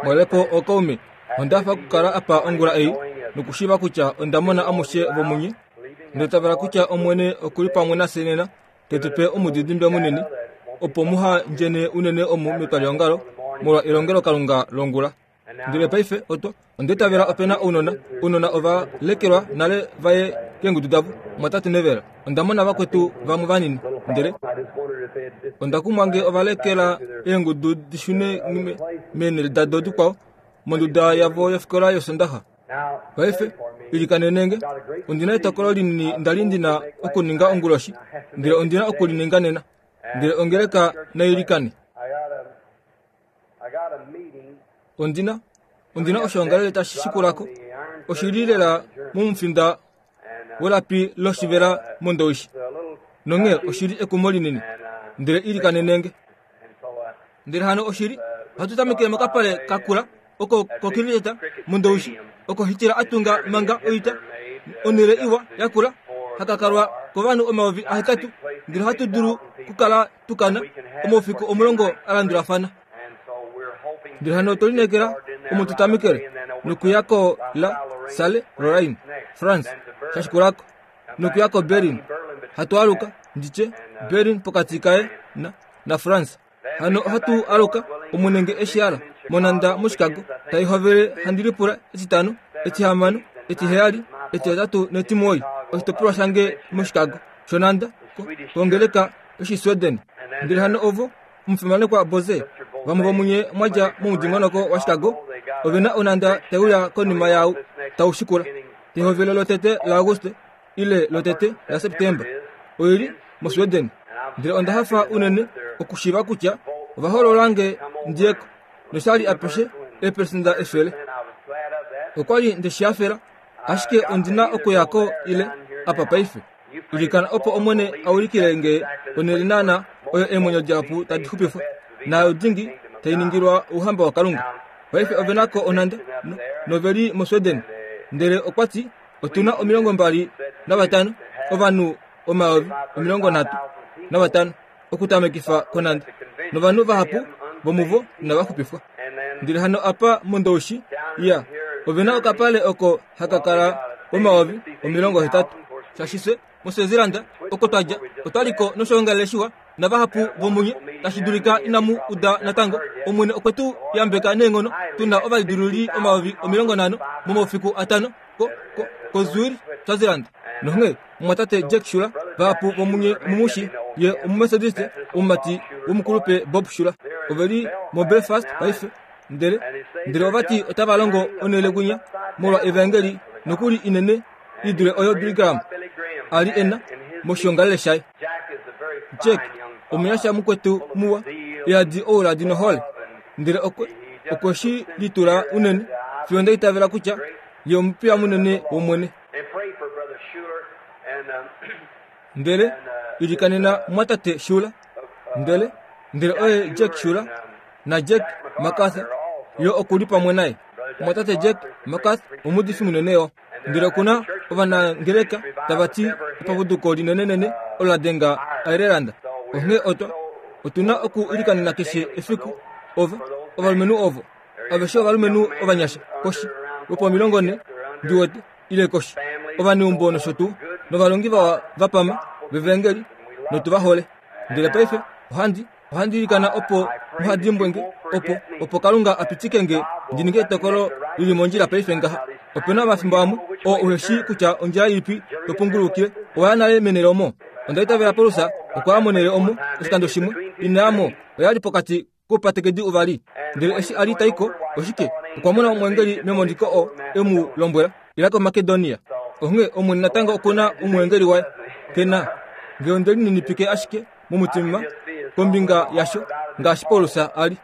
Mwelepo okaume, onda hafa okukala apa ongula ei nokushiiva kutya onda mona amushe vomunye. Onda itavela kutya Omwene oku li pamwe nafye nena, te tu pe omudidimbe munini, opo muha ndjene unene omu metwaliongalo molwa elongelokalunga longula. Ndele paife otwa, onda itavela ope na ounona, ounona ova lekelwa nale va ye keengudu davo, mwatate Neville. Onda mona vakwetu vamwe vanini, ndele onda kumwa nge ova lekela eengudu di shune meenhele dado dikwao monduda yavo yofikola yOsondaxa. Paife, ilikanene nge. Ondi na etokolo linini nda li ndi na okuninga onguloshi, ndele ondi na oku li ninga nena. Ndele ongeleka nai ilikane. Ondi na, ondi na oshoongalele tashi shikula ko. Oshi li lela momufinda welapi loshivela mondowishi. Nonghee oshi li ekumo linini. Ndele ilikanene nge. Ndele hano oshi li, ohatu tameke mokapale ka kula oko kokiriketa mondowishi, oko Hitler a tunga manga oita, onhele iwa yakula, haka kalwa kovanhu 8000, ndele ohatu dulu kukala tukana omaufiku omulongo a landulafana. Ndele hano otwe lineekela omo tu tamekele nokuya ko La Salle Lorraine, France, sha shikulako, nokuya ko Berlin. Hatu aluka, ndi tye, Berlin pokati kaye na, naFrance. Hano ohatu aluka, Omwene nge eshi ala, monhanda moChicago, tai hovele handi lipula etitano, etihamano, etiheyali, etihetatu netimuwoi, oshitopolwa shange moChicago shonhanda, ko, kongeleka yOshisweden. Ndele hano ovo, omufimanekwa Boze, vamwe vomunye mwa dja momudingonoko waChicago, ove na onhanda tai uya konima yaau tau shikula, pehovelo lotete laAuguste ile lotete laSeptemba. Oi li moSweden. Ndele onda hafa unene okushiiva kutya ova hoolola nge ndi ye ko, nosha li apeshe 100%. Okwa li nde shi hafela, ashike ondi na okuya ko ile apa paife. Ilikana opo Omwene a ulikile nge onhele naana oyo eemwenyo dihapu tadi xupifwa, naayo dingi tai ningilwa Ouhamba waKalunga. Paife ove na ko onhanda, no, nove li moSweden. Ndele okwa ti, Otu na 25, ovanhu 35000 okutamekifa konhanda, novanhu vahapu vomuvo inava xupifwa. Ndele hano apa mOndoushi, ya, ove na okapale oko haka kala 80,000. Shaashi fye moSwaziland oko twa dja, otwa li ko noshoongalele shiwa navahapu vomunye tashi dulika inamu uda natango. Omwene okwe tu yambeka neenghono tu na ovalidilululi 50,000 momaufiku atano ko, ko, koZurich, Swaziland. Nonghee omumwatate Jack Shuler, vahapu vomunye omumushi, ye Omumethodiste, omumati womukulupe Bob Shuler. Ove li moBelfast paife. Ndele, ndele ova ti otava longo onhele kwinya molwa Evaengeli nokuli inene i dule oyo Billy Graham a li e na moshiongalele shaye. Jack, omunyasha mukwetu muwa, yadi ouladi nohole, ndele okwe, okwe shi litula unene fiyo nda itavela kutya ye omupiya munene wOmwene. Ndele ilikanena mumwatate Shuler, ndele, ndele oye Jack Shuler naJack MacArthur yo oku li pamwe naye. Mumwatate Jack MacArthur omuudifi munene yo. Ndele oku na ovanangeleka tava ti epapuduko linenenene olo la denga Ireland. Onghee otwa, otu na oku ilikanena keshe efiku ova, ovalumenhu ovo. Aveshe ovalumenhu ovanyasha, koshi lwopomilongonhe, ndi wete, ile koshi, ovaneumbo nosho tuu, novalongi vawa va pama vEvaengeli, notu va hole. Ndele paife ohandi, ohandi ilikana opo muha dimbwe nge, opo, opo Kalunga a pitike nge ndi ninge etokolo li li mondjila paife ngaha. Ope na omafimbo amwe oo uhe shii kutya ondjila ilipi to pungulukile. Owa ya nale menhele omo. Onda itavela Paulus okwa ya monhele omo oshikando shimwe, ina ya mo, oya li pokati koupatekedi uvali. Ndele eshi a li ta i ko, oshike, okwa mona omweengeli memoniko oo e mu lombwela, Ila koMakedonia. Onghee Omwene natango oku na omweengeli waye. Ke na. Nge onde lininipike ashike momutima kombinga yasho ngaashi Paulus a li.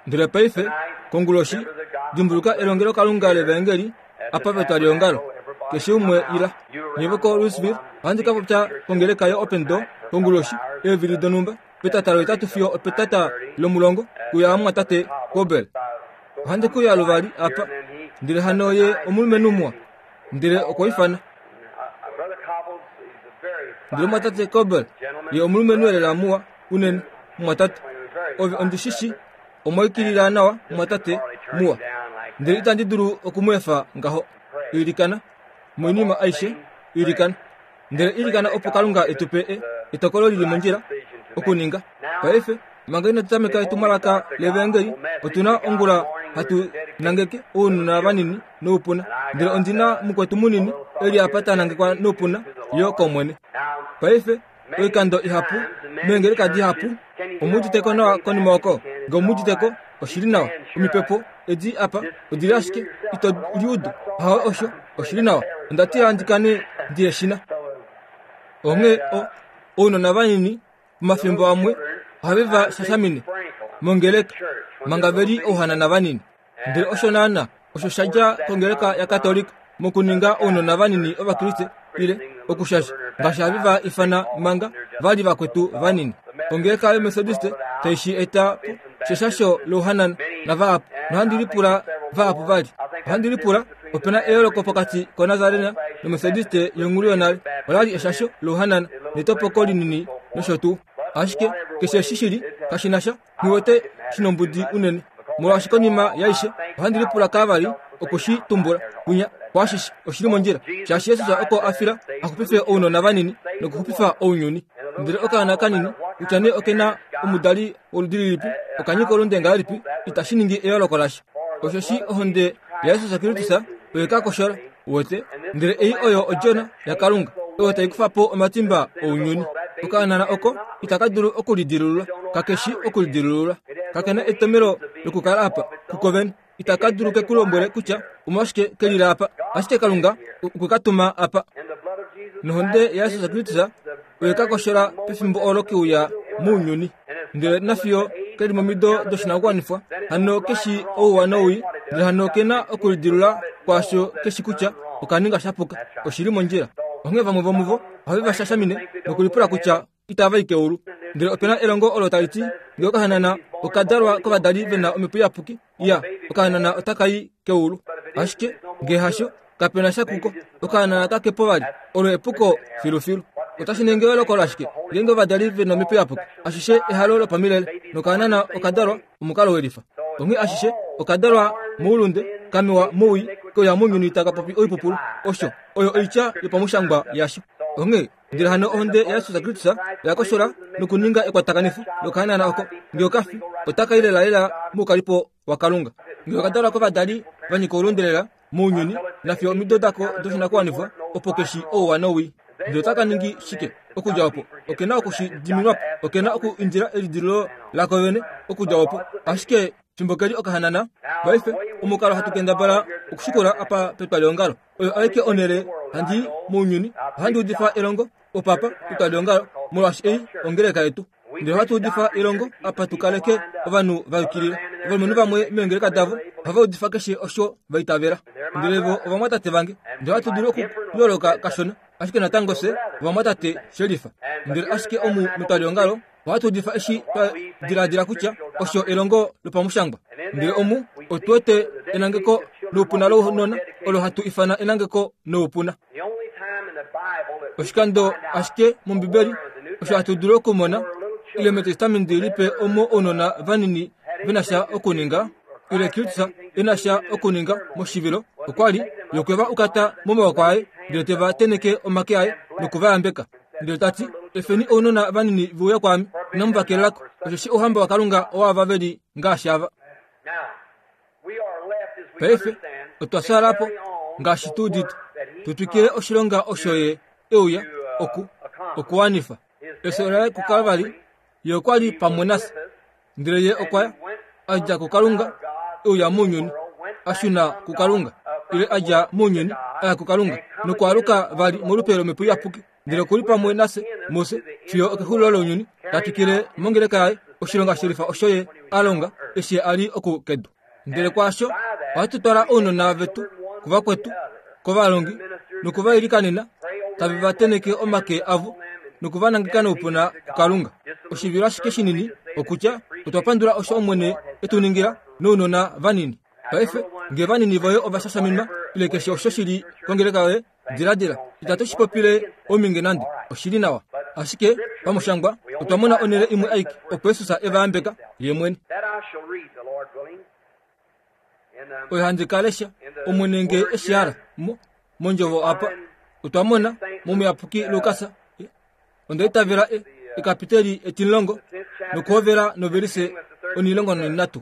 Ndele paife, konguloshi, dimbuluka elongelokalunga levaengeli apa petwaliongalo. Keshe umwe ila. Nye voko-Louisville, ohandi ka popya kongeleka yo-Open Door konguloshi, eevili donhumba. petata lohetatu fiyo opetata lomulongo kuya amumwatate Kobel. Ohandi kuya luvali apa, ndele hano ye omulumenhu muwa, ndele okwa ifana. Ndele mumwatate Kobel ye omulumenhu elela muwa unene, mumwatate. Ove ondi shi shi. Omwa yukilila nawa, mumwatate muwa. Ndele itandi dulu oku mu efa ngaho. Ilikana. Moinima aishe, ilikana. Ndele ilikana opo Kalunga e tu pe e, etokolo li li mondjila okuninga. Paife, manga inatu tameka etumwalaka lEvaengeli, otu na ongula hatu nangeke ounona vanini noupuna. Ndele ondi na mukwetu munini e li apa ta nangekwa noupuna yo kOmwene. Paife, oikando ihapu, meengeleka dihapu, omu udite ko nawa konima oko? Nge omu udite ko, oshi li nawa. Omipepo edi apa odi li ashike ito liudu. Ahawe osho, oshi li nawa. Onda tila ndi kane ndi eshina. Onghee o, ounona vanini omafimbo amwe ohave va shashamine mongeleka manga ve li ouhanana vanini. Ndele osho naana osho sha dja kongeleka yaKatolika mokuninga ounona vanini Ovakriste ile okushasha ngaashi have va ifana manga va li vakwetu vanini. Ongeleka yoMethodiste tai shi eta po sheshasho louhanana navahapu, nohandi lipula vahapu vali. Ohandi lipula ope na eyooloko pokati koNazarena noMethodiste yonghulu yonale. Ola li eshasho louhanana netopoko linini nosho tuu. Ashike keshe eshi shi li kashi na sha Nghi wete shi nombudi unene, molwaashi konima yaishe ohandi lipula kaavali oku shi tumbula. Kwinya kwaashishe oshi li mondjila, shaashi Jesus oko a fila a xupife ounona vanini nokuxupifa ounyuni. Ndele okaana kanini, kutya nee oke na omudali woludi lilipi, oka nyika olunde ngahelipi, itashi ningi eyooloko lasha. Osheshi ohonde yaJesus Kristus oye ka koshola. Uwete? Ndele ei oyo Odjona yaKalunga, oyo tai kufa po omatimba ounyuni. Okaanana oko itaka dulu okulidilulula, kake shi okulidilulula. Kake na etomhelo lokukala apa kuko vene. Itaka dulu ke ku lombwele kutya omolwashike ke lile apa, ashike Kalunga okwe ka tuma apa. Nohonde yaJesus Kristus oye ka koshola pefimbo olo ke uya mounyuni. Ndele nafiyo ke li momido doshinakuwanifwa, hano ke shi ouwa nowii, ndele hano ke na okulidilula kwaasho ke shi kutya oka ninga sha puka, oshi li mondjila. Onghee vamwe vomuvo ohave va shashamine nokulipula kutya itava i keulu. Ndele ope na elongo olo tali ti ngee okahanana oka dalwa kovadali ve na omhepo iyapuki, ya, okahanana otaka i keulu. Ashike ngee hasho, kape na sha kuko. Okahanana kake po vali. Olo epuko filufilu. Otashi ningi eyooloko lashike ngeenge ovadali ve na omhepo iyapuki? Ashishe ehalo lopamilele, nokahanana oka dalwa omukalo welifa. Onghee ashishe oka dalwa moulunde, ka mewa mowii, ke uya mounyuni taka popi oipupulu. Osho oyo oitya yopamushangwa yasho. Onghee Ndele hano ohonde yaJesus Kristus oya koshola nokuninga ekwatakanifo lokahanana oko. Nge oka fi, otaka i lelalela moukalipo waKalunga. Nge oka dalwa kovadali va nyika oulunde lela mounyuni, nafiyo omido dako doshinakuwanifwa, opo ke shi ouwa nowii. Ndele otaka ningi shike okudja opo? Oke na oku shi diminwa po. Oke na oku indila elidilululo lako vene okudja opo. Ashike fimbo ke li okahanana, paife, omukalo hatu kendabala okushikula apa petwaliongalo, Oyo aike onhele handi i mounyuni. Ohandi udifa elongo opapa petwaliongalo, molwaashi ei ongeleka yetu. Ndele ohatu udifa elongo apa tu kaleke ovanhu va yukilila. Ovalumenhu vamwe meengeleka davo ohava udifa keshe osho va itavela. Ndele vo ovamwatate vange. Ndele ohatu dulu okuyooloka kashona, ashike natango fye ovamwatate shelifa. Ndele ashike omu metwaliongalo Ohatu udifa eshi twa diladila kutya osho elongo lopamushangwa. Ndele omu otu wete enangeko noupuna lounona olo hatu ifana enangeko noupuna. Oshikando ashike mOmbibeli osho hatu dulu okumona ile mEtestamenti Lipe omo ounona vanini ve na sha okuninga ile Kristus e na sha okuninga moshivilo okwa li yo kwe va ukata momawoko aye ndele te va tenheke omake aye noku va yambeka. Ndele ta ti, Efeni ounona vanini ve uye kwaame, inamu va kelela ko, osheshi ouhamba waKalunga owaava ve li ngaashi ava. Paife otwa fyaala po, ngaashi tu udite, tu twikile oshilonga osho Ye e uya oku, okuwanifa. Efyo laye kuKalvari, Ye okwa li pamwe nafye. Ndele Ye okwa ya, a dja kuKalunga, e uya mounyuni, a shuna kuKalunga, ile a dja mounyuni, a ya kuKalunga, nokwaaluka vali molupe lOmhepo Iyapuki, ndele oku li pamwe nafye, mufye, fiyo okexulilo lounyuni, ta twikile mongeleka yaye oshilonga shelifa osho Ye a longa eshi Ye a li oku kedu. Ndele kwaasho ohatu twala ounona vetu kuvakwetu, kovalongi, noku va ilikanena, tave va tenheke omake avo noku va nangeka noupuna kuKalunga. Oshivilo ashike shinini okutya otwa pandula osho Omwene e tu ningila nounona vanini. Paife, nge vanini voye ova shashaminwa ile keshe osho shi li kongeleka yoye, Diladila, itatu shi popile ominge nande, oshi li nawa. Ashike, pamushangwa, otwa mona onhele imwe aike opo Jesus e va yambeka, Ye mwene. Oyo handi ka lesha, Omwene nge e shi hala, mo, mondjovo apa. Otwa mona, mOmuyapuki Lukas, onda itavela e, ekapiteli etimulongo, nokuhovela novelise onilongo nonhinhatu.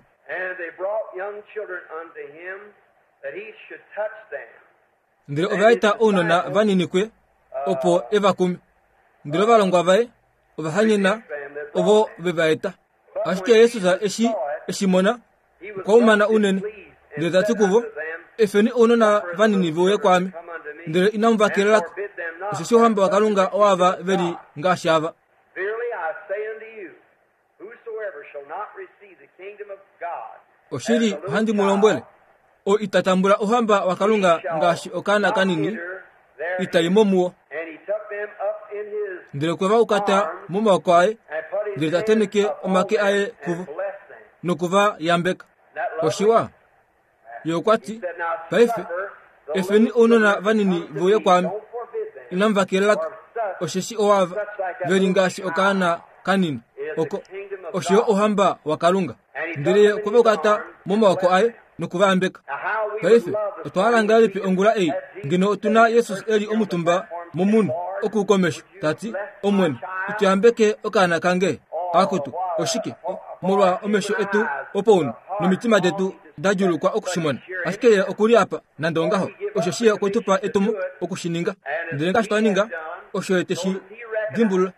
Ndele ova eta ounona vanini kuye, opo e va kume. Ndele ovalongwa vaye ova hanyena ovo ve va eta. Ashike Jesus eshi e shi mona, okwa umana unene, ndele ta ti kuvo, Efeni ounona vanini ve uye kwaame, ndele inamu va kelela ko, osheshi ouhamba waKalunga owaava ve li ngaashi ava. Oshili ohandi mu lombwele, oo ita tambula ouhamba waKalunga ngaashi okaana kanini, ita i mo muwo. Ndele okwe va ukata momaoko aye, ndele ta tenheke omake aye kuvo noku va yambeka. Oshiwa, ye okwa ti, Paife, efeni ounona vanini ve uye kwaame, inamu va kelela ko, osheshi owaava ve li ngaashi okaana kanini oko osho yo ouhamba waKalunga. Ndele ye okwe va ukata momaoko aye noku va yambeka. Paife, otwa hala ngahelipi ongula ei ngeno otu na Jesus e li omutumba momunhu oku komesho, ta ti, Omwene, ito yambeke okaana kange? Akutu, oshike? Molwa omesho etu opounhu nomitima detu da djuulukwa oku shi mona. Ashike ye oku li apa, nande ongaho, osheshi ye okwe tu pa etumo oku shi ninga. Ndele ngaashi twa ninga, osho ye te shi dimbulula.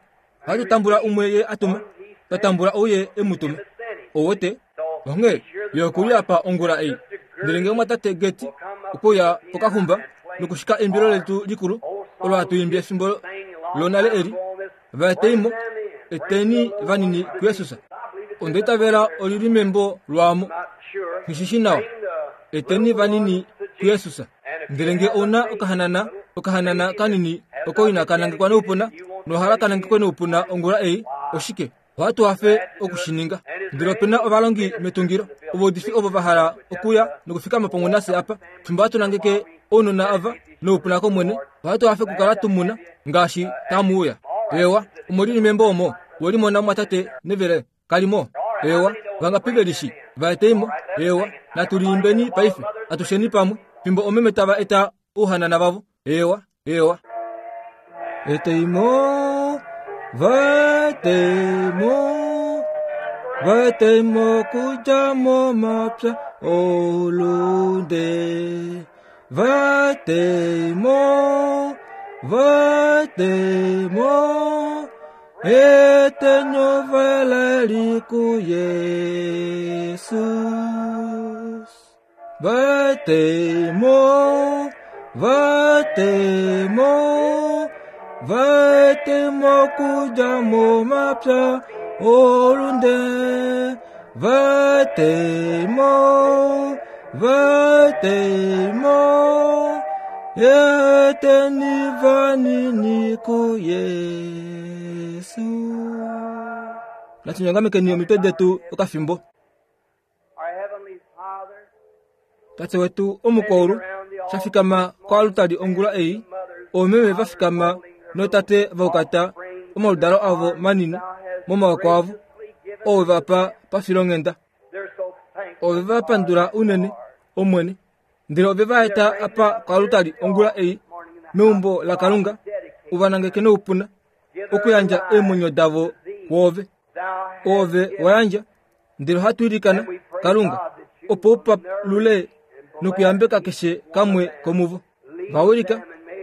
Ohatu tambula umwe ye a tuma, twa tambula ou ye e mu tuma. Ou wete? Onghee ye oku li apa ongula ei. Ndele ngee omwatate Gertie okwe uya pokaxumba nokushika eimbilo letu likulu olo hatu imbi efimbo lonale eli, Va etei mo, eteni vanini kuJesus. Onda itavela oli li membo lwaamo. Nghi shi shi nawa. Eteni vanini kuJesus. Ndele nge ou na okahanana, okahanana kanini oko inaka nangekwa noupuna, nohala ka nangekwe noupuna ongula ei, oshike, ohatu hafe oku shi ninga. Ndele ope na ovalongi metungilo, ovaudifi ovo va hala okuya nokufikama pamwe nafye apa, fimbo hatu nangeke ounona ava noupuna kOmwene, ohatu hafe okukala tu mu na ngaashi tamu uya. Eewa, omo li li membo omo, we li mona mumwatate Neville, kali mo? Eewa, vangapi ve li shi? Va etei mo. Eewa, natu li imbeni paife, atusheni pamwe, fimbo omeme tava eta ouhanana vavo. Eewa, eewa. Etei mo, va etei mo, va etei mo okudja momapya oulunde. Va etei mo, va etei mo, eteni ovalali kuJesus. Vatemo, vatemo, vatemo okudja momapya olunde. Vatemo, vatemo, eteni vanini kuYesu. Natu nyongamekeni omitwe detu okafimbo. Tate wetu omukwaulu sha fikama koalutali ongula ei, oomeme va fikama nootate va ukata omaludalo avo manini momaoko avo, oo we va pa pafilonghenda. Ove va pandula unene, Omwene, ndele ove va eta apa koalutali ongula ei meumbo laKalunga, u va nangeke noupuna okuyandja eemwenyo davo kwoove. Oove wa yandja Ndele ohatu ilikana, Kalunga, opo u palule nokuyambeka keshe kamwe komuvo. Va wilika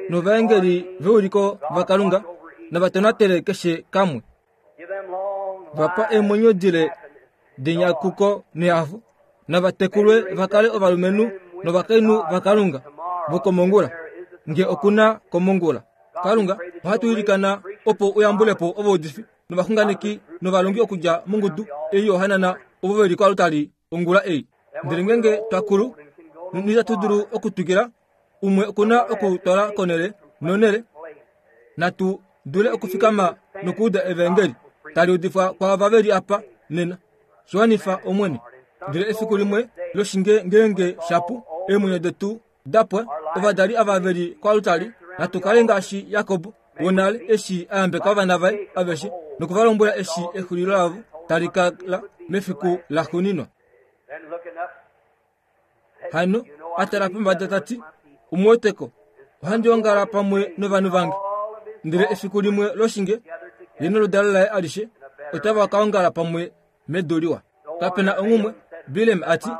novaengeli veuliko vaKalunga nava tonatele keshe kamwe. Va pa eemwenyo dile denyakuko nehafo. Nava tekulwe va kale ovalumenhu novakainhu vaKalunga vokomongula, nge oku na komongula. Kalunga, ohatu ilikana opo u yambule po ovaudifi novaxunganeki novalongi okudja mongudu ei yohanana ovo ve li koalutali ongula ei. Ndele ngeenge twa kulu noitatu dulu okutwikila, umwe oku na okutwala konhele nonhele, natu dule okufikama nokuuda evaengeli tali udifwa kwaava ve li apa nena. Shi wanifa, Omwene. Ndele efiku limwe loshinge ngeenge shapu, eemwenyo detu da pwa, ovadali ava ve li koalutali. Natu kale ngaashi Jakob wonale eshi a yambeka ovana vaye aveshe noku va lombwela eshi exulilo lavo tali kala mefiku laxuuninwa. Hano a tala pombada ta ti, Umuweteko, ohandi ongala pamwe novanhu vange. Ndele efiku limwe loshinge, ye noludalo laye alishe otava ka ongala pamwe medu liwa. Kape na onghumwe, Bileam a ti,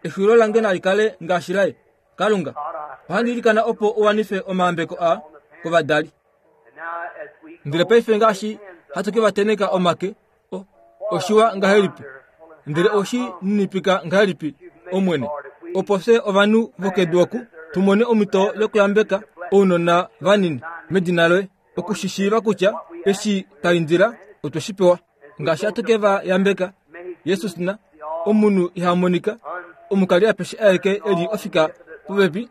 Exulilo lange nali kale ngaashi laye. Kalunga, ohandi ilikana opo u wanife omayambeko aa kovadali. Ndele paife ngaashi hatu ke va teneka omake, o, oshiwa ngahelipi, ndele oshi ninipika ngahelipi, Omwene, opo fye ovanhu vokedu oku tu mone omhito yokuyambeka ounona vanini medina loye, oku shi shiiva kutya eshi twa indila otwe shi pewa. Ngaashi hatu ke va yambeka, Jesus na omunhu iha monika, omukali apeshe aeke e li ofika popepi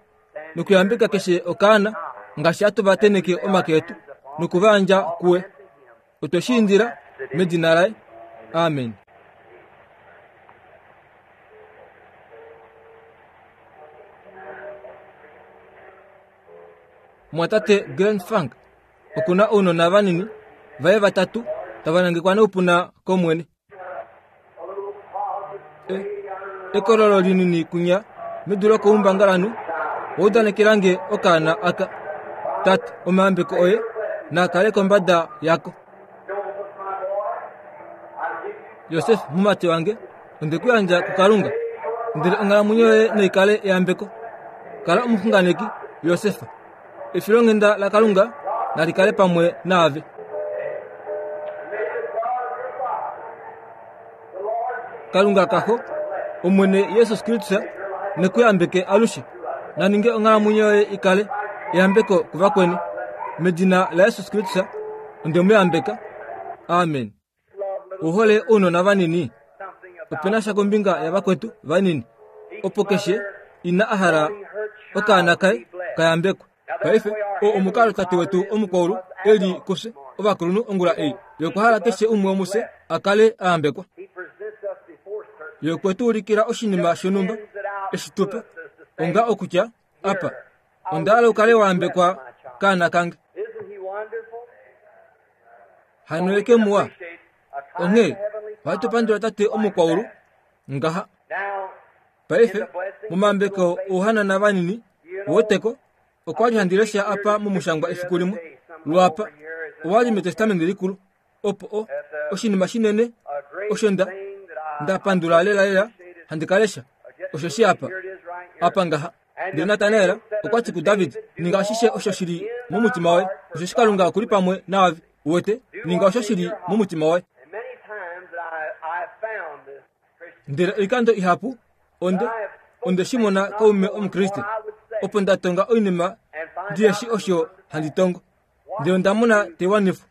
nokuyambeka keshe okaana, ngaashi hatu va teneke omake etu noku va yandja kuye. Otwe shi indila medina laye. Amen. Mwatate Glenn Funk oku na ounona vanini vaye vatatu tava nangekwa noupuna kOmwene. E, ekololo linini kunya medu lokoumbangalanhu wa udanekela nge okaana aka. Tate, omayambeko oye naa kale kombada yako. Josef, mumati wange, onde ku yandja kuKalunga, ndele onghalamwenyo yoye nai kale eyambeko. Kala omuxunganeki, Josef. Efilonghenda laKalunga nali kale pamwe naave. Kalunga kaxo, Omwene Jesus Kristus ne ku yambeke alushe. Na ninge onghalamwenyo yoye i kale eyambeko kuvakweni. Medina laJesus Kristus onde mu yambeka. Amen. U hole ounona vanini? Ope na sha kombinga yavakwetu vanini opo keshe ina a hala okaana kaye ka yambekwe. Paife, oo omukalo Tate wetu omukwaulu e li kufye ovakulunhu ongula ei. Ye okwa hala keshe umwe womufye a kale a yambekwa. Ye okwe tu ulikila oshinima shonhumba eshi tu pe, onga okutya, Apa, onda hala u kale wa yambekwa kaana kange. Hano ye ke muwa. Onghee, ohatu pandula Tate omukwaulu ngaha. Paife, momayambeko ouhanana vanini, woteko, okwa li handi lesha apa momushangwa efiku limwe, lwaapa, owa li mEtestamenti Likulu, opo o, oshinima shinene osho nda, nda pandula lelalela handi ka lesha, osheshi apa, apa ngaha. Ndele Natanael okwa ti kuDavid, Ninga ashishe osho shi li momutima woye, osheshi Kalunga oku li pamwe naave. Uwete, ninga osho shi li momutima woye. Ndele oikando ihapu onde onde shi mona kaume Omukriste, opo nda tonga oinima ndihe shi osho handi tongo, ndele onda mona te wanifwa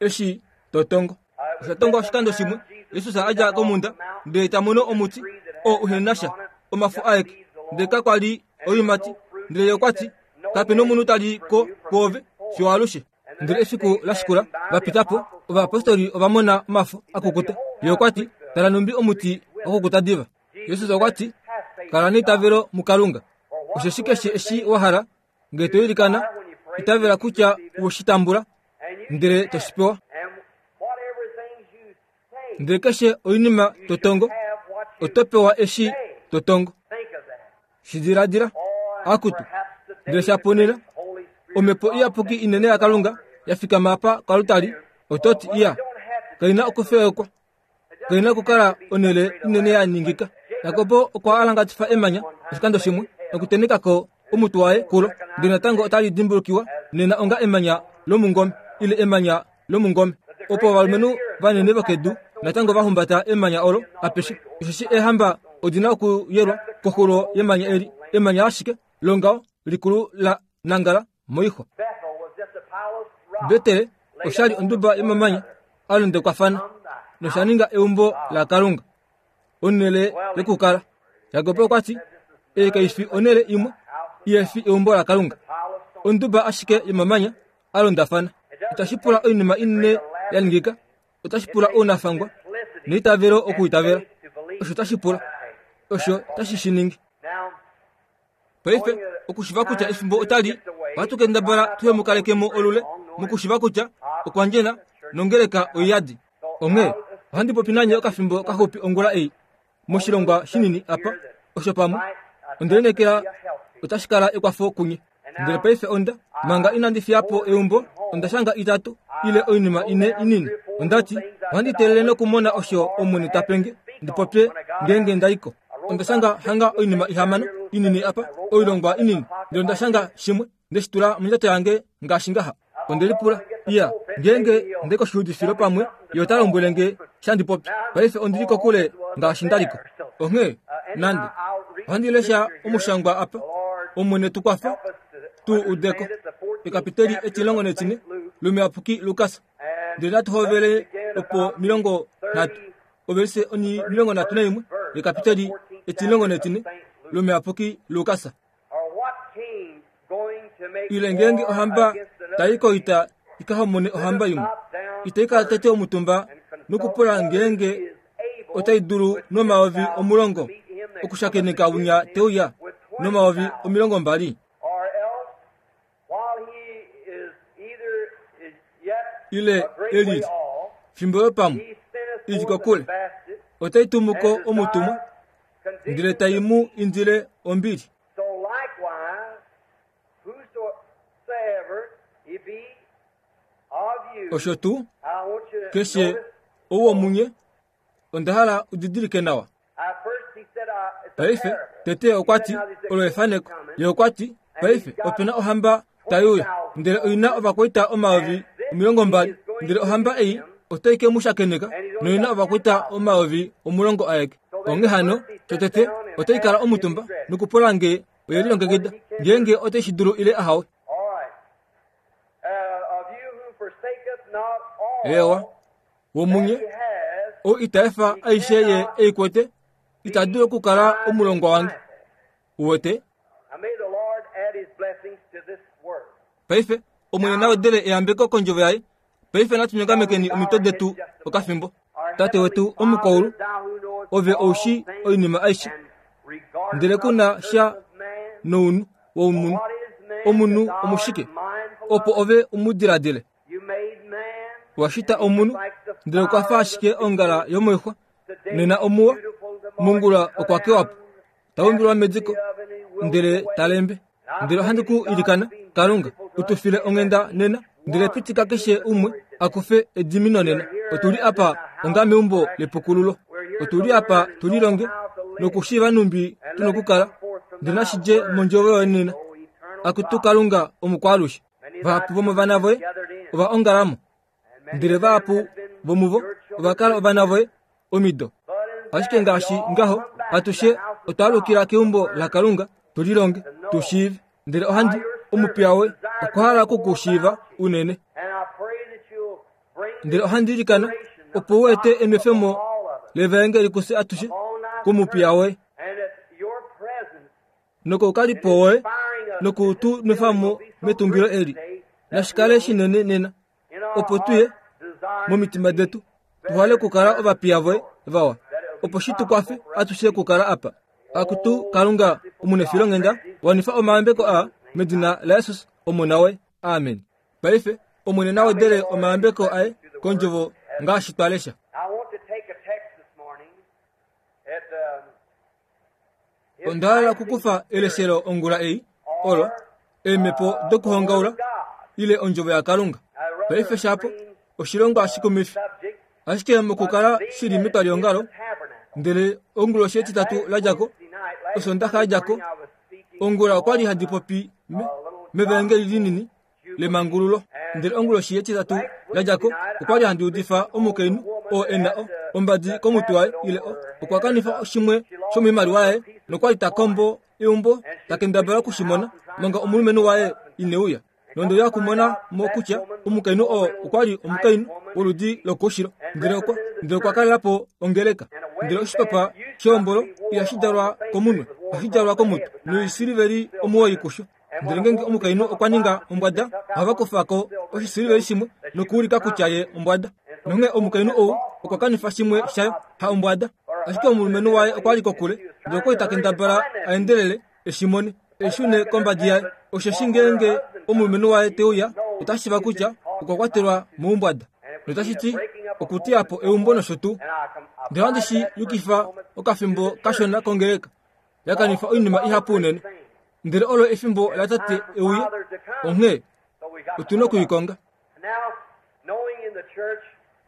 eshi to tongo. Osha tongwa oshikando shimwe, Jesus a dja komhunda ndele ta mono omuti oo uhe na sha omafo aeke, ndele kakwa li oiimati. Ndele ye okwa ti, Kape nomunhu ta li ko kwoove fiyo alushe. Ndele efiku la shikula va pita po, ovayapostoli ova mona omafo a kukuta. Ye okwa ti, Tala nhumbi omuti wa kukuta diva. Jesus okwa ti, Kala neitavelo muKalunga. Osheshi keshe eshi wa hala, ngee to ilikana, itavela kutya we shi tambula, ndele to shi pewa. Ndele keshe oinima to tongo, oto pewa eshi to tongo. Shi diladila, akutu, ndele sha ponena, Omhepo Iyapuki inene yaKalunga ya fikama apa koaltari, oto ti, Iya, kai na okufewekwa. Kai na okukala onhele inene ya ningika. Jakob okwa alangatifa emanya oshikando shimwe nokuteneka ko omutwe waye kulo, ndele natango otali dimbulukiwa nena onga emanya lomungome ile emanya lomungome. Opo ovalumenhu vanene vokedu natango va humbata emanya olo apeshe, osheshi eehamba odi na okuyelwa koxulo yemanya eli, emanya ashike longaho likulu la nangala moixwa. Betel osha li onduba yomamanya a londekwafana nosha ninga eumbo laKalunga, onhele yokukala. Jakob okwa ti, Ei kai fi onhele imwe ihe fi eumbo laKalunga, onduba ashike yomamanya a londafana. Itashi pula oinima inene ya ningika, otashi pula ounafangwa neitavelo okuitavela. Osho tashi pula, osho tashi shi ningi. Paife, okushiva kutya efimbo otali Ohatu kendabala tuhe mu kaleke mo olule, mokushiva kutya okwa ndjena nongeleka oiyadi. Onghee ohandi popi nanye okafimbo kaxupi ongula ei, moshilongwa shinini apa, osho pamwe, onde lineekela otashi kala ekwafo kunye. Ndele paife onda, manga inandi fiya po eumbo, onda shanga itatu ile oinima ine inini. Onda ti, ohandi teelele nokumona osho Omwene ta pe nge, ndi popye ngeenge nda i ko. Onda shanga hanga oinima ihamano inini apa, oilongwa inini. Ndele onda shanga shimwe, nde shi tula mondjato yange ngaashi ngaha. Onde lipula, Iya, ngeenge nde koshiudifilo pamwe, ye ota lombwele nge sha ndi popye. Paife ondi li kokule ngaashi nda li ko. Onghee, nande, ohandi lesha omushangwa apa, Omwene tu kwafa tu ude ko. Ekapiteli etilongo netine lOmuyapuki Lukas. Ndele natu hovele opo 30, ovelise oni 31 yekapiteli etilongo netine lOmuyapuki Lukas. Ile ngeenge ohamba tai koita i ka homone ohamba imwe, itai kala tete omutumba nokupula ngeenge otai dulu nomayovi 10 okushakeneka winya te uya nomayovi 20? Ile eli fimbo yo pamwe i li kokule, otai tumu ko omutumwa ndele tai mu indile ombili. Osho tuu, keshe ou womunye, onda hala u didilike nawa. Paife, tete okwa ti, olo efaneko. Ye okwa ti, Paife, ope na ohamba tai uya, ndele oi na ovakwaita 20,000, ndele ohamba ei otai ke mu shakeneka noi na ovakwaita 10,000 aeke. Onghee hano, totete otai kala omutumba nokupula nge oye lilongekida, ngeenge otai shi dulu ile ahawe. Eewa, womunye, ou ita efa aishe ye ei kwete, ita dulu okukala omulongwa wange. Uwete? Paife, Omwene na wedele eyambeko kondjovo yaye. Paife natu nyongamekeni omitwe detu okafimbo. Tate wetu omukwaulu, ove ou shii oinima aishe, ndele ku na sha nounhu womunhu. Omunhu omushike, opo ove u mu diladile? Wa shita omunhu, ndele okwa fa ashike ongala yomoixwa. Nena omuwa, mongula okwa kewa po. Ta umbilwa mediko, ndele ta lembe. Ndele ohandi ku ilikana, Kalunga, u tu file onghenda nena, ndele pitika keshe umwe a kufe edimino nena. Otu li apa onga meumbo lepukululo. Otu li apa tu lilonge nokushiiva nhumbi tu nokukala, ndele nashi dje mondjovo yoye nena. Akutu Kalunga omukwaalushe, vahapu vomovana voye ova ongala mo, ndele vahapu vomuvo ova kala ovana voye omido. Ashike ngaashi ngaho, atushe otwa alukila keumbo laKalunga tu lilonge, tu shiive. Ndele ohandi, omupiya woye okwa hala oku ku shiiva unene. Ndele ohandi ilikana opo u ete enwefemo levaengeli kufye atushe komupiya woye. Nokoukalipo woye noku tu nwefa mo metungilo eli. Nashi kale shinene nena, opo tu ye momitima detu tu hale okukala ovapiya voye vawa, opo shi tu kwafe atushe okukala apa. Akutu Kalunga omunefilonghenda, wanifa omayambeko aa medina laJesus Omona woye. Amen. Paife Omwene na wedele omayambeko aye kondjovo ngaashi twa lesha. Onda hala okukufa eleshelo ongula ei, olo, eemhepo dokuhongaula, ile ondjovo yaKalunga. Paife shapo, oshilongwa shikumifi. Ashike mokukala shi li metwaliongalo, ndele onguloshi yetitatu la dja ko, Osondaxa ya dja ko, ongula okwa li handi popi me, mevaengeli linini, lemangululo. Ndele onguloshi yetitatu la dja ko, okwa li handi udifa omukainhu oo e na o, ombadi komutwe waye, ile o, okwa kanifa shimwe shomoimaliwa yaye, nokwa li ta kombo eumbo ta kendabala oku shi mona, manga omulumenhu waye ine uya. Nonde uya okumona mo kutya omukainhu oo okwa li omukainhu woludi lokoushilo, ndele okwa, ndele okwa kalela po ongeleka. Ndele oshipapa shehombolo ihashi djalwa komunwe, ohashi djalwa komutwe, noisiliveli 9 kusho. Ndele ngeenge omukainhu okwa ninga ombwada, ohava kufa ko oshisiliveli shimwe nokuulika kutya ye ombwada. Nonghee omukainhu ou okwa kanifa shimwe shayo, ha ombwada. Ashike omulumenhu waye okwa li kokule, ndele okwa li ta kendabala a endelele e shi mone, e shune kombadi yaye. Osheshi ngeenge omulumenhu waye te uya, ota shiiva kutya okwa kwatelwa moumbwada. Notashi ti okuteya po eumbo nosho tuu. Ndele ohandi shi yukifa okafimbo kashona kongeleka. Ya kanifa oinima ihapu unene. Ndele olo efimbo latate e uye, onghee otu na oku i konga.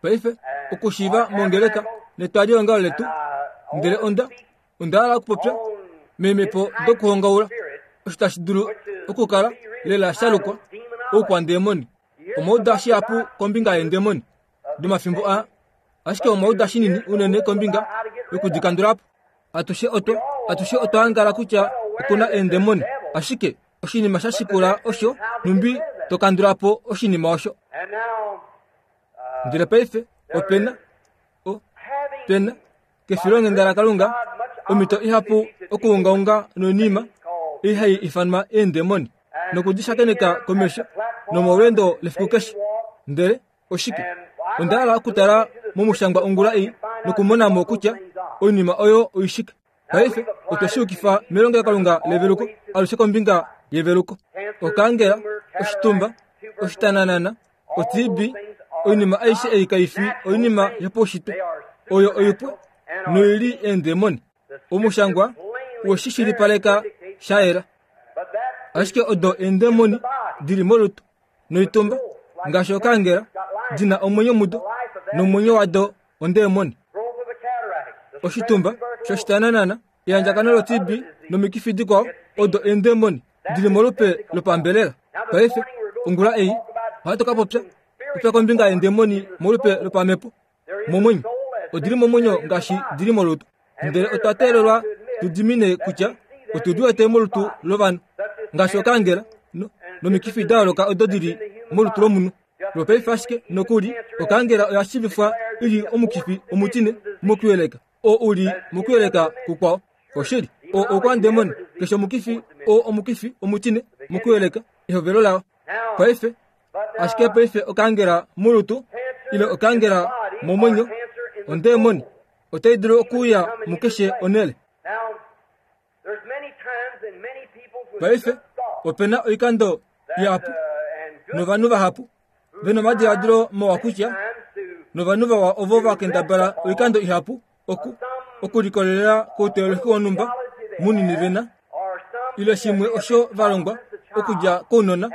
Paife, okushiiva mongeleka netwaliongalo letu, ndele onda onda hala okupopya meemhepo dokuhongaula osho tashi dulu okukala lela sha lukwa oukwandemoni. Omwa uda shihapu kombinga yeendemoni domafimbo aa, ashike omwa uda shinini unene kombinga yokudikandula po. Atushe otwa atushe otwa angala kutya oku na eendemoni, ashike oshinima sha shikula osho nhumbi to kandula po oshinima osho. Ndele paife ope na o pena kefilonghenda laKalunga omhito ihapu okuungaunga noinima ei hai ifanwa eendemoni noku di shakeneka komesho nomolweendo lefiku keshe. Ndele oshike? Onda hala okutala momushangwa ongula ei nokumona mo kutya oinima oyo oishike. Paife otwe shi yukifa melongelokalunga leveluko, alushe kombinga yeveluko. Okaangela, oshitumba, oshitananana, oTB, oinima aishe ei kai fi oinima yopaushitwe. Oyo oipwe noi li eendemoni. Omushangwa we shi shilipaleka sha yela. Ashike odo eendemoni di li molutu noitumba, ngaashi okaangela, di na omwenyo mudo, nomwenyo wado ondemoni. Oshitumba shoshitananana, eandjakano loTB nomikifi dikwao odo eendemoni di li molupe lopambelela. Paife, ongula ei, ohatu ka popya popya kombinga yeendemoni molupe lopamhepo, momwenyo. Odi li momwenyo ngaashi di li molutu. Ndele otwa teelelwa tu dimine kutya otu di wete molutu lovanhu, ngaashi okaangela no, nomikifi da yooloka odo di li molutu lomunhu. Lwopaife ashike nokuli, okaangela oya shiivifwa i li omukifi omutine mokuyeleka oo u li mokuyeleka kukwao. Oshili, oo oukwandemoni, keshe omukifi oo omukifi omutine mokuyeleka ehovelo lao. Paife, ashike paife okaangela molutu ile okaangela momwenyo, ondemoni otai dulu okuuya mukeshe onhele. Paife, ope na oikando ihapu novanhu vahapu ve na omadiladilo mawa kutya novanhu vawa ovo va kendabala oikando ihapu oku okulikolelela kouteolohi wonhumba munini ve na ile shimwe osho va longwa okudja kounona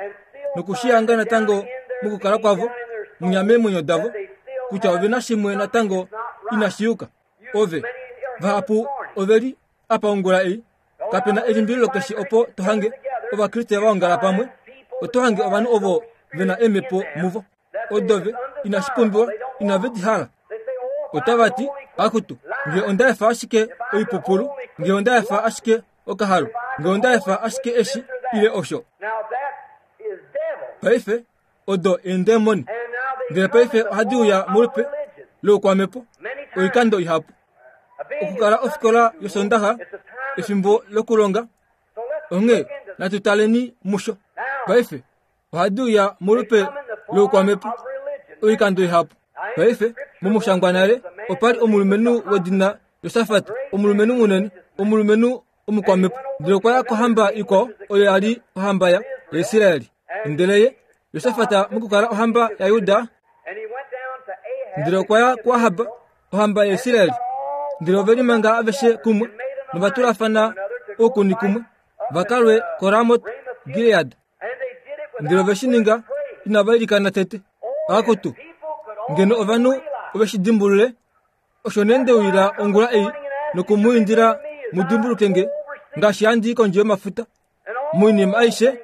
nokushihanga natango mokukala kwavo munya meemwenyo davo kutya ove na shimwe natango inashi yuka. Ove, vahapu ove li apa ongula ei, kape na elimbililo keshe opo to hange Ovakriste va ongala pamwe, oto hange ovanhu ovo ve na eemhepo muvo. Odo ve, inashi pumbiwa, inave di hala. Otava ti, Akutu, nge onda efa ashike oipupulu, nge onda efa ashike okahalu, nge onda efa ashike eshi ile osho. Paife, odo eendemoni. Ndele paife ohadi uya molupe loukwamhepo oikando ihapu. Okukala ofikola yOsondaxa efimbo lokulonga, onghee natu taleni musho. Paife ohadi uya molupe loukwamhepo oikando ihapu. Paife momushangwa nale opa li omulumenhu wedina Josafat, omulumenhu munene, omulumenhu omukwamhepo. Ndele okwa ya kohamba ikwao oyo ya li ohamba yaIsrael. Ndele ye, Josafat mokukala ohamba yaJuda, ndele okwa ya kuAhab, ohamba yaIsrael. Ndele ove limanga aveshe kumwe nova tulafana oukuni kumwe va ka lwe koRamot Gilead. Ndele ove shi ninga inava ilikana tete. Akutu, ngeno ovanhu ove shi dimbulule Osho nee nde uyila ongula ei noku mu indila mu dimbuluke nge ngaashi handi i kondje yomafuta moinima aishe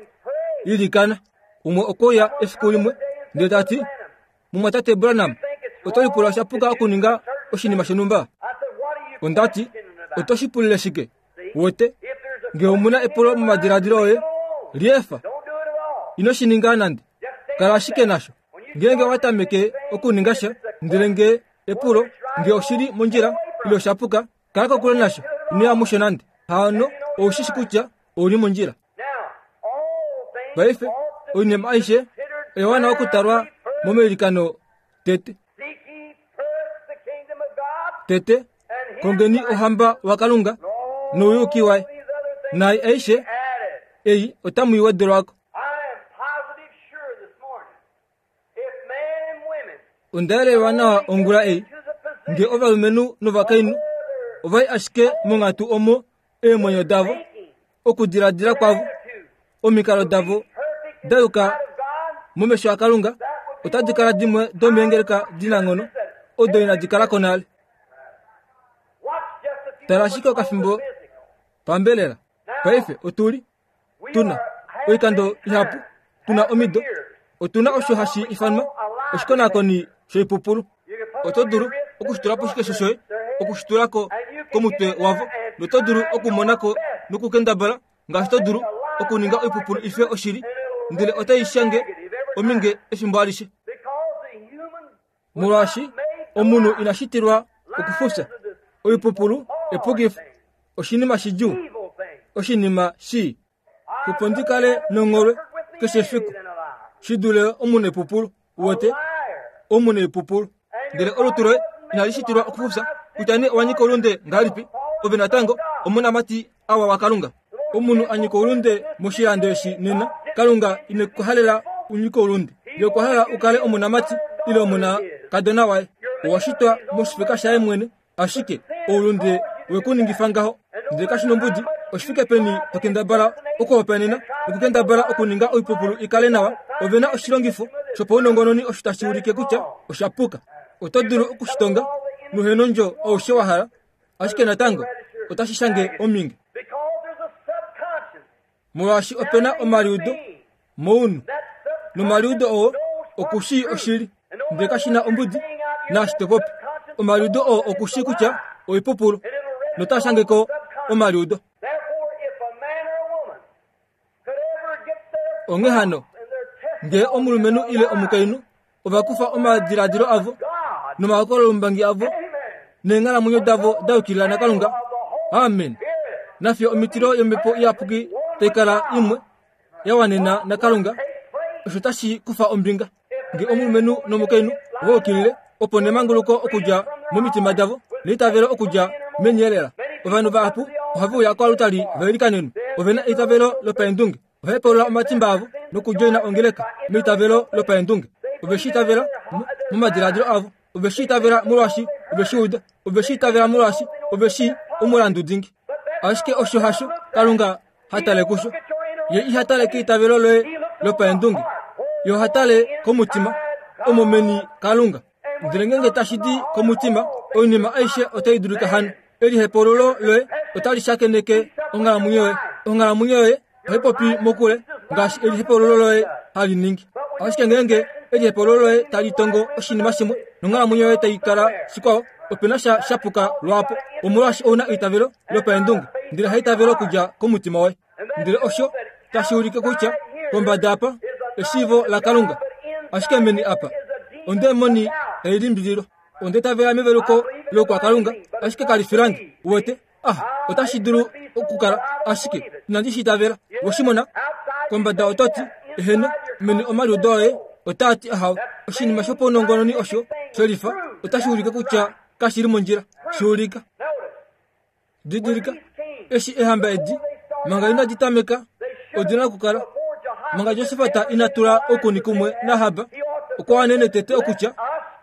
ilikana. Umwe okwe uya efiku limwe ndele ta ti, Mumwatate Branham, oto lipula osha puka okuninga oshinima shonhumba? Onda ti, Oto shi pulile shike? Wote, nge omu na epulo momadiladilo oye, liefa. Ino shi ninga nande. Kala ashike nasho. Ngeenge owa tameke okuninga sha, ndele nge epulo nge oshi li mondjila ile osha puka, kala kokule nasho. Ino ya musho nande. Hano ou shi shi kutya ou li mondjila. Paife, oinima aishe oya wana okutalwa momailikano tete. Tete, kongeni ohamba waKalunga nouyuki waye, naai aishe ei otamu i wedelwa ko. Onda yelelwa nawa ongula ei nge ovalumenhu novakainhu ova i ashike monghatu omo eemwenyo davo, okudiladila kwavo, omikalo davo da yuka momesho aKalunga otadi kala dimwe domeengeleka dinanghono odo inadi kala ko nale. Tala ashike okafimbo pambelela. Paife otu li tu na oikando ihapu tu na omido otu na osho hashi ifanwa oshikonakoni shoipupulu oto dulu okushitula poshikesho shoye okushitula ko komutwe wavo noto dulu okumona ko nokukendabala ngaashi to dulu okuninga oipupulu ife oshili ndele otai shange ominge efimbo alishe molwaashi omunhu ina shitilwa okufufya oipupulu epukifo oshinima shidjuu oshinima shii opo ndi kale nongholwe keshe efiku shi dule omunhu epupulu wote omunhu epupulu ndele olutu loye inali shitilwa okufufya kutya nee owa nyika olunde ngahelipi ove natango omonamati awa wakalunga Omunhu a nyika oulunde moshilando eshi nena, Kalunga ine ku halela u nyike oulunde. Ye okwa hala u kale omonamati ile omonakadona waye. Owa shitwa moshifeka shaye mwene, ashike oulunde we ku ningifa ngaho. Ndele kashi nombudi oshifike peni to kendabala okuhopaenena nokukendabala okuninga oipupulu i kale nawa, ove na oshilongifo shopaunongononi osho tashi ulike kutya osha puka. Oto dulu okushitonga nohenondjo aushe wa hala, ashike natango otashi shange ominge molwaashi ope na omaliudo mounhu nomaliudo oo oku shii oshili ndele kashi na ombudi naashi to popi omaliudo oo oku shii kutya oipupulu notaa shange ko omaliudo Onghee hano, ngee omulumenhu ile omukainhu ova kufa omadiladilo avo nomahokololombangi avo neenghalamwenyo davo da yukilila naKalunga, amen, nafiyo omitilo yOmhepo Iyapuki tai kala imwe ya wanena naKalunga, osho tashi kufa ombinga. Nge omulumenhu nomukainhu ova yukilile opo nemanguluko okudja momitima davo neitavelo okudja meni elela. Ovanhu vahapu ohave uya koalutali va ilikanenwe. Ove na eitavelo lopaendunge. Ova hepaulula omatimba avo nokudjoina ongeleka meitavelo lopaendunge. Ove shi itavela momadiladilo avo. Ove shi itavela molwaashi ove shi uda. Ove shi itavela molwaashi ove shii omulandu dingi. Ashike osho hasho Kalunga ha tale kusho. Ye iha tale keitavelo loye lopaendunge. Ye oha tale komutima, omo meni Kalunga. Ndele ngeenge tashi di komutima, oinima aishe otai dulika hano. Elihepululo loye otali shakeneke onghalamwenyo yoye. Onghalamwenyo yoye ohai popi mokule ngaashi elihepululo loye hali ningi. Ashike ngeenge elihepululo loye tali tongo oshinima shimwe nonghalamwenyo yoye tai kala shikwao, ope na sha shapuka lwaapo. Omolwaashi ou na eitavelo lopaendunge, ndele haitavelo okudja komutima woye. Ndele osho tashi ulike kutya pombada apa eshiivo laKalunga, ashike meni apa ondemoni tai limbililwa. Onda itavela meveluko loukwakalunga, ashike kali fi lange. Uwete? Ah, otashi dulu okukala, ashike inandi shi itavela. We shi mona? Kombada oto ti, Eheno, meni omaliudo oye otaa ti ahawe. Oshinima shopaunongononi osho she lifa otashi ulike kutya kashi li mondjila. Shi ulika. Didilika, eshi eehamba edi manga inadi tameka odi na okukala manga Josafat ina tula oukuni kumwe naAhab, okwa wanene tete okutya,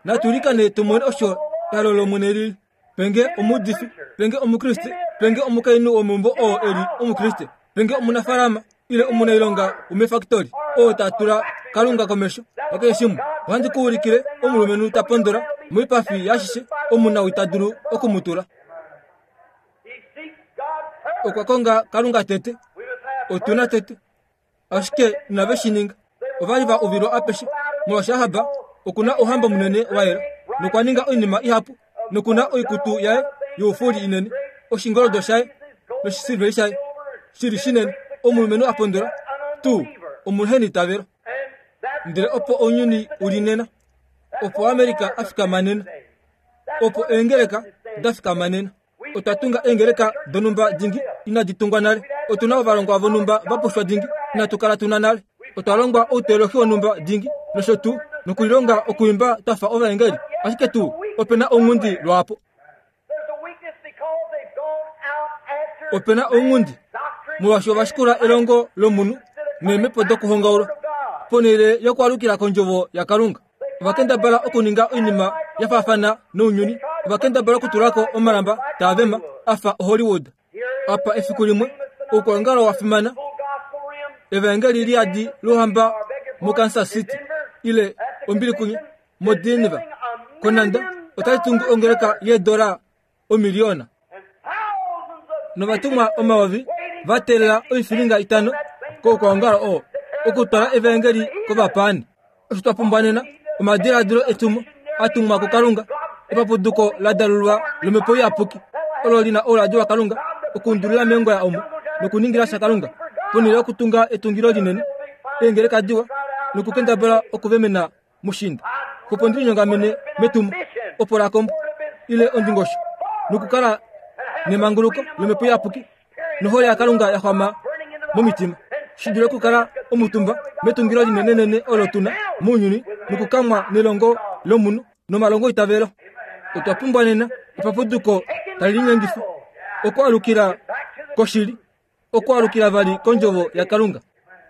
Natu likane tu mone osho ehalo lOmwene lili. Penge omuudifi, penge Omukriste, penge omukainhu womeumbo oo e li Omukriste, penge omunafaalama ile omunailonga womefakitoli oo ta tula Kalunga komesho yakeshe shimwe. Ohandi ku ulikile omulumenhu ta pondola moipafi yaashishe omunawii ta dulu oku mu tula. Okwa konga Kalunga tete. Otu na tete. Ashike inave shi ninga. Ova li va uvilwa apeshe, molwaashi Ahab oku na ouhamba munene wa yela, nokwa ninga oinima ihapu, noku na oikutu yaye youfuli inene, oshingoldo shaye noshisilveri shaye shi li shinene, omulumenhu a pondola tuu omuhenitavelo. Ndele opo ounyuni u li nena, opo Amerika a fikama nena, opo eengeleka da fikama nena. Otwa tunga eengeleka donhumba dingi inadi tungwa nale. Otu na ovalongwa vonhumba va pushwa dingi inatu kala tu na nale. Otwa longwa outeolohi wonhumba dingi nosho tuu, nokulilonga okuimba twa fa ovaengeli, ashike tuu ope na ounghundi lwaapo. Ope na ounghundi molwaashi ova shikula elongo lomunhu neemhepo dokuhongaulwa ponhele yokwaalukila kondjovo yaKalunga. Ova kendabala okuninga oinima ya faafana nounyuni. Ova kendabala okutula ko omalamba taa vema a fa oHollywood. Apa efiku limwe, oukwaongalo wa fimana, Evaengeli li yadi lOuhamba moKansas City, ile ombili kunye, moDenver, konanda, otai tungu ongeleka yeedola omiliona. Novatumwa omayovi va teelela oifilinga itano koukwaongalo oo okutwala evaengeli kovapaani. Osho twa pumbwa nena omadiladilo etumo a tumwa kuKalunga, epapuduko la dalulwa lOmhepo Iyapuki olo li na ouladi waKalunga okuundulila meengoya omo nokuningila sha Kalunga ponhele yokutunga etungilo linene, eengeleka diwa nokukendabala okuvemena mushinda. Opo ndi linyongamene metumo, opo la kombo ile ondingosho nokukala nemanguluko lOmhepo Iyapuki nohole yaKalunga ya xwama momitima, shi dule okukala omutumba metungilo linenenene olo tu na mounyuni nokukamwa nelongo lomunhu nomalongoitavelo. Otwa pumbwa nena epapuduko tali linyengifa okwaalukila koshili, okwaalukila vali kondjovo yaKalunga.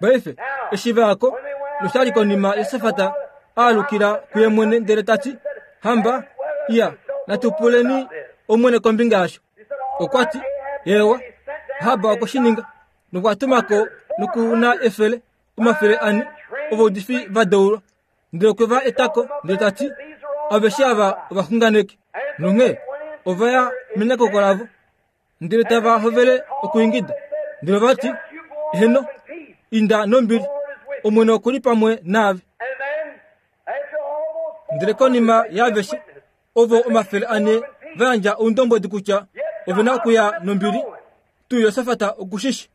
Paife, eshi va ya ko, nosha li konima Josafat a alukila kuye mwene ndele ta ti, Hamba, iya, natu puleni Omwene kombinga yasho. Okwa ti, Eewa, Ahab okwe shi ninga, nokwa tuma ko noku na efele, 400 ovaudifi va deulwa. Ndele okwe va eta ko, ndele ta ti, Aveshe ava ovaxunganeki. Nonghee ova ya menyakoko lavo, ndele tava hovele okwiingida. Ndele ova ti, Eheno, inda nombili, Omwene oku li pamwe naave. Ndele konima yaaveshe ovo 400 va yandja oundombwedi kutya ove na okuya nombili, tuu Josafat oku shi shi.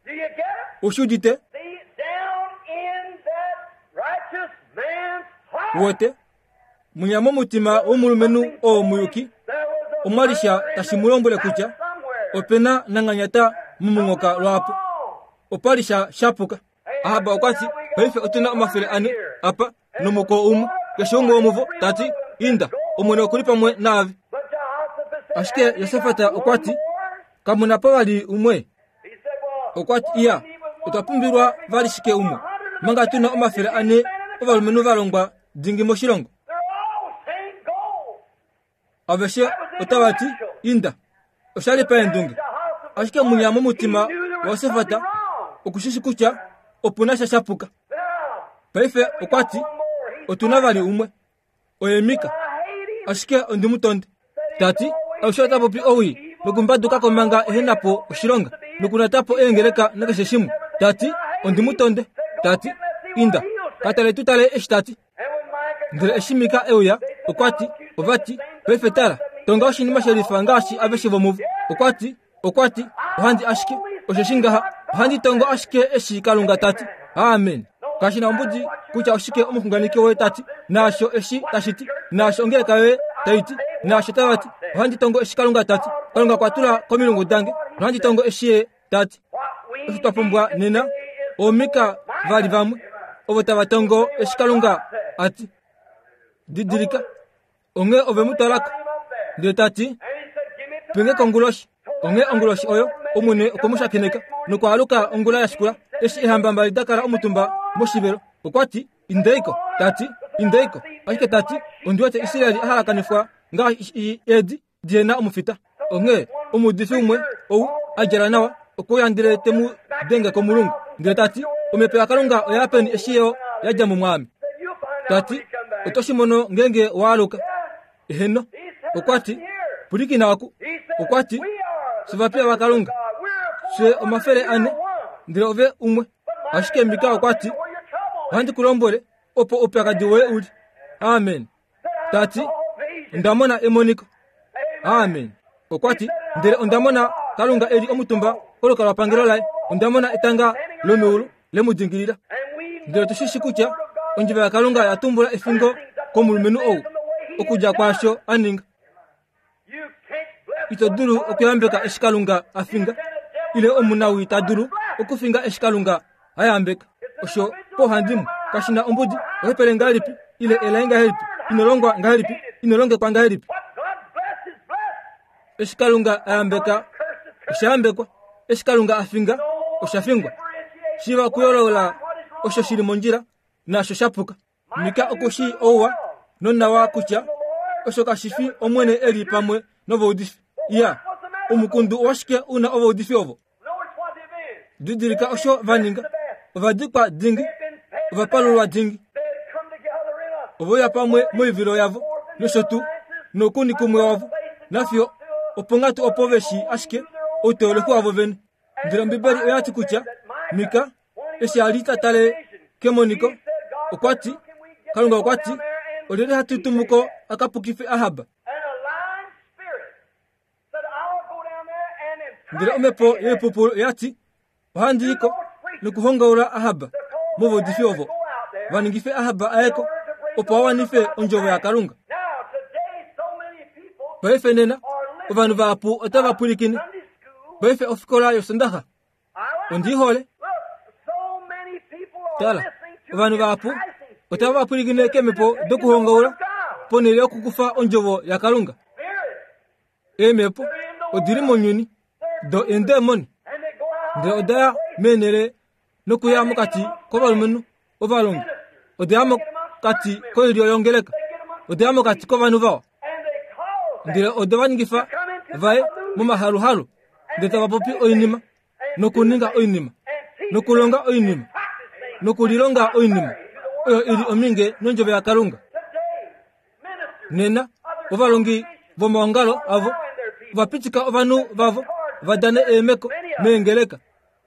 Ou shi udite? Wote, mwinya momutima womulumenhu oo muyuki omwa li sha tashi mu lombwele kutya ope na nanganyata momunghoka lwaapo. Opa li sha shapuka. Ahab okwa ti, Paife otu na 400 apa nomukoo umwe. Keshe umwe womuvo ta ti, Inda, Omwene oku li pamwe naave. Ashike Josafat okwa ti, Kamu na po vali umwe? Okwa ti, Iya, otwa pumbilwa vali shike umwe, manga tu na 400 ovalumenhu va longwa dingi moshilongo? Aveshe otava ti, Inda. Osha li paendunge. Ashike munya momutima waJosafat oku shi shi kutya opu na sha sha puka. Paife okwa ti, Otu na vali umwe. Oye Mika. Ashike ondi mu tonde. Ta ti, Alushe ota popi owii nokumbaduka ko manga ehe na po oshilonga nokunata po eengeleka nakeshe shimwe. Ta ti, Ondi mu tonde. Ta ti, Inda, ka tale tu tale eshi ta ti. Ndele eshi Mika e uya, okwa ti, Ova ti, Paife tala, tonga oshinima she lifa ngaashi aveshe vomuvo. Okwa ti, okwa ti, Ohandi ashike, osheshi ngaha, ohandi tongo ashike eshi Kalunga ta ti. Amen. Kashi na ombudi kutya oshike omuxunganeki woye ta ti, naasho eshi tashi ti, naasho ongeleka yoye tai ti, naasho tava ti, ohandi tongo eshi Kalunga ta ti. Kalunga okwa tula komilungu dange, nohandi tongo eshi Ye ta ti. Osho twa pumbwa nena, oomika vali vamwe, ovo tava tongo eshi Kalunga a ti. Didilika, onghee ove mu twala ko. Ndele ta ti, Penge konguloshi. Onghee onguloshi oyo, Omwene okwe mu shakeneka nokwaaluka ongula ya shikula, eshi eehamba mbali da kala omutumba moshivelo. Okwa ti, Indei ko, ta ti, Indei ko. Ashike ta ti, Ondi wete Israel a halakanifwa ngaashi eedi dihe na omufita. Onghee omuudifi umwe ou a djala nawa okwe uya ndele te mu denge komulungu, ndele ta ti, Omhepo yaKalunga oya ya peni eshi yo ya dja mo mwaame? Ta ti, Oto shi mono ngeenge wa aluka. Eheno. Okwa ti, Pwilikina oku. Okwa ti, Fye ovapiya vaKalunga. Fye 400, ndele ove umwe. Ashike Mika okwa ti, Ohandi ku lombwele opo oupyakadi woye u li. Amen. Ta ti, Onda mona emoniko. Amen. Okwa ti, Ndele onda mona Kalunga e li omutumba kolukalwapangelo laye. Onda mona etanga lomeulu le mu dingilila. Ndele otu shi shi kutya ondjeva yaKalunga ya tumbula efingo komulumenhu ou okudja kwaasho a ninga. Ito dulu okuyambeka eshi Kalunga a finga, ile omunawii ta dulu okufinga eshi Kalunga a yambeka. Osho pauhandimwe kashi na ombudi, ohepele ngahelipi, ile elai ngahelipi, ino longwa ngahelipi, ino longekwa ngahelipi. Eshi Kalunga a yambeka, osha yambekwa. Eshi Kalunga a finga, osha fingwa. Shiiva okuyoolola osho shi li mondjila naasho sha puka. Mika oku shii ouwa. Nonawa kutya osho kashi fi Omwene e li pamwe novaudifi. Iya, omukundu owashike u na ovaudifi ovo? Didilika osho va ninga. Ova dikwa dingi, ova palulwa dingi. Ove uya pamwe moivilo yavo nosho tuu noukuni kumwe wavo, nafiyo oponghatu opo ve shii ashike outeolohi wavo vene. Ndele Ombibeli oya ti kutya Mika eshi a li ta tale kemoniko okwa ti, Kalunga okwa ti, olyelye hatu tumu ko a ka pukife Ahab? Ndele omhepo yoipupulu oya ti, Ohandi i ko nokuhongaula Ahab movaudifi ovo, va ningife Ahab a ye ko, opo a wanife ondjovo yaKalunga. Paife nena ovanhu vahapu otava pwilikine. Paife ofikola yOsondaxa ondi i hole. Tala, ovanhu vahapu otava pwilikine keemhepo dokuhongaula ponhele yokukufa ondjovo yaKalunga. Eemhepo odi li mounyuni do eendemoni, ndele oda ya meenhele nokuya mokati kovalumenhu ovalongi, oda ya mokati koilyo yongeleka, oda ya mokati kovanhu vawa, ndele ode va ningifa vaye momahaluhalu, ndele tava popi oinima nokuninga oinima nokulonga oinima nokulilonga oinima oyo i li ominge nondjovo yaKalunga. Nena ovalongi vomaongalo avo ova pitika ovanhu vavo va dane eemeko meengeleka.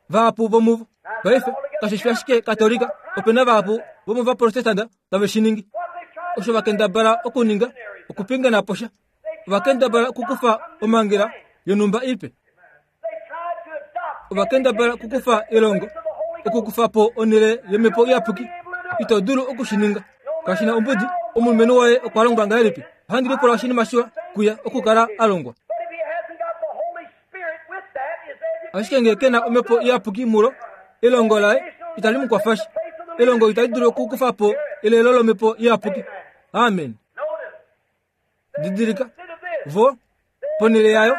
Vahapu vomuvo paife kashi fi ashike Katolika, ope na vahapu vomovaprotestanta tave shi ningi. Osho va kendabala okuninga okupingena po sha. Ova kendabala okukufa omhangela yonhumba ipe. Ova kendabala okukufa elongo, okukufa po onhele yomhepo iyapuki. Ito dulu oku shi ninga. Kashi na ombudi omulumenhu waye okwa longwa ngahelipi. Ohandi lipula oshinima shiwa kuye okukala a longwa. Ashike ngee ke na omhepo iyapuki mulo, elongo laye itali mu kwafa sha. Elongo itali dulu okukufa po elelo lomhepo iyapuki. Amen. Didilika, vo, ponhele yayo,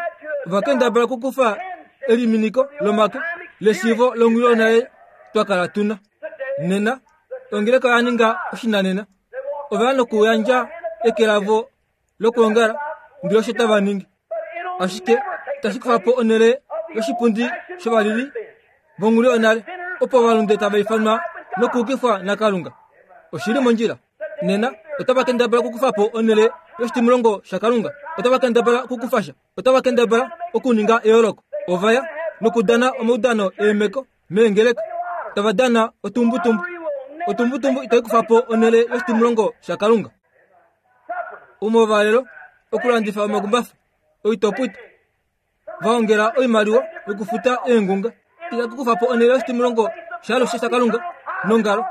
ova kendabala okukufa eliminiko lomake leshiivo longhulu yonale twa kala tu na. Nena, ongeleka oya ninga oshinanena. Ova ya nokuyandja eke lavo lokwoongala, ndele osho tava ningi. Ashike itashi kufa po onhele yoshipundi shovalili vonghulu yonale, opo ovalunde tava ifanwa nokuukifwa naKalunga. Oshi li mondjila. Nena otava kendabala okukufa po onhele yoshitimulongo shaKalunga. Otava kendabala okukufa sha. Otava kendabala okuninga eyooloko. Ova ya nokudana omaudano eemeko meengeleka, tava dana otumbutumbu. Otumbutumbu itai kufa po onhele yoshitimulongo shaKalunga. Omovalelo, okulandifa omakumbafa, oitopwito, va ongela oimaliwa yokufuta eengunga. Itaku kufa po onhele yoshitimulongo shaalushe shaKalunga nongalo.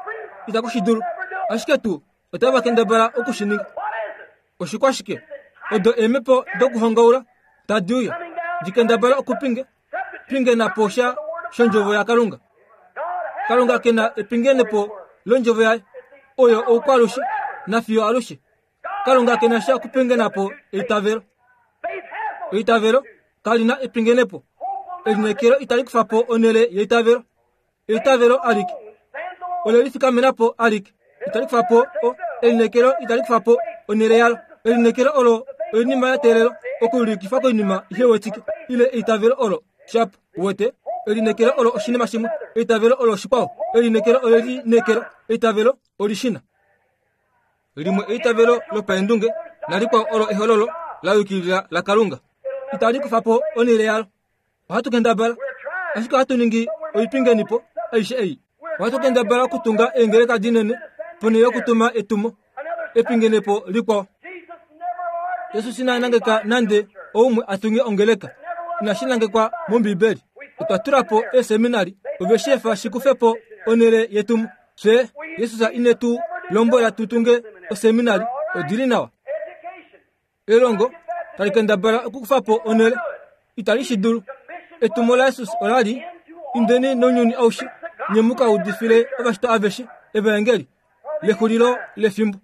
Itaku shi dulu. Ashike tuu otava kendabala oku shi ninga. Oshikwashike? Odo eemhepo dokuhongaula tadi uya di kendabala okupinge pingena po sha shondjovo yaKalunga. Kalunga ke na epingenepo londjovo yaye oyo oukwalushe nafiyo alushe. Kalunga ke na sha okupingena po eitavelo. Eitavelo kali na epingenepo. Elineekelo itali kufa po onhele yeitavelo. Eitavelo alike ole lifikamena po alike. Itali kufa po o, elineekelo itali kufa po onhele yalo. Elineekelo olo oinima ya teelelwa okuulikifwa koinima ihe wetike, ile eitavelo olo shapu wete. Elineekelo olo oshinima shimwe, eitavelo olo oshikwao. Elineekelo ole lineekela, eitavelo olishina. Limwe eitavelo lopaendunge nalikwao olo ehololo la yukilila laKalunga. Itali kufa po onhele yalo. Ohatu kendabala, ashike ohatu ningi oipingenipo aishe ei. Ohatu kendabala okutunga eengeleka dinene ponhele yokutuma etumo, epingenepo likwao. Jesus ina nangeka nande oumwe a tunge ongeleka. Inashi nangekwa mOmbibeli. Otwa tula po eeseminari, ove shi efa shi kufe po onhele yetumo. Fye, Jesus ine tu lombwela tu tunge oseminari. Odi li nawa. Elongo tali kendabala okukufa po onhele. Itali shi dulu. Etumo laJesus ola li, Indeni nounyuni aushe, nye mu ka udifile ovashitwa aveshe evaengeli lexulilo lefimbo.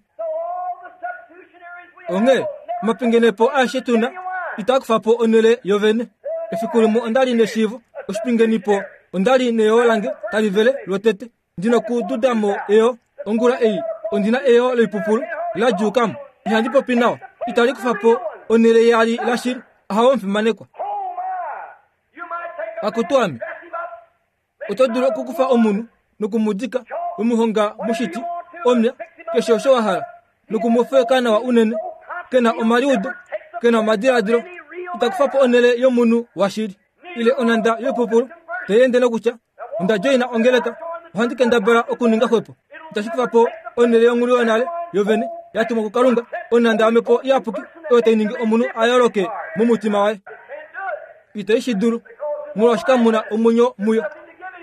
Onghee omapingenepo aeshe tu na itaa kufa po onhele yovene. Efiku limwe onda li neshiivo oshipingenipo onda li neyoo lange tali vele lwotete. Ndi nokududa mo eyoo. Ongula ei ondi na eyoo loipupulu la djuuka mo. Ihandi popi nawa. Itali kufa po onhele yaali lashili. Ahawe omufimanekwa. Akutu ame. Oto dulu okukufa omunhu noku mu dika, we mu honga moshiti, omya, keshe osho wa hala, noku mu feweka nawa unene, ke na omaliudo, ke na omadiladilo, ita kufa po onhele yomunhu washili. Ile onhanda yoipupulu tai ende nokutya, Onda djoina ongeleka, ohandi kendabala okuninga xwepo. Itashi kufa po onhele yonghulu yonale yovene ya tumwa kuKalunga, onhanda yOmhepo Iyapuki oyo tai ningi omunhu a yooloke momutima waye. Itai shi dulu, molwaashi kamu na omwenyo muyo.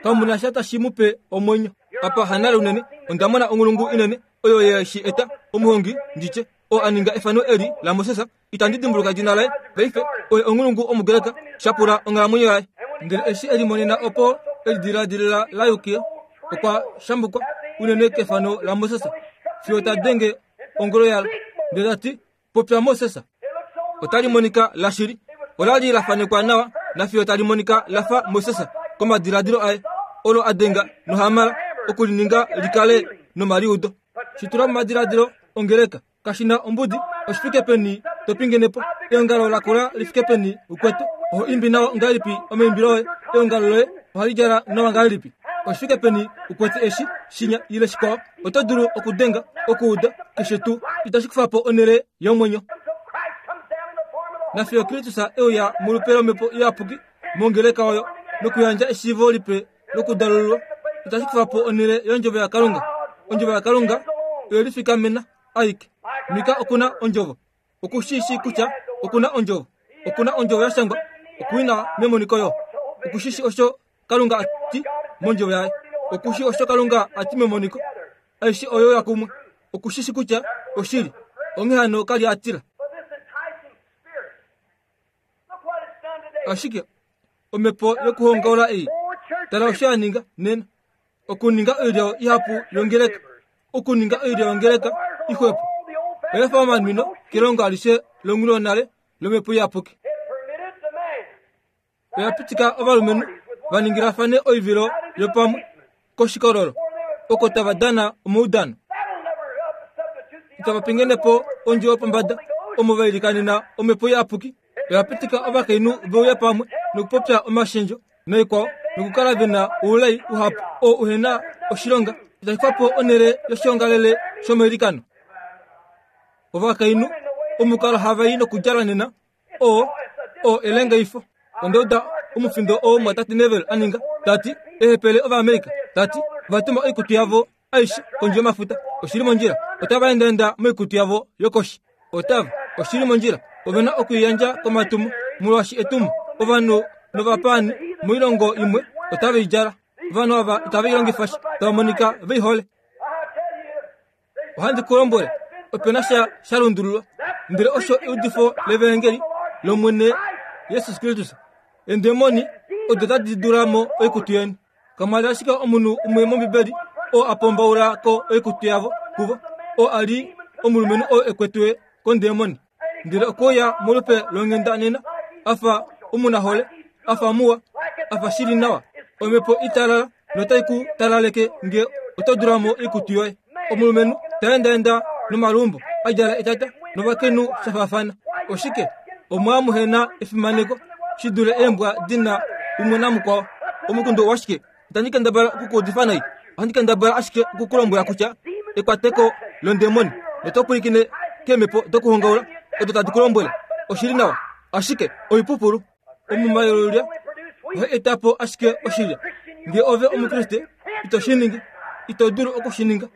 Kamu na sha tashi mu pe omwenyo. Apa hanale unene, onda mona onghulungu inene oyo ye shi eta, omuhongi, ndi tye, oo a ninga efano eli laMoses. Itandi dimbuluka edina laye paife. Oye onghulungu Omugreka, sha pula onghalamwenyo yaye. Ndele eshi e limonena opo e lidiladilila la yukila, okwa shambukwa unene kefano laMoses fiyo ta denge ongolo yalo, ndele ta ti, Popya Moses. Otali monika lashili. Ola li la fanekwa nawa nafiyo tali monika la fa Moses komadiladilo aye, olo a denga nohamala oku li ninga li kale nomaliudo. Shi tula momadiladilo ongeleka. Kashi na ombudi oshi fike peni to pingene po eongalo la kula li fike peni ukwetu. Oho imbi nawa ngahelipi omaimbilo oye, eongalo loye ohali djala nawa ngahelipi. Oshi fike peni ukwete eshi, shinya ile shikwao. Oto dulu okudenga, okuuda, keshe tuu. Itashi kufa po onhele yomwenyo. Nafiyo Kristus e uya molupe lOmhepo Iyapuki mongeleka oyo nokuyandja eshiivo lipe lokudalululwa, itashi kufa po onhele yOndjovo yaKalunga. Ondjovo yaKalunga oye lifikamena aike. Mika oku na Ondjovo. Oku shi shii kutya oku na Ondjovo. Oku na Ondjovo ya shangwa. Oku i na memoniko yo. Oku shi shii osho Kalunga a ti mondjovo yaye. Oku shi osho Kalunga a ti memoniko. Aishe oyo ya kumwe. Oku shi shi kutya oshili. Onghee hano ka li a tila. Ashike omhepo yokuhongaula ei, tala osho ya ninga nena. Okuninga oilyo ihapu yongeleka. Okuninga oilyo yongeleka ixwepo. Oya fa omanwino kelongo alishe longhuluyonale lomhepo iyapuki. Oya pitika ovalumenhu va ningilafane oivilo yopamwe koshikololo oko tava dana omaudano. Itava pingene po ondjo yopombada omo va ilikanena omhepo iyapuki. Oya pitika ovakainhu ve uye pamwe nokupopya omashendjo naikwao nokukala ve na oulai uhapu oo uhe na oshilonga. Itashi kufa po onhele yoshiongalele shomailikano. Ovakainhu omukalo hava i nokudjala nena oo oo elengaifo. Onda uda omufindo oo mwatate Neville a ninga, ta ti, Eehepele Ovaamerica, ta ti, ova tuma oikutu yavo aishe kondje yomafuta. Oshi li mondjila. Otava endaenda moikutu yavo yokoshi. Otava. Oshi li mondjila. Ove na oku i yandja komatumo, molwaashi etumo, ovanhu novapaani moilongo imwe otave i djala. Ovanhu ava itave i longifa sha, tava monika ve i hole. Ohandi ku lombwele, ope na sha sha lundululwa, ndele osho eudifo levaengeli lOmwene Jesus Kristus. Eendemoni odo tadi dula mo oikutu yeni. Kamwa li ashike omunhu umwe mOmbibeli oo a pombaula ko oikutu yavo kuvo, oo a li omulumenhu oo e kwetwe kondemoni. Ndele okwe uya molupe longhenda nena, a fa omunahole, a fa muwa, a fa shili nawa. Omhepo italala notai ku talaleke nge oto dula mo oikutu yoye. Omulumenhu ta endaenda nomalumbo, a djala etata, novakainhu sha faafana. Oshike? Omwa muhe na efimaneko shi dule eembwa di na umwe namukwao. Omukundu owashike? Itandi kendabala oku ku udifa nai. Ohandi kendabala ashike oku ku lombwela kutya ekwateko londemoni noto pwilikine keemhepo dokuhongaula odo tadi ku lombwele oshili nawa, ashike oipupulu. Omuma yolulya ohai eta po ashike oshilya. Ngee ove Omukriste, ito shi ningi. Ito dulu oku shi ninga.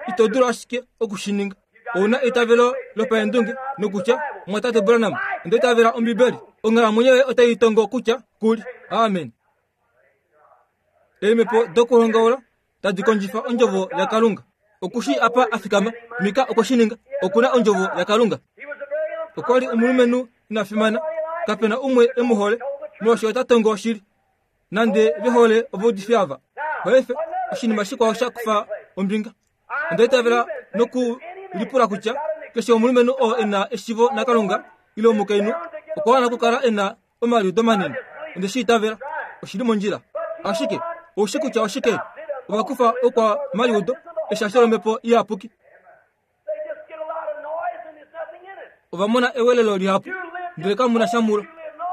Ito dulu ashike oku shi ninga. Ou na eitavelo lopaendunge nokutya, Mumwatate Branham, onda itavela Ombibeli. Onghalamwenyo yoye otai tongo kutya ku li. Amen. Eemhepo dokuhongaula tadi kondjifa ondjovo yaKalunga. Oku shii apa a fikama. Mika okwe shi ninga. Oku na ondjovo yaKalunga. Okwa li omulumenhu ina fimana. Kape na umwe e mu hole, molwaashi ota tongo oshili. Nande ve hole ovaudifi ava. Paife, oshinima shikwao sha kufa ombinga. Onda itavela noku lipula kutya keshe omulumenhu oo e na eshivo naKalunga ile omukainhu okwa wana okukala e na omaliudo manene. Onde shi itavela. Oshi li mondjila. Ashike, ou shi kutya oshike? Ova kufa okwamaliudo eshasho lOmhepo Iyapuki. Ova mona ewelelo lihapu, ndele kamu na sha mulo.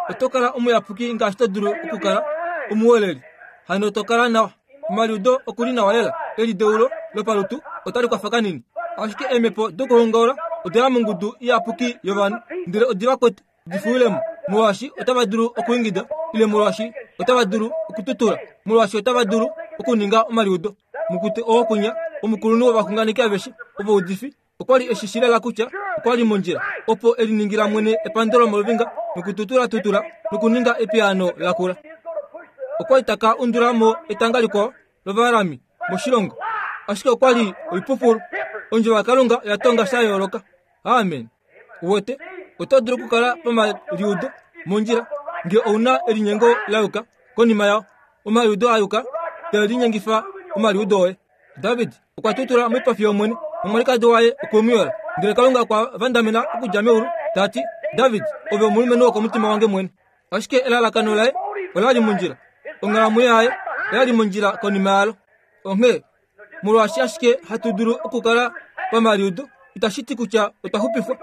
Oto kala omuyapuki ngaashi to dulu okukala omuweleli. Hano to kala nawa. Omaliudo oku li nawa lela. Elideulo lopalutu otali kwafa kanini. Ashike eemhepo dokuhongaula oda ya mongudu iyapuki yovanhu, ndele odi va kwete di fuwile mo, molwaashi otava dulu okuingida, ile molwaashi otava dulu okututula, molwaashi otava dulu okuninga omaliudo. Mukute oo kwinya, omukulunhu wovaxunganeki aveshe ovaudifi, okwa li e shi shii lela kutya okwa li mondjila opo e liningila mwene epandelo moluvinga nokututulatutula nokuninga epiyaano lakula. Okwa li ta ka undula mo etanga likwao lOvaarami moshilongo, ashike okwa li oipupulu. Ondjovo yaKalunga oya tonga sha yooloka. Amen. Uwete, oto dulu okukala pamaliudo mondjila nge ou na elinyengo la yuka konima yao, omaliudo a yuka tae linyengifa omaliudo oye. David okwa tutula moipafi yOmwene, nomwalikadi waye okwe mu yola. Ndele Kalunga okwa vandamena okudja meulu, ta ti, David, ove omulumenhu wokomutima wange mwene. Ashike elalakano laye ola li mondjila, onghalamwenyo yaye oya li mondjila konima yalo. Onghee, molwaashi ashike hatu dulu okukala pamaliudo, itashi ti kutya otwa xupifwa.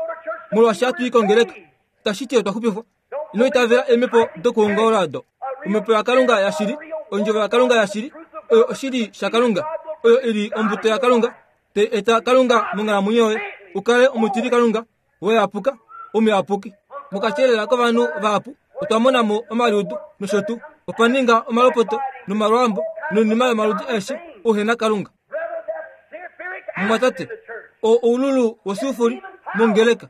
Molwaashi hatu i kongeleka, itashi ti otwa xupifwa. Ino itavela eemhepo dokuhongaula odo. Omhepo yaKalunga yashili, Ondjovo yaKalunga yashili, oyo oshili shaKalunga, oyo i li ombuto yaKalunga, tai eta Kalunga monghalamwenyo yoye, u kale omutili Kalunga weyapuka, omuyapuki. Mokati elela kovanhu vahapu, otwa mona mo omaliudo nosho tuu. Opa ninga omalopoto nomalwaambo noinima yomaludi aeshe uhe na Kalunga. Mumwatate, oo oululu wosulfuri mongeleka,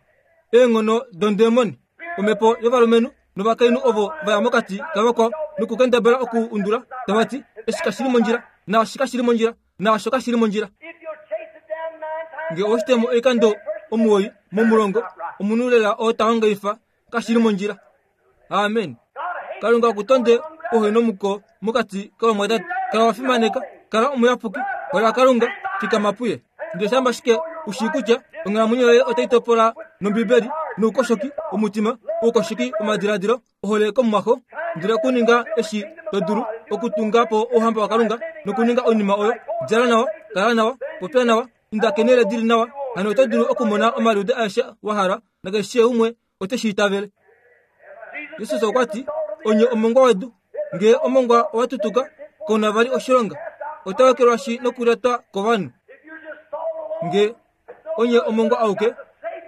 eenghono dondemoni, omhepo yovalumenhu novakainhu ovo va ya mokati kavakwao nokukendabala oku undula tava ti, Eshi kashi li mondjila, naashi kashi li mondjila, naasho kashi li mondjila. Nge owe shi temo oikando omuwoi momulongo, omunhu lela oo ta hongaifa kashi li mondjila. Amen. Kalunga oku tonde ouhenomuko mokati kovamwatate. Kala wa fimaneka, kala omuyapuki, hola Kalunga, fikama puye. Ndele shamba ashike u shii kutya onghalamwenyo yoye otai topola nOmbibeli, noukoshoki womutima, oukoshoki womadiladilo, ohole komumwaxo, ndele okuninga eshi to dulu okutunga po Ouhamba waKalunga nokuninga oinima oyo, djala nawa, kala nawa, popya nawa, inda keenhele di li nawa, hano oto dulu okumona omaliudo aeshe wa hala, nakeshe umwe ote shi itavele. Jesus okwa ti, Onye omongwa wedu. Ngee omongwa owa tutuka, kau na vali oshilonga, otau ekelwashi nokulyatwa kovanhu. Nge onye omongwa auke,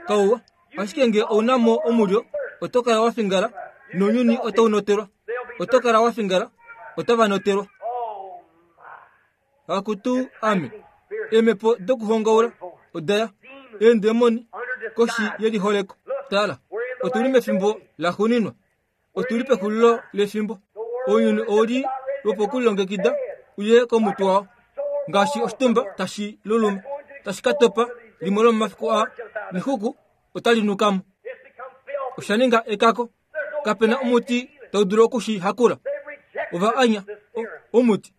kauwa, ashike nge ou na mo omulyo, oto kala wa fingala, nounyuni otau notelwa. Oto kala wa fingala, otava notelwa. Akutu ame, eemhepo dokuhongaula oda ya, eendemoni koshi yeliholeko. Tala, otu li mefimbo laxuuninwa, otu li pexulilo lefimbo. Ounyuni ou li lwopokulilongekida uye komutwe wao, ngaashi oshitumba tashi luluma, tashi ka topa limwe lomomafiku aa, nexuku otali nuka mo. Osha ninga ekako. Kape na omuti tau dulu oku shi hakula. Ova anya omuti.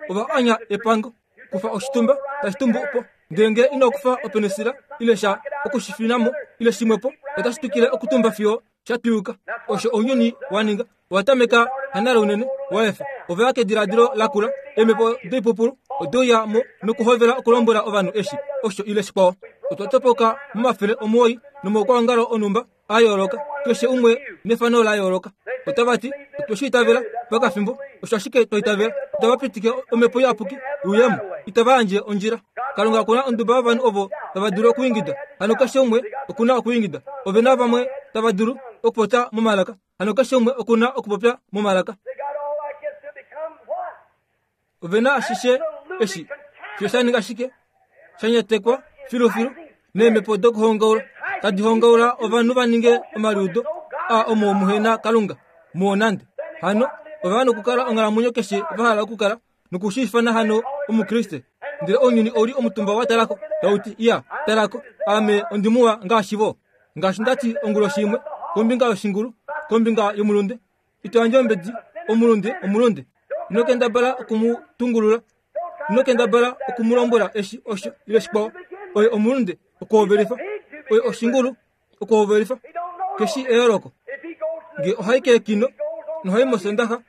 Ova anya epango. Kufa oshitumba tashi tumbu po. Ndele ngele ino kufa openisila ile sha oku shi fina mo ile shimwe po, otashi twikile okutumba fiyo sha twiyuka. Osho ounyuni wa ninga. Owa tameka hanale unene, wa efa. Ova ya kediladilo lakula. Eemhepo doipupulu ode uya mo nokuhovela okulombwela ovanhu eshi, osho ile shikwao. Otwa topoka 900 nomaukwaongalo onhumba a yooloka, keshe umwe nefano la yooloka. Otava ti, Otwe shi itavela pakafimbo, osho ashike twa itavela. Itava pitike Omhepo Iyapuki i uye mo. Itava yandje ondjila. Kalunga oku na onduba yovanhu ovo tava dulu okuingida. Hano keshe umwe oku na okuingida. Ove na vamwe tava dulu okupopya momalaka. Hano keshe umwe oku na okupopya momalaka. Ove na ashishe eshi fiyo sha ninga shike? Sha nyatekwa filufilu neemhepo dokuhongaula tadi hongaula ovanhu va ninge omaliudo a omo muhe na Kalunga muo nande. Hano ova nokukala onghalamwenyo keshe va hala okukala nokushiifana hano Omukriste. Ndele ounyuni ou li omutumba wa talako tau ti, Iya, talako, ame ondi muwa ngaashi vo. Ngaashi nda ti onguloshi imwe kombinga yoshingulu, kombinga yomulunde, Ito yandje ombedi, omulunde, omulunde. Ino kendabala oku mu tungulula. Ino kendabala oku mu lombwela eshi, osho, ile shikwao. Oye omulunde, okuhovelifa. Oye oshingulu, okuhovelifa. Keshi eyooloko. Nge ohai keekino, nohai mosondaxa,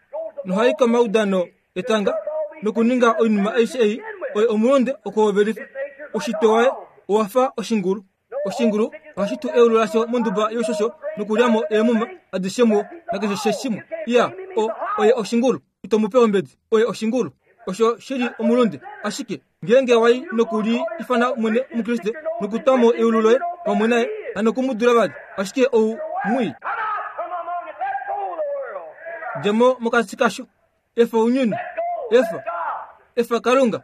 nohai komaudano etanga, nokuninga oinima aishe ei, oye omulunde, okuhovelifa. Ushitwe waye owa fa oshingulu. Oshingulu ohashi tu eulu lasho monduba youshosho nokulya mo eemuma adishe muwo nakeshe shimwe. Iya, o, oye oshingulu. Ito mu pe ombedi. Oye oshingulu. Osho shi li omulunde. Ashike ngeenge wa i noku li ifana mwene Omukriste nokutwa mo eulu loye pamwe naye, hano ku mu dula vali. Ashike ou mwii. Dja mo mokati kasho. Efa ounyuni. Efa. Efa Kalunga.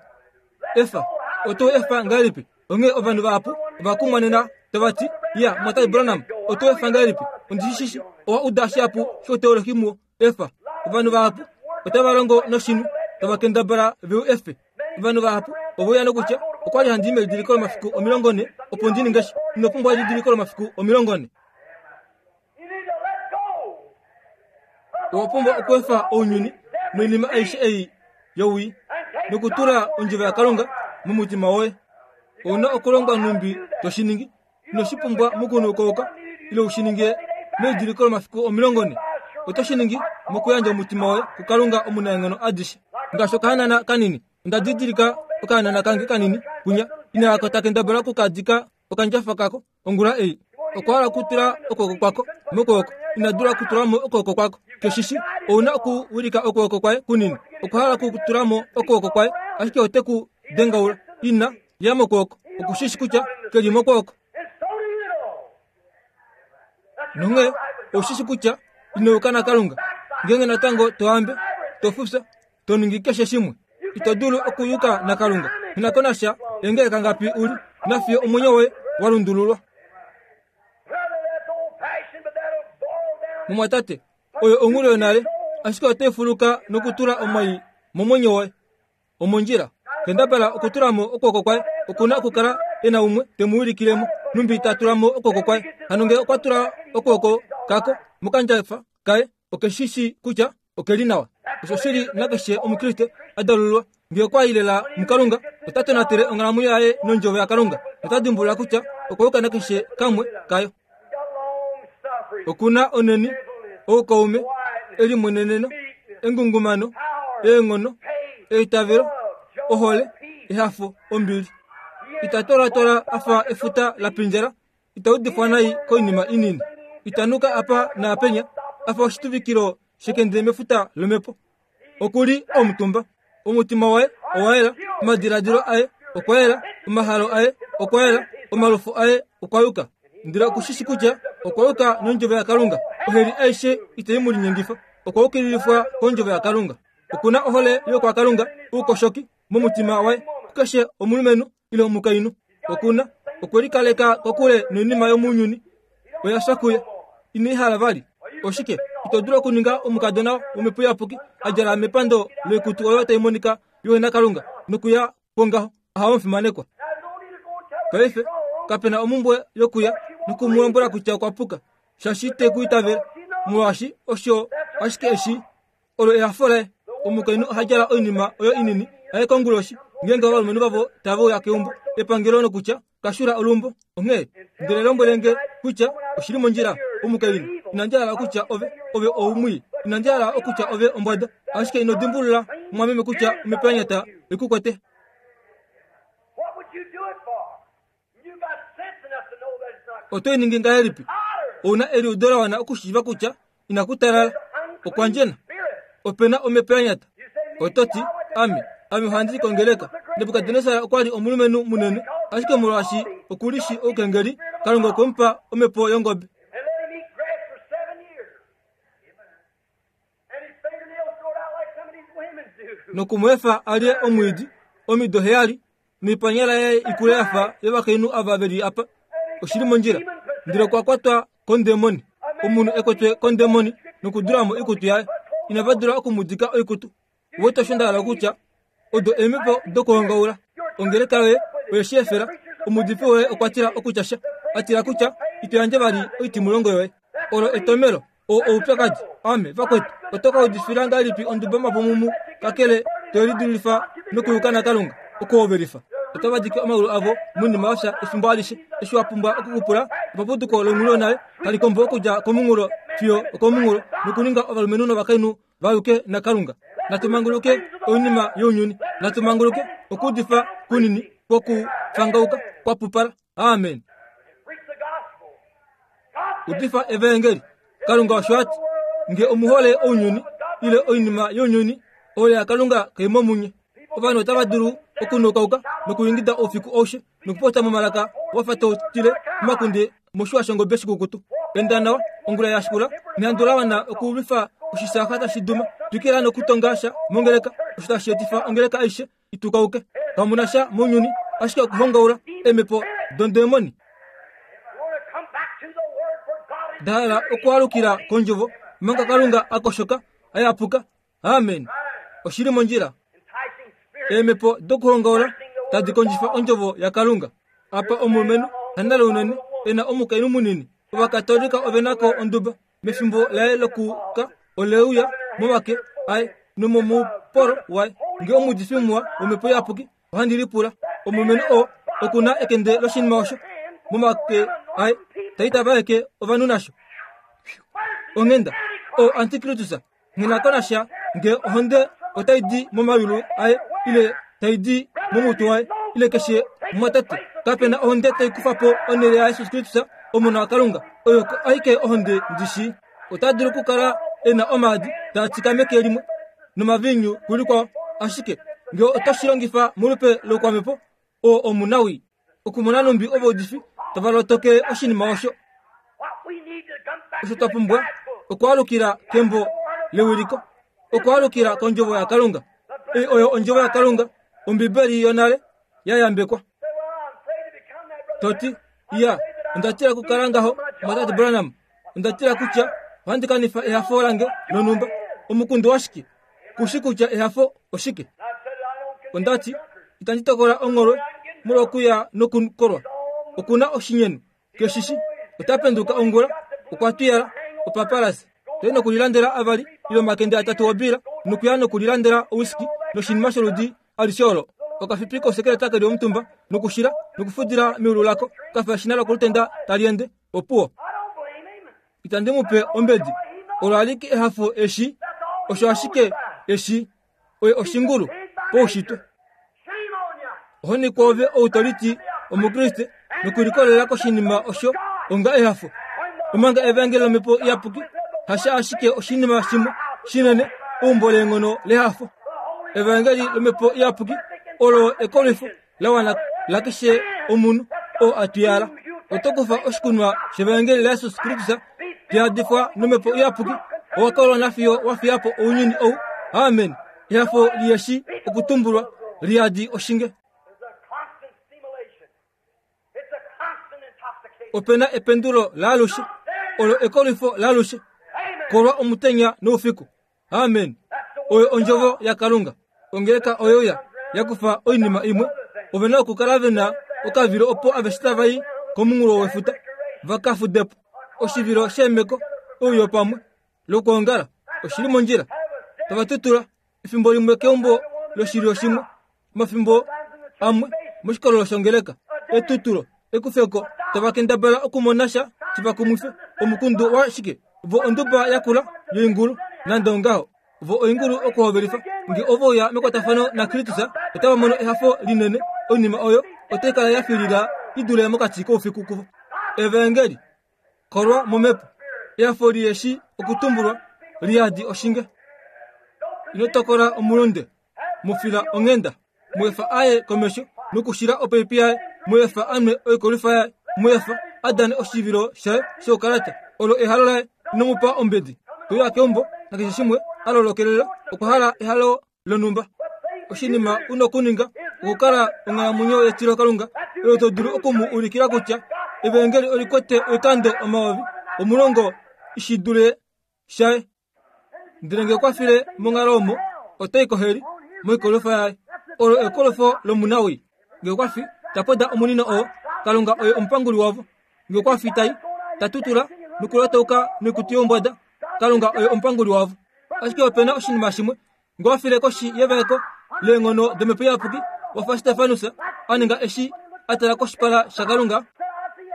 Efa. Oto efa ngahelipi? Onghee ovanhu vahapu ova kumwa nena tava ti, Ya, Mwatai Branham, oto efa ngahelipi? Ondi shi shii owa uda shihapu shouteolohi muwo. Efa. Ovanhu vahapu otava longo noshinhu, tava kendabala ve u efe. Ovanhu vahapu ove uya nokutya, Okwa li handi i melidiliko lomafiku 40 opo ndi ninge sha. Ino pumbwa elidiliko lomafiku 40. Owa pumbwa okweefa ounyuni noinima aishe ei yowii nokutula ondjovo yaKalunga momutima woye. Ou na okulonga nhumbi to shi ningi. Ino shi pumbwa mokunukauka ile u shi ninge melidiliko lomafiku 40. Oto shi ningi mokuyandja omutima woye kuKalunga omunaenghono adishe. Ngaashi okahanana kanini, onda didilika okahanana kange kanini kunya inaako ta kendabala okukadika okandjafa kako ongula ei. Okwa hala okutula okwooko kwako mokwooko, ina dula okutula mo okwooko kwako. Keshishi, ou na okuwilika okwooko kwaye kunini. Okwa hala okutula mo okwooko kwaye, ashike ote ku dengaula. Ina ya mokwooko, oku shi shi kutya ke li mokwooko. Nonghee ou shi shi kutya ino yuka naKalunga. Ngeenge natango to ambe, to fufya, to ningi keshe shimwe, ito dulu okuyuka naKalunga. Ina ko nasha eengeleka ngapi u li na fiyo omwenyo woye wa lundululwa. Mumwatate, oyo onghulu yonale, ashike otai fuluka nokutula omai momwenyo woye. Omondjila, kendabala okutula mo okwooko kwaye. Oku na okukala e na umwe te mu wilikile mo, nhumbi ta tula mo okwooko kwaye. Hano ngee okwa tula okwooko kako mokandjafa kaye, oke shi shii kutya oke li nawa. Osho shi li nakeshe Omukriste a dalululwa. Ngee okwa i lela muKalunga, ota tonatele onghalamwenyo yaye nOndjovo yaKalunga nota dimbulula kutya okwa yuka nakeshe kamwe kayo. Oku na onheni, oukaume, elimweneneno, engungumano, eenghono, eitavelo, ohole, ehafo, ombili. Ita twalwatwala a fa efuta la pindjala, ita udifwa nai koinima inini. Ita nuka apa naapenya a fa oshituvikilo shekende mefuta lomhepo. Oku li omutumba. Omutima waye owa yela, omadiladilo aye okwa yela, omahalo aye okwa yela, omalufo aye okwa yuka. Ndele oku shi shi kutya okwa yuka nondjovo yaKalunga. Oheli aishe itai mu linyengifa. Okwa yukililifwa kondjovo yaKalunga. Oku na ohole yokwaKalunga, oukoshoki momutima waye kukeshe omulumenhu ile omukainhu. Oku na okwe likaleka kokule noinima yomounyuni. Oya fya kuye. Ine i hala vali. Oshike ito dulu okuninga omukadona womhepo iyapuki a djala mepando loikutu oyo tai monika yohenakalunga nokuya kwongaho aha omufimanekwa? Paife kape na omumbwe yokuya noku mu lombwela kutya okwa puka, shaashi ite ku itavela, molwaashi osho ashike eshi Olo ehafo laye. Omukainhu oha djala oinima oyo inini aye konguloshi ngeenge ovalumenhu vavo tave uya keumbo epangelo nokutya kashula olumbo. Onghee ndele lombwele nge kutya oshi li mondjila. Omukainhu, inandi hala okutya ove, ove oumwii. Inandi hala okutya ove ombwada. Ashike ino dimbulula, mumwameme, kutya omhepo ya nyata oi ku kwete. Oto i ningi ngahelipi? Ou na eliudo la wana okushiiva kutya inaku talala, okwa ndjena, ope na omhepo ya nyata. Oto ti, Ame, ame ohandi i kongeleka. Nebukadnesar okwa li omulumenhu munene, ashike molwaashi oku li shi oukengeli, Kalunga okwe mu pa omhepo yongobe. Noku mu efa a lye omwiidi omido heyali, noipanyala yaye ikule ya fa yovakainhu ava ve li apa. Oshi li mondjila. Ndele okwa kwatwa kondemoni. Omunhu e kwetwe kondemoni nokudula mo oikutu yaye. Inava dula oku mu dika oikutu. Uwete osho nda hala okutya? Odo eemhepo dokuhongaula. Ongeleka yoye oye shi efela. Omuudifi woye okwa tila okutya sha, a tila kutya ito yandje vali oitimulongo yoye. Olo etomelo. Oo oupyakadi. Ame, vakwetu, oto ka udifila ngahelipi onduba mapumumu kakele to lidulifa nokuyuka naKalunga? Okuhovelifa. Otava dike omaulu avo moinima ya fya efimbo alishe. Eshi wa pumbwa okukupula epapuduko longhulu yonale tali kombo okudja komunghulo fiyo okomunghulo nokuninga ovalumenhu novakainhu va yuke naKalunga. Natu manguluke oinima younyuni. Natu manguluke okuudifa kunini kwokufangauka kwa pupala. Amen. Udifa evaengeli. Kalunga osho a ti, Nge omu hole ounyuni ile oinima younyuni, ohole yaKalunga kai mo munye. Ovanhu otava dulu okunukauka nokuingida oufiku aushe nokupopya momalaka wa fa to tile omakunde moshiwa shongobe shikukutu. Enda nawa ongula ya shikula nehandu la wana okulwifa oshisaaxa tashi duma. Twikila nokutonga sha mongeleka osho tashi etifa ongeleka aishe i tukauke. Kamu na sha mounyuni ashike okuhongaula eemhepo dondemoni. Da hala okwaalukila kondjovo omanga Kalunga a koshoka a yapuka. Amen. Oshi li mondjila. Eemhepo dokuhongaula tadi kondjifa ondjovo yaKalunga. Apa omulumenhu hanale unene e na omukainhu munini. Ovakatolika ove na ko onduba mefimbo laye lokuka oleuya momake aye nomomupolo waye. Nge omuudifi muwa womhepo iyapuki, ohandi lipula omulumenhu oo oku na ekende loshinima osho momake aye ta itavaeke ovanhu nasho. Onghenda, o antikristus Nghi na ko nasha nge ohonde otai di momayulu aye ile tai di momutwe waye ile keshe mumwatate. Kape na ohonde tai kufa po onhele yaJesus Kristus, Omona waKalunga. Oyo aike ohonde ndi shii. Ota dulu okukala e na omaadi taa tika meke limwe nomaviinyu kulikwao, ashike nge oto shi longifa molupe loukwamhepo, oo omunawii. Okumona nhumbi ovaudifi tava lotokele oshinima osho. Osho twa pumbwa okwaalukila kembo lewiliko, okwaalukila kondjovo yaKalunga. Ei oyo ondjovo yaKalunga, Ombibeli yonale ya yambekwa. To ti, Iya, onda tila okukala ngaho, Mwatate Branham. Onda tila kutya ohandi kanifa ehafo lange lonhumba. Omukundu washike? Ku shi kutya ehafo oshike? Onda ti, Itandi tokola ongholwe molwokuya nokukolwa. Oku na oshinyenu. Keshi shi. Ota penduka ongula, okwa twiyala opapalase. Toi nokulilandela avali ile omakende atatu obiila nokuya nokulilandela owiski noshinima sholudi alishe olo. Okafipi kosekeleta ke li omutumba nokushila nokufudila meulu lako kafa eshina lokolutenda tali ende. Opuwo. Itandi mu pe ombedi. Olo alike ehafo eshi, osho ashike eshi, oye oshingulu poushitwe. Ohoni kwoove ou to liti Omukriste nokulikolelela koshinima osho onga ehafo, omanga evangeli lomhepo iyapuki hasha ashike oshinima shimwe shinene, eumbo leenghono lehafo. Evangeli lomhepo iyapuki olo ekolwifo la wana lakeshe omunhu oo a twiyala. Oto kufa oshikunwa shevangeli laJesus Kristus tiyadifwa nomhepo iyapuki, owa kolwa nafiyo wa fiya po ounyuni ou. Amen. Ehafo liheshi okutumbulwa liyadi oshinge. Ope na ependulo laalushe, olo ekolwifo laalushe, kolwa omutenya noufiku. Amen. Oyo ondjovo yaKalunga. Ongeleka oyo ya ya kufa oinima imwe. Ove na okukala ve na okavilo opo aveshe tava i komunghulo wefuta va ka fude po. Oshivilo sheemeko, ouyo pamwe lokwoongala oshi li mondjila. Tava tutula efimbo limwe keumbo loshilyo shimwe, omafimbo amwe moshikololo shongeleka. Etutulo, ekufeko, tava kendabala okumona sha shi va kumwife. Omukundu wa shike? Vo onduba yakula yoingulu, nande ongaho. Vo oingulu okuhovelifa. Nge ove uya mekwatafano naKristus, otava mono ehafo linene. Oinima oyo otai kala ya filila i dule mokati koufiku kuvo. Evaengeli, kolwa momhepo, ehafo li eshi okutumbulwa, li yadi oshinge. Ino tokola omulunde, mu fila onghenda. Mu efa a ye komesho nokushila opaipi yaye, mu efa a nwe oikolwifa yaye, mu efa a dane oshivilo shaye shoukalata. Olo ehalo laye, ino mu pa ombedi. Te uya keumbo nakeshe shimwe a lolokelela, okwa hala ehalo lonhumba. Oshinima u na okuninga okukala onghalamwenyo yetilokalunga oyo to dulu oku mu ulikila kutya evaengeli oli kwete oikando 10,000 shi dule shaye. Ndele nge okwa file monghalo omo, ota i koheli, moikolwifa yaye. Olo ekolwifo lomunawii. Nge okwa fi, ta poda omunino oo, Kalunga oye omupanguli wavo. Nge okwa fi tai, ta tutula nokulotauka noikutu youmbwada, Kalunga oye omupanguli wavo. Ashike ope na oshinima shimwe, nge owa file koshi yevaeko leenghono domhepo iyapuki, wa fa Stefanus a ninga eshi a tala koshipala shaKalunga,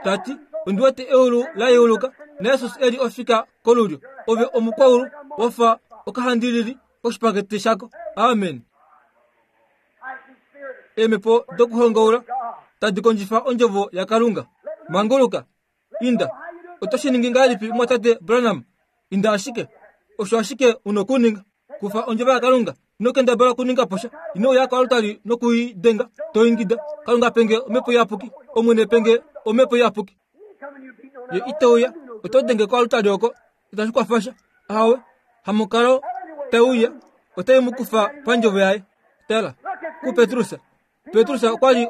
ta ti, Ondi wete eulu la yeuluka, naJesus e li ofika kolulyo. Ove omukwaulu wa fa okahandilili koshipakete shako. Amen. Eemhepo dokuhongaula tadi kondjifa ondjovo yaKalunga. Manguluka. Inda. Oto shi ningi ngahelipi, Mumwatate Branham? Inda ashike. Osho ashike u nokuninga. Kufa ondjovo yaKalunga. Ino kendabala okuninga po sha. Ino uya koaltari noku i denga, to ingida, Kalunga pe nge Omhepo Iyapuki! Omwene pe nge Omhepo Iyapuki! Ye ite uya. Oto denge koaltari oko, itashi kwafa sha. Ahawe, hamukalo te uya, otai mu kufa pandjovo yaye. Tala kuPetrus. Petrus okwa li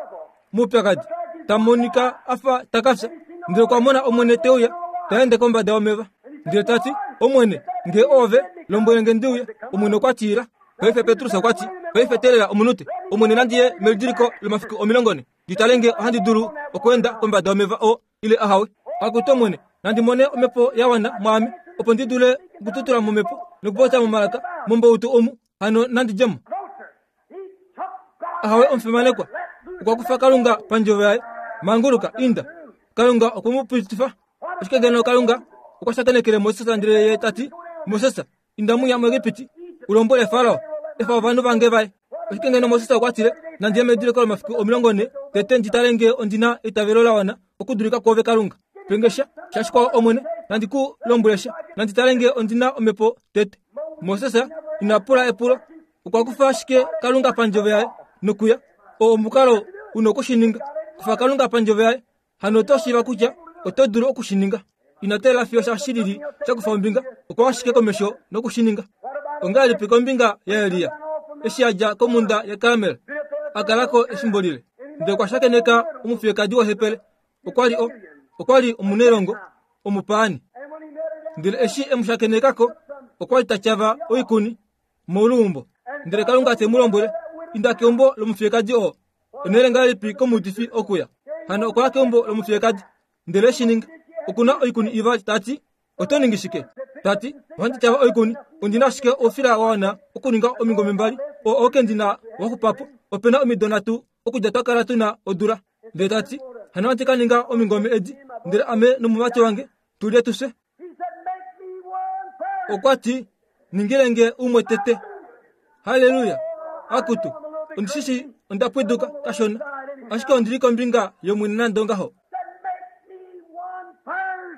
moupyakadi, ta monika a fa ta ka fya, ndele okwa mona Omwene te uya ta ende kombada yomeva, ndele ta ti, Omwene, nge oove, lombwele nge ndi uye. Omwene okwa ti, Ila. Paife Petrus okwa ti, Paife teelela omunute, Omwene nandi ye melidiliko lomafiku 40, ndi tale nge ohandi dulu okweenda kombada yomeva oo ile ahawe. Akutu Omwene, nandi mone omhepo ya wana mwaame, opo ndi dule okututula momhepo nokupopya momalaka mombautu omu, hano nandi dje mo. Ahawe omufimanekwa, okwa kufa Kalunga pandjovo yaye. Manguluka, inda. Kalunga okwe mu pitifa. Ashike ngeno Kalunga okwa shakenekele Moses ndele ye ta ti, Moses, inda muya muEgipiti, u lombwele Farao, efa ovanhu vange vaye. Ashike ngeno Moses okwa tile, Nandi ye mediliko lomafiku 40, tete ndi tale ngee ondi na eitavelo la wana okudulika kwoove Kalunga. Pe nge sha, sha shikwao Omwene, nandi ku lombwele sha, nandi tale ngee ondi na omhepo tete. Moses ina pula epulo, okwa kufa ashike Kalunga pandjovo yaye nokuya. Oo omukalo u na oku shi ninga. Kufa Kalunga pandjovo yaye, hano oto shiiva kutya oto dulu oku shi ninga. Ina teelela fiyo sha shilili sha kufa ombinga, okwa ashike komesho noku shi ninga. Ongahelipi kombinga yaElia eshi a dja komhunda yaKarmel a kala ko efimbo lile, ndele okwa shakeneka omufiyekadi wohepele. Okwa li o, okwa li omunailongo omupaani. Ndele eshi e mu shakeneka ko, okwa li ta tyava oikuni moluumbo. Ndele Kalunga te mu lombwele, Inda keumbo lomufiyekadi oo. Onhele ngahelipi komuudifi okuya? Hano okwa ya keumbo lomufiyekadi, ndele shi ninga. Oku na oikuni ivali, ta ti, Oto ningi shike? Ta ti, Ohandi tyava oikuni. Ondi na ashike oufila wa wana okuninga omingome mbali, oo oke ndi na wa xupa po. Ope na omido nhatu okudja twa kala tu na odula. Ndele ta ti, Hano ohandi ka ninga omingome edi, ndele ame nomumati wange tu lye tu fye. Okwa ti, Ningile nge umwe tete. Halleluya! Akutu, ondi shi shii onda pwiduka kashona, ashike ondi li kombinga yOmwene nande ongaho.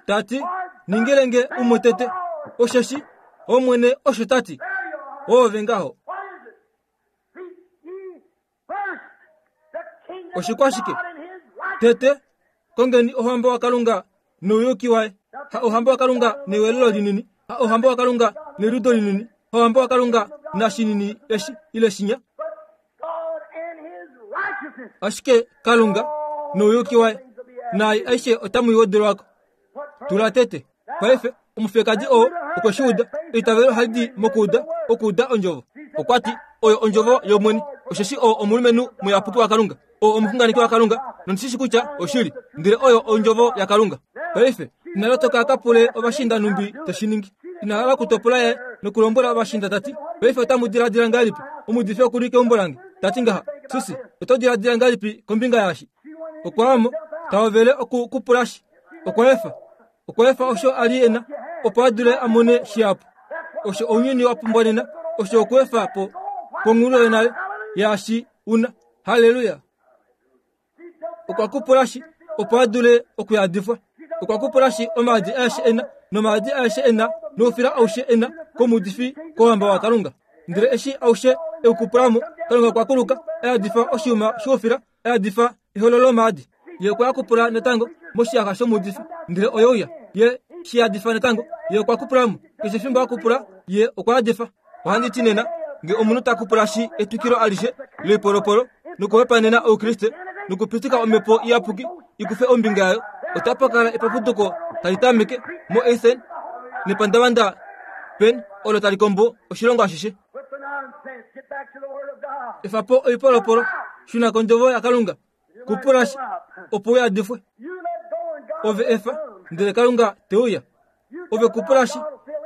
Ta ti, Ningile nge umwe tete, osheshi Omwene osho ta ti. Oove ngaho. Oshikwashike? Tete, kongeni Ouhamba waKalunga nouyuki waye. Ha Ouhamba waKalunga newelelo linini, ha Ouhamba waKalunga neliudo linini, ha Ouhamba waKalunga nashinini eshi ile shinya. Ashike Kalunga nouyuki waye, naai aishe otamu i wedelwa ko. Tula tete. Paife, omufiyekadi oo okwe shi uda. Eitavelo ohali di mokuuda, okuuda Ondjovo. Okwa ti, Oyo Ondjovo yOmwene, osheshi oo omulumenhu muyapuki waKalunga, oo omuxunganeki waKalunga, nondi shi shi kutya oshili, ndele oyo Ondjovo yaKalunga. Paife, ina lotoka a ka pule ovashiinda nhumbi te shi ningi. Ina hala okutopola yaye nokulombwela ovashiinda ta ti, Paife otamu diladila ngahelipi? Omuudifi oku li keumbo lange, ta ti ngaha, Susie, oto diladila ngahelipi kombinga yaashi? Okwa ya mo, ta hovele oku ku pula shi. Okwa efa. Okwa efa osho a li e na, opo a dule a mone shihapu. Osho ounyuni wa pumbwa nena, osho okuefa po ponghulu yonale yaashi u na. Halleluya! Okwa kupula shi, opo a dule okuyadifwa. Okwa kupula shi omaadi aeshe e na, nomaadi aeshe e na, noufila aushe e na, komuudifi kouhamba waKalunga. Ndele eshi aushe e u kupula mo, Kalunga okwa kuluka, a yadifa oshiyuma shoufila, a yadifa eholo lomaadi. Ye okwa kupula natango moshiyaxa shomuudifi, ndele oye uya. Ye shi yadifa natango, ye okwa kupula mo. Keshe fimbo a kupula, ye okwa yadifa. Ohandi ti nena, nge omunhu ta kupula shi etwikilo alishe loipolopolo nokuhopaenena Oukriste nokupitika Omhepo Iyapuki i kufe ombinga yayo, otapa kala epapuduko tali tameke moEthen nepandavanda Pen olo tali kombo oshilongo ashishe. Efa po oipolopolo, shuna kondjovo yaKalunga, kupula shi, opo u yadifwe. Ove efa, ndele Kalunga te uya. Ove kupula shi,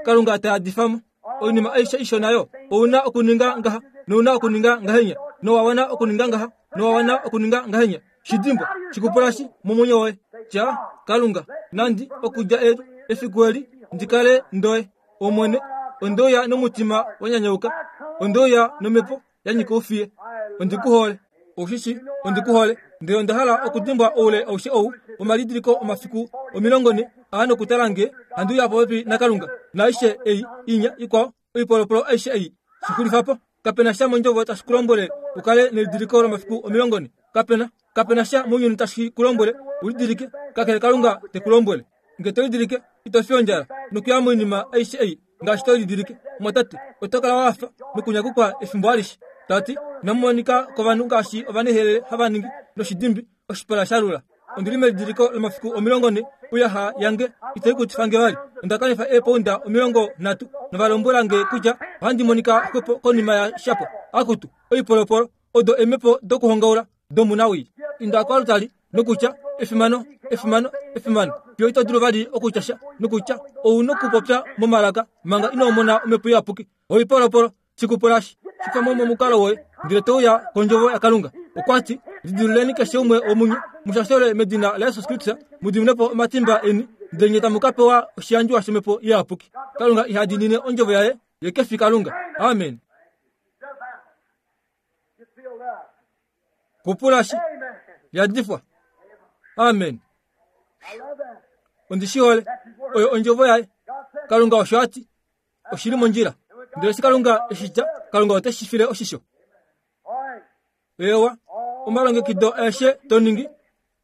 Kalunga ta yadifa mo. Oinima aishe ishona yo, ou na okuninga ngaha, nou na okuninga ngahenya, nowa wana okuninga ngaha, nowa wana okuninga ngahenya. Shi dimbwa, shi kupula shi momwenyo woye. Tya, Kalunga, nandi okudja eli, efiku eli, ndi kale ndoye. Omwene, onde uya nomutima wa nyanyauka, onde uya nomhepo ya nyika oufiye. Ondi ku hole. Ou shi shii, ondi ku hole. Ndele onda hala okudimbwa oule aushe ou womalidiliko omafiku 40 aa nokutala nge handi uya popepi naKalunga, naaishe ei inya ikwao, oipolopolo aishe ei. Shi xulifa po. Kape na sha mondjovo tashi ku lombwele u kale nelidiliko lomafiku 40. Kape na. Kape na sha mounyuni tashi ku lombwele u lidilike, kakele Kalunga te ku lombwele. Nge to lidilike, ito fi ondjala nokuya moinima aishe ei ngaashi to lidilike. Mwatate, oto kala wa hafa nokunyakukwa efimbo alishe. Ta ti, Inamu monika kovanhu ngaashi ovanehelele hava ningi noshidimbi oshipala sha lula. Ondi li melidiliko lomafiku 40, oiyaxa yange itai kutifa nge vali. Onda kanifa eepounda 30 nova lombwela nge kutya ohandi monika xwepo konima ya shapo. Akutu, oipolopolo, odo eemhepo dokuhongaula domunawii. Inda koaltari nokutya, Efimano, efimano, efimano. Fiyo ito dulu vali okutya sha, nokutya ou nokupopya momalaka manga ino mona Omhepo Iyapuki. Oipolopolo, shikupulashi, shifa mo momukalo woye, ndele to uya kondjovo yaKalunga. Okwa ti, Lidiluleni keshe umwe womunye, mu shashole medina laJesus Kristus, mu dimine po omatimba eni, ndele nye tamu ka pewa oshiyandjiwa shOmhepo Iyapuki. Kalunga iha diinine ondjovo yaye, ye ke fi Kalunga. Amen. Kupulashi, yadifwa. Amen. Ondi shi hole. Oyo ondjovo yaye. Kalunga osho a ti. Oshi li mondjila. Ndele eshi Kalunga eshi tya, Kalunga ote shi file oshisho. Eewa, omalongekido aeshe to ningi,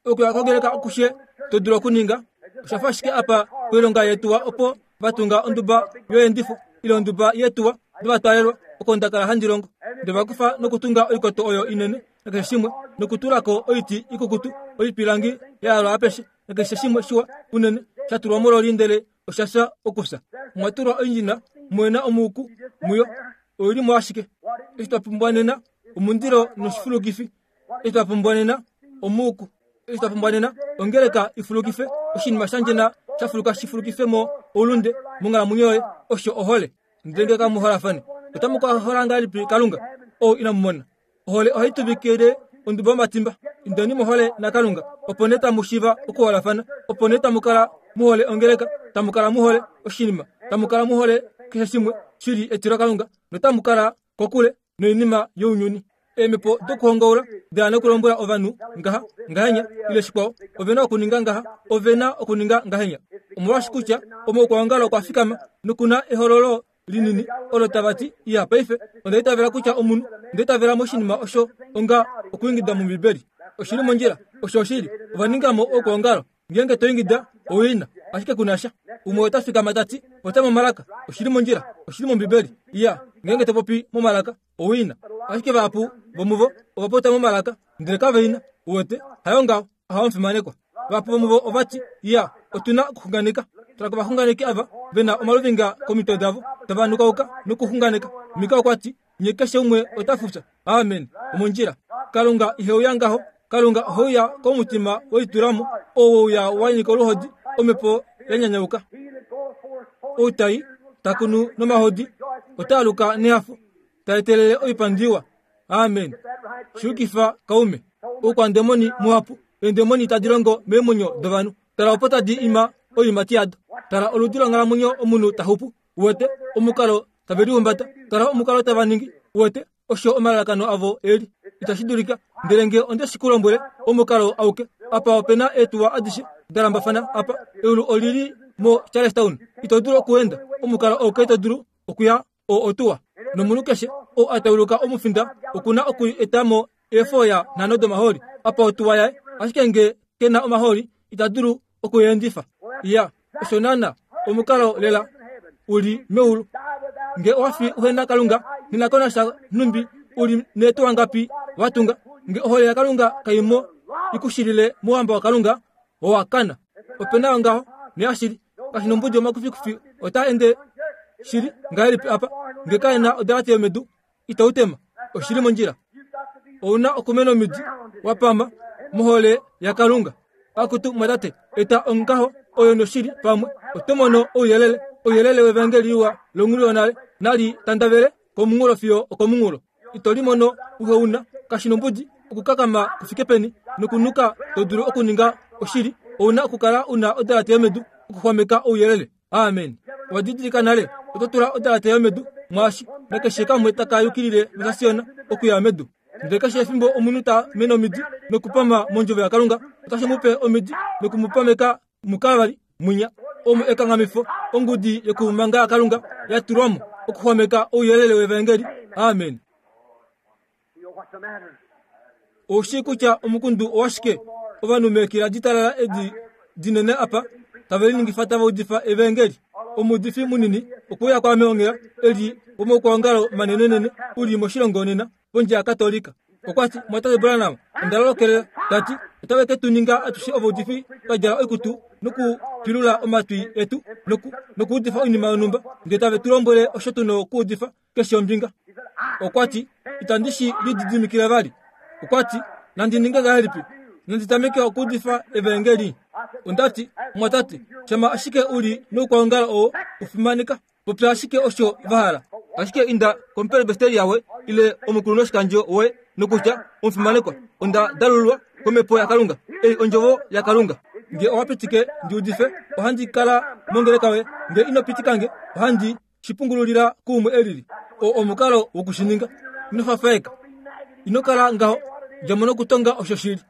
okuya kongeleka okushe to dulu okuninga, osha fa ashike apa koilonga yetuwa opo va tunga onduba yoyendifo ile onduba yetuwa dovatwaalelwa oko nda kala handi longo. Ndele va kufa nokutunga oikoto oyo inene nakeshe shimwe, nokutula ko oiti ikukutu, oipilangi ya yalwa apeshe, nakeshe shimwe shiwa unene sha tulwa mololi ndele osha fya okufya. Omwa tulwa oindjina muhe na omuuku muyo, oi li mo ashike. Eshi twa pumbwa nena omundilo noshifulukifi. Eshi twa pumbwa nena omuuku. Eshi twa pumbwa nena ongeleka i fulukife oshinima sha ndjena sha fuluka shi fulukife mo oulunde monghalamwenyo yoye, osho ohole. Ndele ngee kamu holafane, otamu ka hola ngahelipi Kalunga ou inamu mona? Ohole ohai tuvikile ondubo yomatimba. Indeni mohole naKalunga, opo nee tamu shiiva okuholafana. Opo nee tamu kala mu hole ongeleka, tamu kala mu hole oshinima, tamu kala mu hole keshe shimwe shi li etilokalunga, notamu kala kokule noinima younyuni. Eemhepo dokuhongaula da nokulombwela ovanhu ngaha, ngahenya, ile shikwao, ove na okuninga ngaha, ove na okuninga ngahenya. Omolwaashi kutya omaukwaongalo okwa fikama noku na ehololo linini olo tava ti, Iya, paife, onda itavela kutya omunhu, onda itavela moshinima osho onga okuingida mOmbibeli. Oshi li mondjila. Osho oshili. Ova ninga mo okwoongalo. Ngeenge to ingida, owina, ashike ku na sha. Umwe ota fikama ta ti, Popya momalaka. Oshi li mondjila. Oshi li mOmbibeli. Iya, ngeenge to popi momalaka, owina. Ashike vahapu vomuvo ova popya momalaka, ndele kave ina. Uwete, hayo ngaho. Aha omufimanekwa. Vahapu vomuvo ova ti, Iya, otu na okuxunganeka. Tala kovaxunganeki ava ve na omaluvinga komitwe davo, tava nukauka nokuxunganeka. Mika okwa ti, Nye keshe umwe ota fufya. Amen. Omondjila. Kalunga ihe uya ngaho. Kalunga ohe uya komutima welitulamo, oo we uya wa nyika oluhodi, omhepo ya nyanyauka. Ou tai, ta kunu nomahodi, ota aluka nehafo, ta etelele oipandi iwa. Amen. Shiyukifa kaume. Oukwandemoni muhapu, eendemoni tadi longo meemwenyo dovanhu. Tala opo tadi ima oiimati yado. Tala oludi longhalamwenyo omunhu ta xupu. Uwete omukalo tave lihumbata. Tala omukalo tava ningi. Uwete osho omalalakano avo e li. Itashi dulika. Ndele nge onde shi ku lombwele, omukalo auke. Apa ope na eetuwa adishe da lambafana apa. Eulu oli li mo Charlestown. Ito dulu okuenda. Omukalo auke to dulu okuya oo otuwa. Nomunhu keshe oo a tauluka omufinda oku na oku eta mo eefoya nhano domahooli apa otuwa yaye. Ashike nge ke na omahooli, ita dulu oku endifa. Ya, osho naana omukalo lela u li meulu. Nge owa fi uhe na Kalunga, nena konasha nhumbi u li neetuwa ngapi wa tunga. Nge ohole yaKalunga kai mo i ku shilile mouhamba waKalunga, owa kana. Ope na ongaho, neashili. Kashi nombudi omakufikufi otaa ende shili ngahelipi apa. Nge kae na odalate yomedu, itau tema. Oshi li mondjila. Ou na okumena omidi wa pama mohole yaKalunga. Akutu mwatate, eta ongaho oyo noshili pamwe. Oto mono ouyelele, ouyelele wevangeli liwa longhulu yonale nali tandavele komunghulo fiyo okomunghulo. Ito li mono uhe una, kashi nombudi okukakama ku fike peni nokunuka to dulu okuninga oshili. Ou na okukala u na odalate yomedu okuxwameka ouyelele. Amen. Owa didilika nale, oto tula odalate yomedu mwaashi, nakeshe kamwe taka yukilile mosasiona okuya medu. Ndele keshe efimbo omunhu ta mene omidi nokupama mondjovo yaKalunga, otashi mu pe omidi noku mu pameka muKalvari mwinya, omo ekanghamifo, ongudi yokumanga yaKalunga ya tulwa mo okuxwameka ouyelele wevaengeli. Amen. Ou shii kutya omukundu owashike? Ovanhu meekila ditalala edi dinene apa tave liningifa tava udifa evaengeli. Omuudifi munini okwe uya kwaame onghela, e li womaukwaongalo manenenene u li moshilongo nena, pondje yaKatolika. Okwa ti, Mwatate Branham, onda lolokelela. Ta ti, Otave ke tu ninga atushe ovaudifi twa djala oikutu nokupilula omatwi etu noku, nokuudifa oinima yonhumba, ndele tave tu lombwele osho tu nokuudifa keshe ombinga. Okwa ti, Itandi shi lididimikile vali. Okwa ti, Nandi ninge ngahelipi? Nandi tameke okuudifa evaengeli? Onda ti, Mwatate, shama ashike u li noukwaongalo oo u fimaneka. Popya ashike osho va hala. Ashike inda komuperebesteri yawe ile omukulunhuoshikandjo woye nokutya, Omufimanekwa, onda dalululwa komhepo yaKalunga. Ei ondjovo yaKalunga. Nge owa pitike ndi udife, ohandi kala mongeleka yoye. Nge ino pitika nge, ohandi shi pungululila kuumwe e lili. Oo omukalo woku shi ninga. Ino fafaeka. Ino kala ngaho. Dja mo nokutonga osho shi li.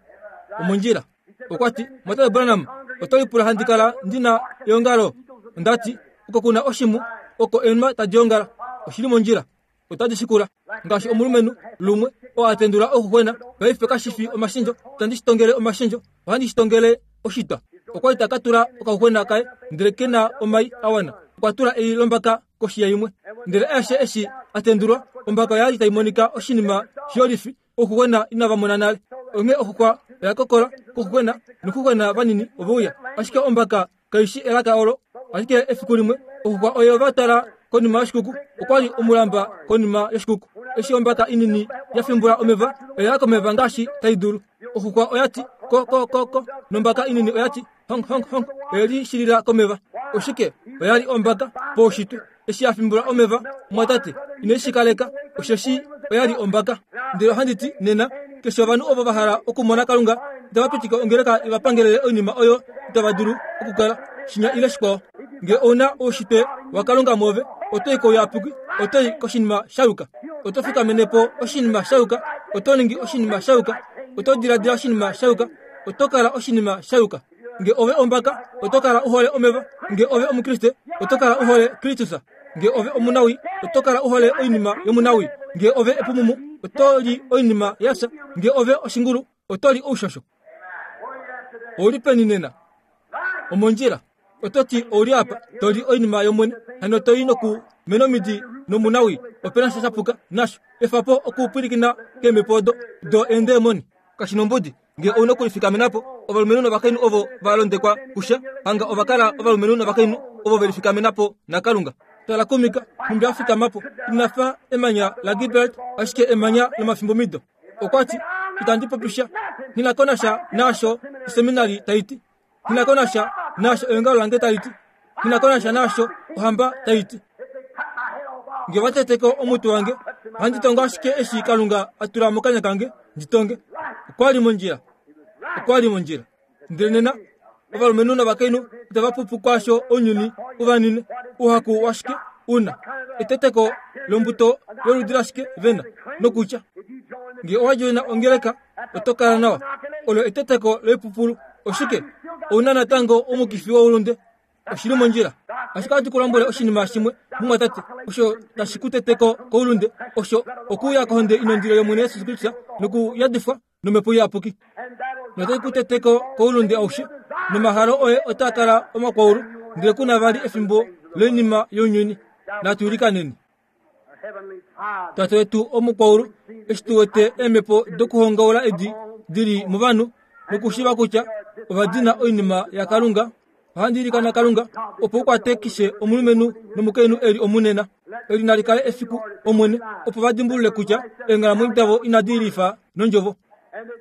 Omondjila. Okwa ti, Mwatate Branham, oto lipula handi kala ndi na eongalo? Onda ti, Oko ku na oshimu, oko eenhwa tadi ongala. Oshi li mondjila. Otadi shikula. Ngaashi omulumenhu, lumwe, oo a tendula ouxuxwena. Paife kashi fi omashendjo. Itandi shi tongele omashendjo. Ohandi shi tongele oshitwa. Okwa li ta ka tula okaxuxwena kaye, ndele ke na omai a wana. Okwa tula ei lombaka koshi yaimwe. Ndele aeshe eshi a tendulwa, ombaka oya li tai monika oshinima shiyolifi, Ouxuxwena inava mona nale. Onghee oxuxwa oya kokola kouxuxwena, nouxuxwena vanini ove uya. Ashike ombaka kai shi elaka olo. Ashike efiku limwe, oxuxwa oye va tala konima yoshikuku. Okwa li omulamba konima yoshikuku. Eshi ombaka inini ya fimbula omeva, oya ya komeva ngaashi tai dulu. Oxuxwa oya ti, Ko, ko, ko, ko. Nombaka inini oya ti, Honk, honk, honk. Oye li shilila komeva. Oshike? Oya li ombaka poushitwe. Eshi ya fimbula omeva, mwatate, ine shi kaleka, osheshi oya li ombaka. Ndele ohandi ti, nena, keshe ovanhu ovo va hala okumona Kalunga, itava pitika ongeleka i va pangelele oinima oyo itava dulu okukala, shinya ile shikwao. Nge ou na oushitwe waKalunga mwoove, oto i kouyapuki, oto i koshinima sha yuka. Oto fikamene po oshinima sha yuka, oto ningi oshinima sha yuka, oto diladila oshinima sha yuka, oto kala oshinima sha yuka. Nge ove ombaka, oto kala u hole omeva. Nge ove Omukriste, oto kala u hole Kristus. Nge ove omunawi, oto kala u hole oinima yomunawi. Nge ove epumumu, oto li oinima ya fya. Nge ove oshingulu, oto li oushosho. Ou li peni nena? Omondjila. Oto ti ou li apa, to li oinima yOmwene, hano to i noku mena omidi nomunawi. Ope na sha sha puka nasho. Efa po okupwilikina keemhepo odo do eendemoni. Kashi nombudi nge ou na okulifikamena po. Ovalumenhu novakainhu ovo va londekwa kusha, hanga ova kala ovalumenhu novakainhu ovo ve lifikamena po naKalunga. Tala kuMika, nhumbi a fikama po. Ina fa emanya laGibraltar, ashike emanya lomafimbomido. Okwa ti, Itandi popi sha. Nghi na ko nasha naasho oseminari tai ti. Nghi na ko nasha naasho eongalo lange tali ti. Nghi na ko nasha naasho ohamba tai ti. Nge va tete ko omutwe wange, ohandi tongo ashike eshi Kalunga a tula mokanya kange ndi tonge. Okwa li mondjila. Okwa li mondjila. Ndele nena, ovalumenhu novakainhu itava pupu kwaasho ounyuni u va nine. Ouhaku washike u na? Eteteko lombuto yoludi lashike ve na? Nokutya, nge owa djoina ongeleka, oto kala nawa. Olo eteteko loipupulu. Oshike? Ou na natango omukifi woulunde. Oshi li mondjila. Ashike ohandi ku lombwele oshinima shimwe, mumwatate, osho tashi ku teteko koulunde, osho okuuya kohonde inondilo yOmwene Jesus Kristus nokuyadifwa nOmhepo Iyapuki. Notai ku teteko koulunde aushe, nomahalo oye otaa kala omakwaulu, ndele ku na vali efimbo loinima younyuni. Natu ilikaneni. Tate wetu omukwaulu, eshi tu wete eemhepo dokuhongaula edi di li movanhu nokushiiva kutya ova dina oinima yaKalunga, ohandi ilikana Kalunga opo u kwate keshe omulumenhu nomukainhu e li omunena. Eli nali kale efiku, Omwene, opo va dimbulule kutya eenghalamwenyo davo inadi lifa nondjovo,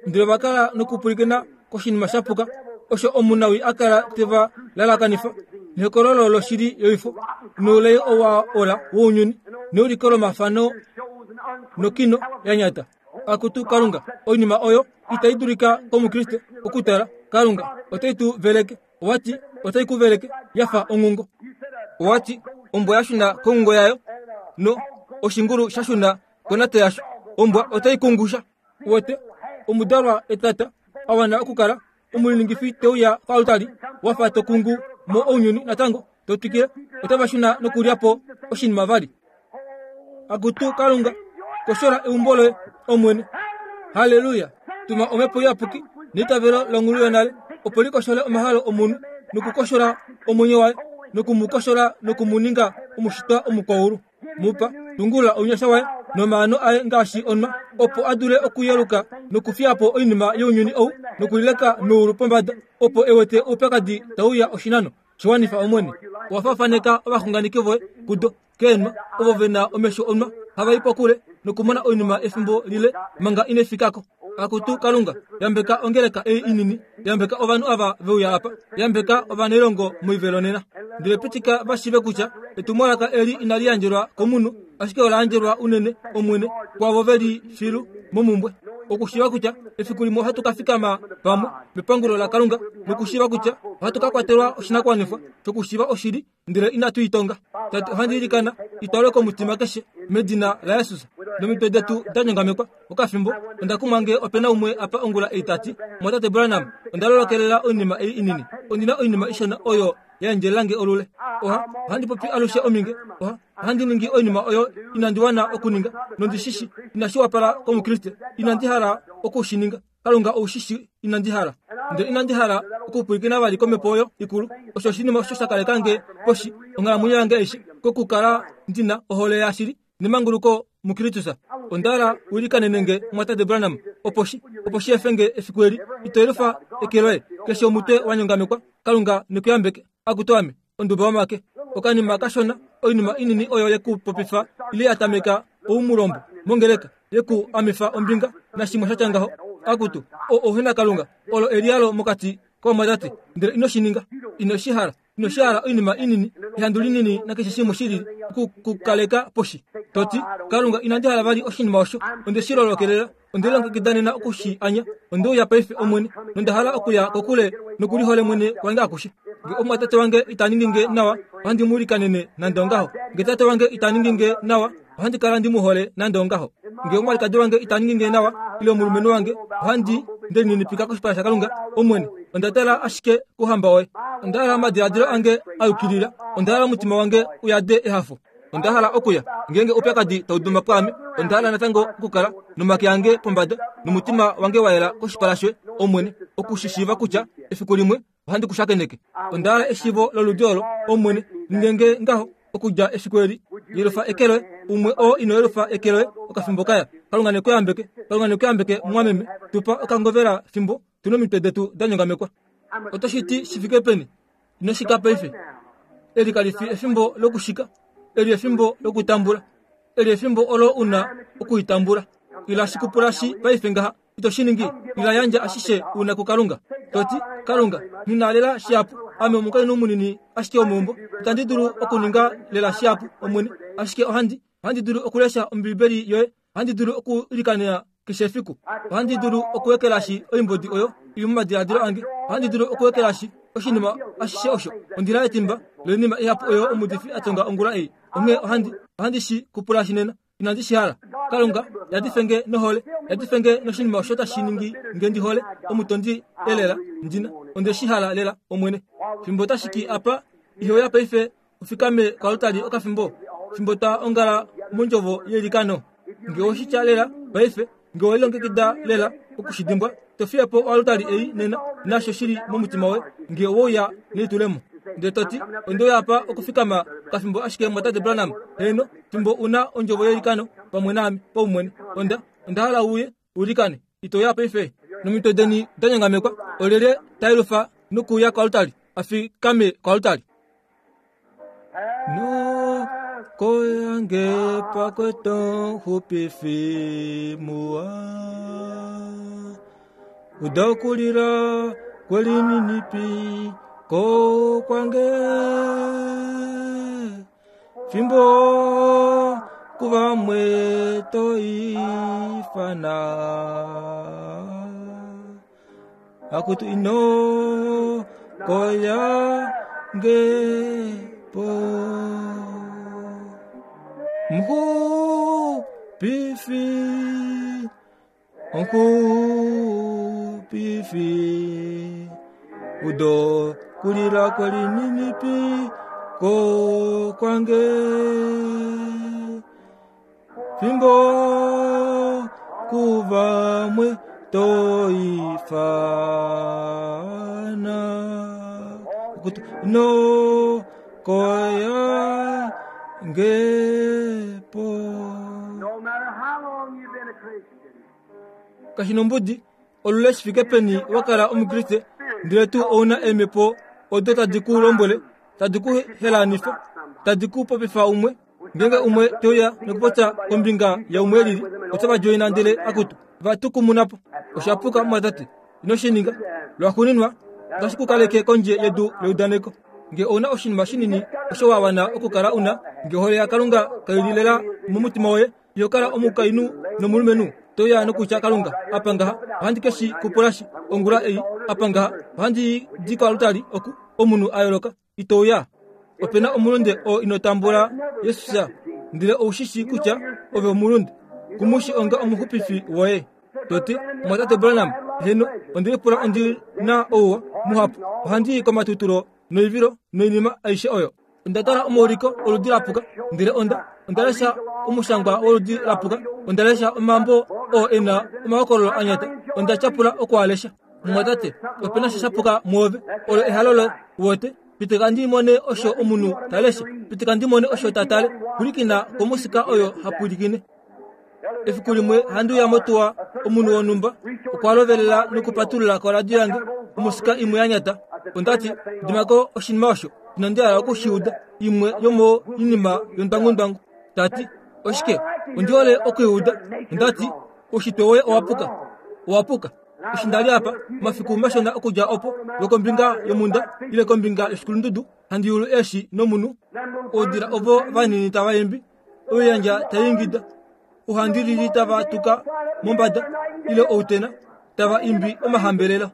ndele ova kala nokupwilikina koshinima sha puka osho omunawii a kala te va lalakanifa nehokololo loshili yoifo noulai owa ola wounyuni neuliko lomafano nokino ya nyata. Akutu Kalunga, oinima oyo itai dulika kOmukriste okutala. Kalunga otai tu veleke. Owa ti otai ku veleke ya fa onghungo. Owa ti ombwa ya shuna konghungo yayo no oshingulu sha shuna konate yasho. Ombwa otai kungusha. Uwete, omudalwa etata a wana okukala omuliningifi te uya koaltari, wa fa to kungu mo ounyuni natango, to twikile, otava shuna nokulya po oshinima vali. Akutu Kalunga, koshola eumbo loye, Omwene. Halleluya! Tuma Omhepo Iyapuki neitavelo longulu yonale, opo li koshole omahalo omunhu nokukoshola omwenyo waye, noku mu koshola noku mu ninga omushitwa omukwaulu. Mu pa, tungulula ounyasha waye nomaano aye ngaashi onwa, opo a dule okuyeluka nokufiya po oinima younyuni ou nokulileka meulu pombada, opo e wete oupyakadi tau uya oshinano. Shi wanifa, Omwene. Owa faafaneka ovaxunganeki voye kudo, keenwa, ovo ve na omesho onwa, hava i pokule nokumona oinima efimbo lile manga ine fika ko. Akutu Kalunga, yambeka ongeleka ei inini, yambeka ovanhu ava ve uya apa, yambeka ovanailongo moivelo nena. Ndele pitika va shiive kutya etumwalaka eli inali yandjelwa komunhu, ashike ola yandjelwa unene, Omwene, kwaavo ve li filu momumbwe. Okushiiva kutya efiku limwe ohatu ka fikama pamwe mepangulo laKalunga, nokushiiva kutya ohatu ka kwatelwa oshinakuwanifwa shokushiiva oshili ndele inatu i tonga. Tate, ohandi ilikana i twalwe komutima keshe, medina laJesus. Nomitwe detu da nyongamekwa okafimbo, onda kumwa nge ope na umwe apa ongula ei ta ti, Mwatate Branham, onda lolokelela oinima ei inini. Ondi na oinima ishona oyo ya endjelela nge olule. Oha, ohandi popi alushe ominge. Oha, ohandi ningi oinima oyo inandi wana okuninga, nondi shi shi inashi wapala kOmukriste. Inandi hala oku shi ninga. Kalunga ou shi shii inandi hala. Ndele inandi hala okupwilikina vali komhepo oyo ikulu. Osho oshinima osho sha kaleka nge poshi onghalamwenyo yange aishe, kokukala ndi na ohole yashili nemanguluko muKristus. Onda hala u ilikanene nge, Mumwatate Branham, opo shi, opo shi efe nge efiku eli. Ito yelufa eke loye? Keshe omutwe wa nyongamekwa. Kalunga ne ku yambeke. Akutu ame, onduba yomake. Okanima kashona, oinima inini oyo ye ku popifa ile ya tameka oumulombo mongeleka, ye ku amifa ombinga nashimwe sha tya ngaho. Akutu, o ouhenakalunga, olo eliyalo mokati kovamwatate, ndele ino shi ninga. Ino shi hala. Ino shi hala oinima inini, ehandu linini nakeshe shimwe shi lili, oku ku kaleka poshi. To ti, Kalunga, inandi hala vali oshinima osho. Onde shi lolokelela. Onde lilongekida nena oku shi anya. Onde uya paife, Omwene, nonda hala okuya kokule nokulihole mwene kwange akushe. Nge omumwatate wange ita ningi nge nawa, ohandi mu ilikanene nande ongaho. Nge tate wange ita ningi nge nawa, ohandi kala ndi mu hole nande ongaho. Nge omwalikadi wange ita ningi nge nawa, ile omulumenhu wange, ohandi nde lininipika koshipala shaKalunga, Omwene, onda tala ashike kouhamba woye. Onda hala omadiladilo ange a yukilila. Onda hala omutima wange u yade ehafo. Onda hala okuya. Ngeenge oupyakadi tau duma pwaame, onda hala natango okukala nomake ange pombada nomutima wange wa yela koshipala shoye, Omwene, oku shi shiiva kutya efiku limwe ohandi ku shakeneke. Onda hala eshiivo loludi olo, Omwene, ninge nge ngaho okudja efiku eli. Yelufa eke loye, umwe oo ino yelufa eke loye okafimbo kaya. Kalunga ne ku yambeke. Kalunga ne ku yambeke, mumwameme. Tu pa okangovela fimbo tu nomitwe detu da nyongamekwa. Oto shi ti shi fike peni? Ino shika paife. Eli kali fi efimbo lokushika. Eli efimbo lokutambula. Eli efimbo olo u na okuitambula. Ila shi kupula shi paife ngaha. Ito shi ningi? Ila yandja ashishe u na kuKalunga. To ti, Kalunga, nghi na lela shihapu. Ame omukainhu munini ashike womeumbo. Itandi dulu okuninga lela shihapu, Omwene. Ashike ohandi, ohandi dulu okulesha Ombibeli yoye. Ohandi dulu okuilikanena keshe efiku. Ohandi dulu okuekelashi oimbodi oyo i li momadiladilo ange. Ohandi dulu okuekelashi oshinima ashishe osho. Ondi na etimba loinima ihapu oyo omuudifi a tonga ongula ei. Onghee ohandi, ohandi shi kupulashi nena. Inandi shi hala. Kalunga, yadife nge nohole. Yadife nge noshinima osho tashi ningi nge ndi hole omutondi elela. Ndi na. Onde shi hala lela, Omwene. Fimbo tashi ki apa, ihe uya paife u fikame koaltari okafimbo, fimbo twa ongala mondjovo yeilikano. Nge owe shi tya lela paife, nge owe lilongekida lela oku shi dimbwa, to fiye po oaltari ei nena, naasho shi li momutima woye, nge owe uya nelitulemo. Ndele to ti, Onde uya apa okufikama okafimbo ashike, Mumwatate Branham. Heeno, fimbo u na ondjovo yeilikano pamwe naame, paumwene. Onda, onda hala u uye, u ilikane. Ito uya paife? Nomitwe deni da nyongamekwa, olyelye ta yelufa nokuuya koaltari, a fikame koaltari? Noko yange pakweto xupifi muwa uda okulila kwelininipi ko kwange fimbo kuvamwe to ifana Akutu ino koya nge po Mxupifi. Omuxupifi udo kulila kwelininipiko kwange fimbo kuvamwe toifana no koya ngepo No matter how long you've been a Christian, kashinombudi olule shifike peni wakala omukriste ndele tuu ouna eemhepo odo tadi ku lombwele tadi ku helanifa tadi ku popifa umwe ngeenge umwe teuya nokupopya kombinga yaumwe elili otava djoina ndele akutu vatukumunapo oshapuka mwatate ino shi ninga lwaxuuninwa otashi ku kaleke kondje yedu leudaneko nge ouna oshinima shinini osho wa wana okukala una nge ohole yakalunga kaili lela momutima woye iho kala omukainhu nomulumenhu toya nokutya kalunga apa ngaha ohandi keshi kupulashi ongula ei apa ngaha ohandi di koalutali oku omunhu a yooloka itouya opena omulunde oo ino tambula yesus ndele oushishi kutya ove omulunde kumushi onga omuxupifi woye toti mwatate Branham heno ondi lipula ondi na ouwa muhapu ohandi i komatutulo noivilo noinima aishe oyo onda tala omauliko oludi lapuka ndele onda onda lesha omushangwa woludi lapuka onda lesha omambo oo e na omahokololo a nyata onda tyapula okualesha mumwatate opena sha shapuka mwoove olo ehalo lo wote pitika ndi mone osho omunhu ta lesha pitika ndi mone osho ta tale pwilikina komusika oyo ha pwilikine efiku limwe handi uya motuwa omunhu wonhumba okwa lovelela nokupatulula koradio yange omusika imwe ya nyata ondati dimako oshinima osho inandi hala oku shi uda imwe yomoinima yondwangundwangu tati oshike ondi hole okuiuda ondati oushitwe woye owa puka owa puka eshi nda li apa omafiku mashona okudja opo lwokombinga yomhunda ile kombinga yoshikulundudu handi yulu eeshi nomunhu oudila ovo vanini tava imbi oiyandja tai ingida ohandilili tava tuka mombada ile outena tava imbi omahambelelo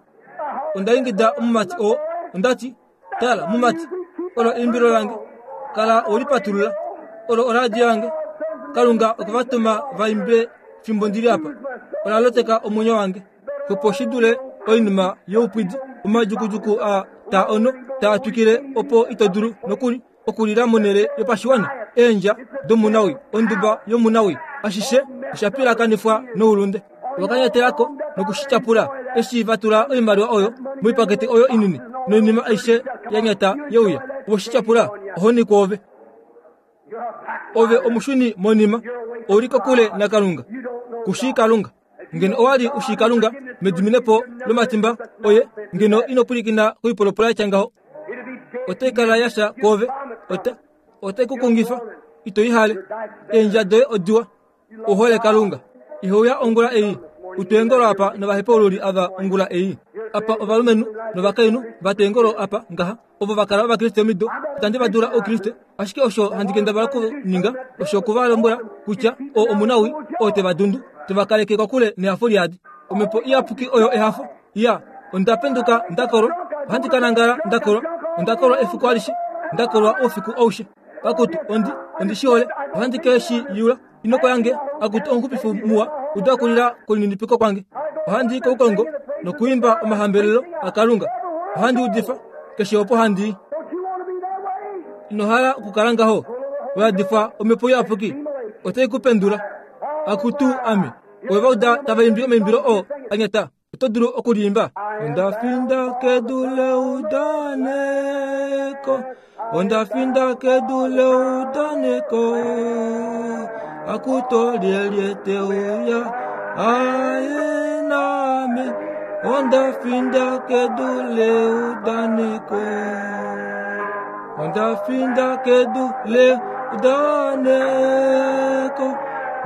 onda ingida omumati oo onda ti tala mumati olo eimbilo lange kala welipatulula olo oradio yange kalunga okwe va tuma va imbe fimbo ndili apa ola loteka omwenyo wange opo shi dule oinima youpwidi omadjukujuku a taa ono taa twikile opo ito dulu nokuli okulila monhele yopashiwana eendja domunawi onduba yomunawi ashishe osha pilakanifwa noulunde ovakanyatelako nokushityapula eshi va tula oimaliwa oyo moipakete oyo inini noinima aishe ya nyata yeuya ovoshityapula ohoni kwoove ove omushuni monima ouli kokule nakalunga kushii kalunga ngeno owa li u shii kalunga mediminepo lomatimba oye ngeno ino pwilikina koipolopolo ya tya ngaho otai kala ya sha kwoove ota otai ku kungifa ito i hale eendja doye odiwa u hole kalunga ihouya ongula ei uteengolo apa novahepaululi ava ongula ei apa ovalumenhu novakainhu vateengolo apa ngaha ovo va kala ovakriste omido itandi va dula oukriste ashike osho handi kendabala okuninga osho oku va lombwela kutya oo omunawi oo te va dundu te va kaleke kokule nehafo liadi omhepo iyapuki oyo ehafo ya onda penduka nda kolwa ohandi ka nangala nda kolwa onda kolwa efiku alishe nda kolwa oufiku aushe akutu ondi ondi shi hole ohandi ke shi yula inoko yange akutu omuxupifi muwa uda okulila kolininipiko kwange ohandi i koukongo nokuimba omahambelelo akalunga ohandi udifa keshe opo handi i ino hala okukala ngaho wa yadifwa omhepo iyapuki otai ku pendula akutu ame ove va uda tava imbi omaimbilo oo a nyata oto dulu okuliimba onda finda kedu leudaneko onda finda kedu leudaneko akuto lyelye te uya aye name onda finda kedu leudaneko onda finda kedu leudaneko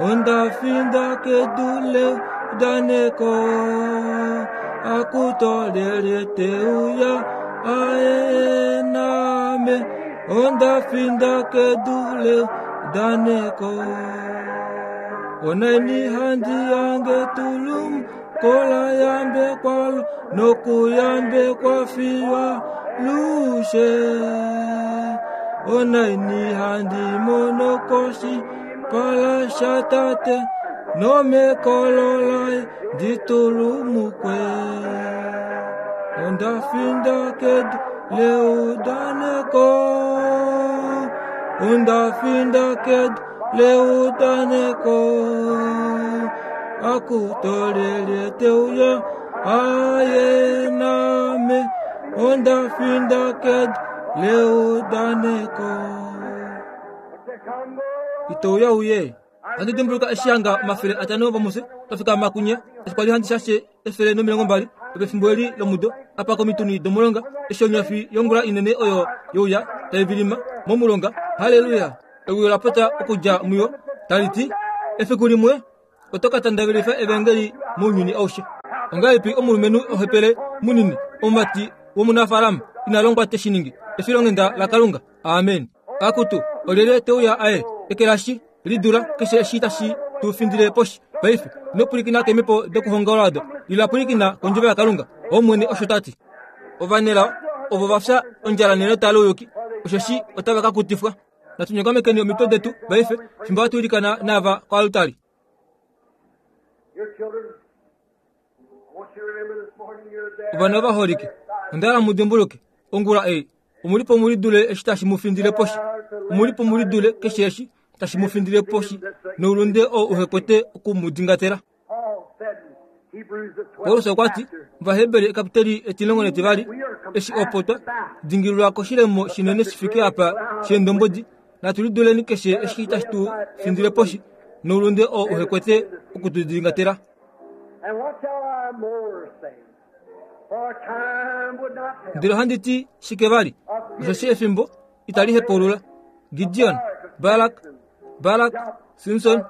onda finda kedu leudaneko akuto lyelye te uya aye name onda finda kedu leudaneko oneni handi yange tulum kola yambe kwalo nokuyambe kwafiywa lushe oneni handi monokoshi pala shatate nomekololai Ndi tulumukwe. Onda finda kedu leudaneko. Onda finda kedu leudaneko. Akutolele teuya aye name. Onda finda kedu leudaneko. Itouya uye. Handi dimbuluka eshi hanga 500 vomufye twafika makunya eshi kwali handi shashe 120 pefimbo eli lomudo apa komituni domulonga eshi onyafi yongula inene oyo youya tai vilima momulonga. Haleluya! Ewi ola popya okudja muyo tali ti, Efiku limwe oto ka tandavelifa evangeli mounyuni aushe. Ongahelipi omulumenhu ohepele munini, omumati womunafaalama ina longwa te shi ningi? Efilonghenda laKalunga. Amen. Akutu, olyelye te uya aye ekelashi lidula keshe eshi tashi tu findile poshi paife? Ino pwilikina keemhepo dokuhongaula odo. Ila pwilikina kondjovo yaKalunga. Omwene osho ta ti. Ovanelao ovo va fya ondjala nenota louyuki, osheshi otava ka kutifwa. Natu nyongamekeni omitwe detu paife fimbo hatu ilikana naava koaltari. Ovana ovaholike, onda hala mu dimbuluke ongula ei, omu li po mu lidule eshi tashi mu findile poshi. Omu li po mu lidule keshe eshi tashi mu findile poshi noulunde oo uhe kwete oku mu dingatela. Paulus okwa ti, Ovaheberi ekapiteli 12, eshi opo twa dingililwa koshilemo shinene shi fike apa sheendombwedi, natu liduleni keshe eshi tashi tu findile poshi noulunde oo uhe kwete oku tu dingatela. Ndele ohandi ti shike vali? Osheshi efimbo itali hepaulula. Gideon, Barak, Barak, Simson,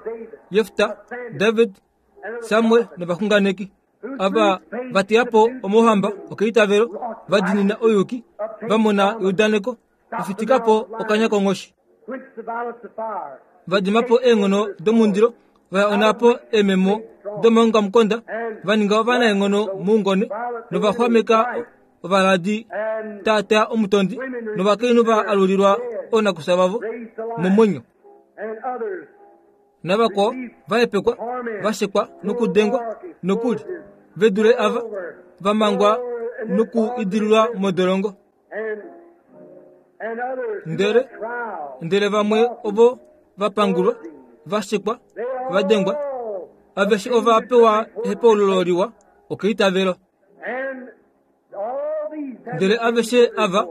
Jefta, David, Samuel novaxunganeki ava va teya po omauhamba okeitavelo, va diinina ouyuki, va mona eudaneko, va fitika po okanya konghoshi, va dima po eenghono domundilo, va ya onhapo eememo domaongamukonda, va ninga ovanaenghono moungone nova xwameka ovaladi taataa omutondi novakainhu va alulilwa oonakufya vavo momwenyo. Navakwao va hepekwa, va shekwa nokudengwa, nokuli ve dule ava va mangwa noku idililwa modolongo. Ndele ndele vamwe ovo va pangulwa, va shekwa, va dengwa, aveshe ova pewa ehepaululo liwa okeitavelo. Ndele aveshe ava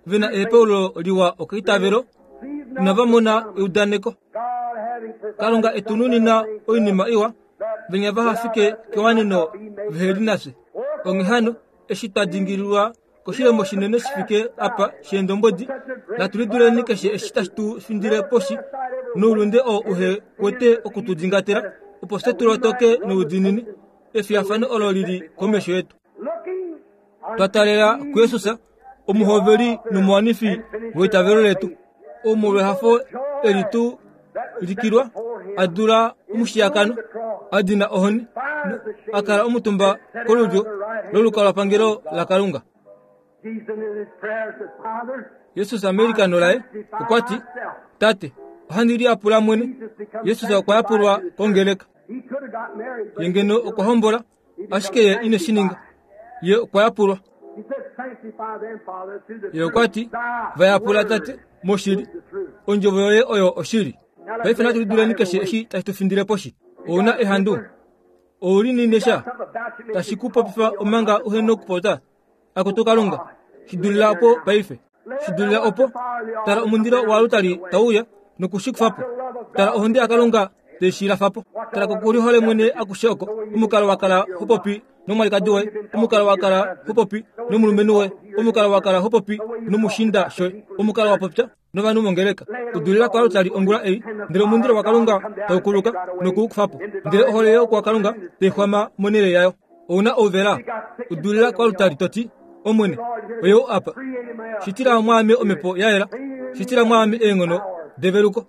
ve na ehepaululo liwa okeitavelo inava mona eudaneko. Kalunga e tu nunina oinima iwa, venya vaha fike kewaneno vehe li nafye. Onghee hano, eshi twa dingililwa koshilemo shinene shi fike apa sheendombwedi, natu liduleni keshe eshi tashi tu findile poshi noulunde oo uhe kwete oku tu dingatela, opo fye tu lotoke noudiinini efiyafano olo li li komesho yetu. Twa taalela kuJesus, omuhoveli nomuwanifi weitavelo letu, ou molwehafo eli tu likilwa a dula omushiyakano, a dina ohoni, a kala omutumba kolulyo lolukalwapangelo laKalunga. Jesus meilikano laye okwa ti, Tate, ohandi liyapula mwene. Jesus okwa yapulwa kongeleka. Ye ngeno okwa hombola, ashike ye ine shi ninga. Ye okwa yapulwa. Ye okwa ti, Va yapula Tate, moshili. Ondjovo yoye oyo oshili. Paife natu liduleni keshe eshi tashi tu findile poshi. Ou na ehandu? Ou li nine sha tashi ku popifa omanga uhe nokupopya? Akutu Kalunga, shi dulila opo paife. Shi dulila opo. Tala omundilo waalutali tau uya noku shi kufa po. Tala ohonde yaKalunga te shi lafa po. Tala kokulihole mwene akushe oko, omukalo wa kala ho popi nomwalikadi woye, omukalo wa kala ho popi nomulumenhu woye, omukalo wa kala ho popi nomushiinda shoye, omukalo wa popya novanhu mongeleka. Udulila koaltari ongula ei, ndele omundilo waKalunga tau kuluka noku u kufa po, ndele ohole youkwakalunga tai xwama monhele yayo. Ou na ouvela? Udulila koaltari to ti, Omwene, oyou apa. Shitila mwaame omhepo ya yela. Shitila mwaame eenghono develuko.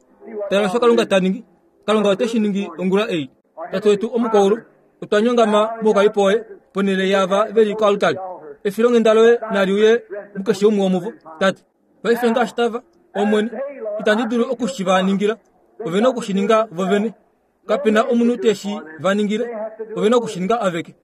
Tala osho Kalunga ta ningi. Kalunga ote shi ningi ongula ei. Tate wetu omukwaulu, otwa nyongama moukalipo woye ponhele yaava ve li koaltari. Efilonghenda loye nali uye mukeshe umwe womuvo, Tate. Paife ngaashi tava, Omwene, itandi dulu oku shi va ningila. Ove na oku shi ninga vo vene. Kape na omunhu te shi va ningile, ove na oku shi ninga aveke.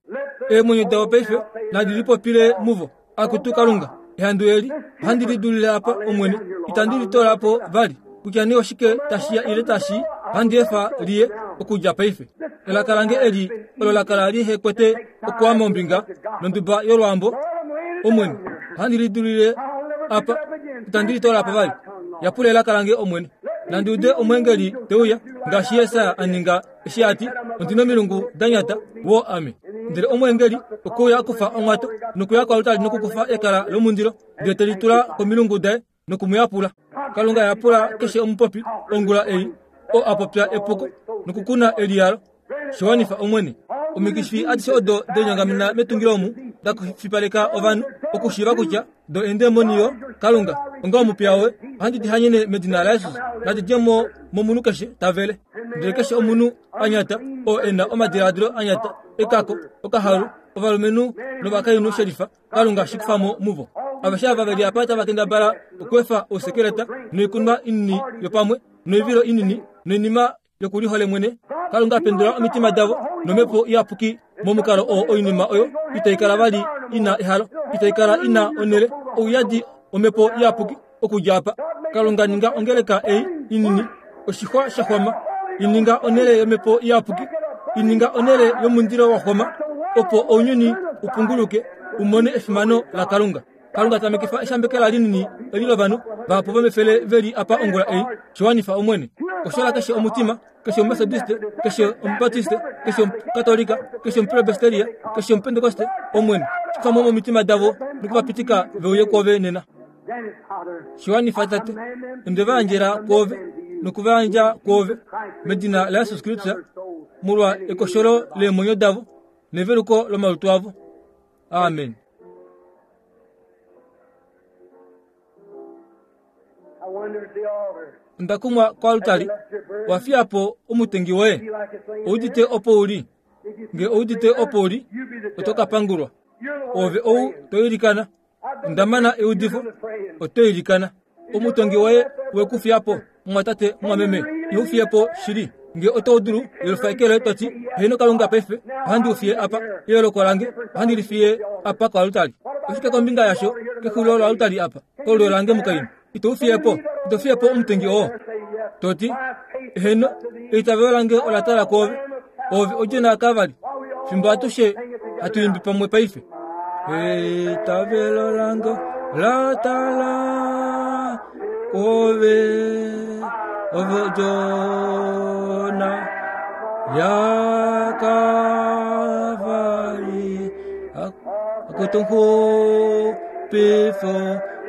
Eemwenyo davo paife nadi lipopile muvo, Akutu Kalunga, ehandu eli ohandi li dulile apa, Omwene, itandi li toola po vali. Kutya nee oshike tashi ya ile tashi, ohandi efa li ye, okudja paife. Elaka lange eli olo la kala lihe kwete okuama ombinga nonduba yolwaambo, Omwene, ohandi li dulile apa, itandi li toola po vali. Yapula elaka lange, Omwene. Nandi ude omweengeli te uya, ngaashi Jesaja a ninga eshi a ti, Ondi nomilungu da nyata, woo ame. Ndele omweengeli okwe uya a kufa onghwato nokuya koaltari nokukufa ekala lomundilo, ndele te li tula komilungu daye noku mu yapula. Kalunga yapula keshe omupopi ongula ei oo a popya epuko nokukuna eliyalo. Shi wanifa Omwene. Omikifi adishe odo de linyongamena metungilo omu da fipaleka ovanhu okushiiva kutya do eendemoni yo Kalunga onga omupiya woye ohandi di hanyene medina laJesus nadi dje mo momunhu keshe ta vele. Ndele keshe omunhu a nyata oo e na omadiladilo a nyata ekako okahalu ovalumenhu novakainhu shelifa Kalunga shi kufa mo muvo. Aveshe ava ve li apa tava kendabala okweefa ousekeleta noikunwa inini yopamwe noivilo inini noinima yokulihole mwene. Kalunga pendula omitima davo nomhepo iyapuki momukalo oo oinima oyo itai kala vali ina ehalo, itai kala ina onhele, ouyadi omhepo iyapuki okudja apa. Kalunga ninga ongeleka ei inini oshixwa sha xwama, i ninga onhele yomhepo iyapuki, i ninga onhele yomundilo wa xwama, opo ounyuni u punguluke u mone efimano laKalunga. Kalunga tamekifa eshambekela linini eli lovanhu vahapu vomefele ve li apa ongula ei, shi wanifa Omwene. Koshola keshe omutima, keshe Omumetodiste, keshe Omubaptiste, keshe Omukatolika, keshe Omupresbyteria, keshe Omupentekoste, Omwene, shi kufa mo momitima davo noku va pitika ve uye kwoove nena. Shi wanifa, Tate. Onde va yandjela kwoove noku va yandja kwoove, medina laJesus Kristus, molwa ekosholo leemwenyo davo neveluko lomalutu avo. Amen. Onda kumwa koaltari. Wa fiya po omutengi woye. Ou udite opo u li? Nge ou udite opo u li, oto ka pangulwa. Ove ou to ilikana. Onda mana eudifo. Oto ilikana. Omutongi woye we ku fiya po, mumwatate, mumwameme, iho fiye po shili. Nge oto dulu, yelufa eke loye to ti, Heeno Kalunga, paife ohandi u fiye apa, eyooloko lange, ohandi li fiye apa koaltari. Oshike kombinga yasho kexulilo loaltari apa, kolulyo lange mukainhu? Ito u fiye po? Ito fiye po omutengi oo? To ti, Heeno, eitavelo lange ola tala kwoove. Oove odjona yaKalvari. Fimbo atushe hatu imbi pamwe paife. Eitavelo lange la tala kwoove, ove odjona yaKalvari. Akutu nxupifo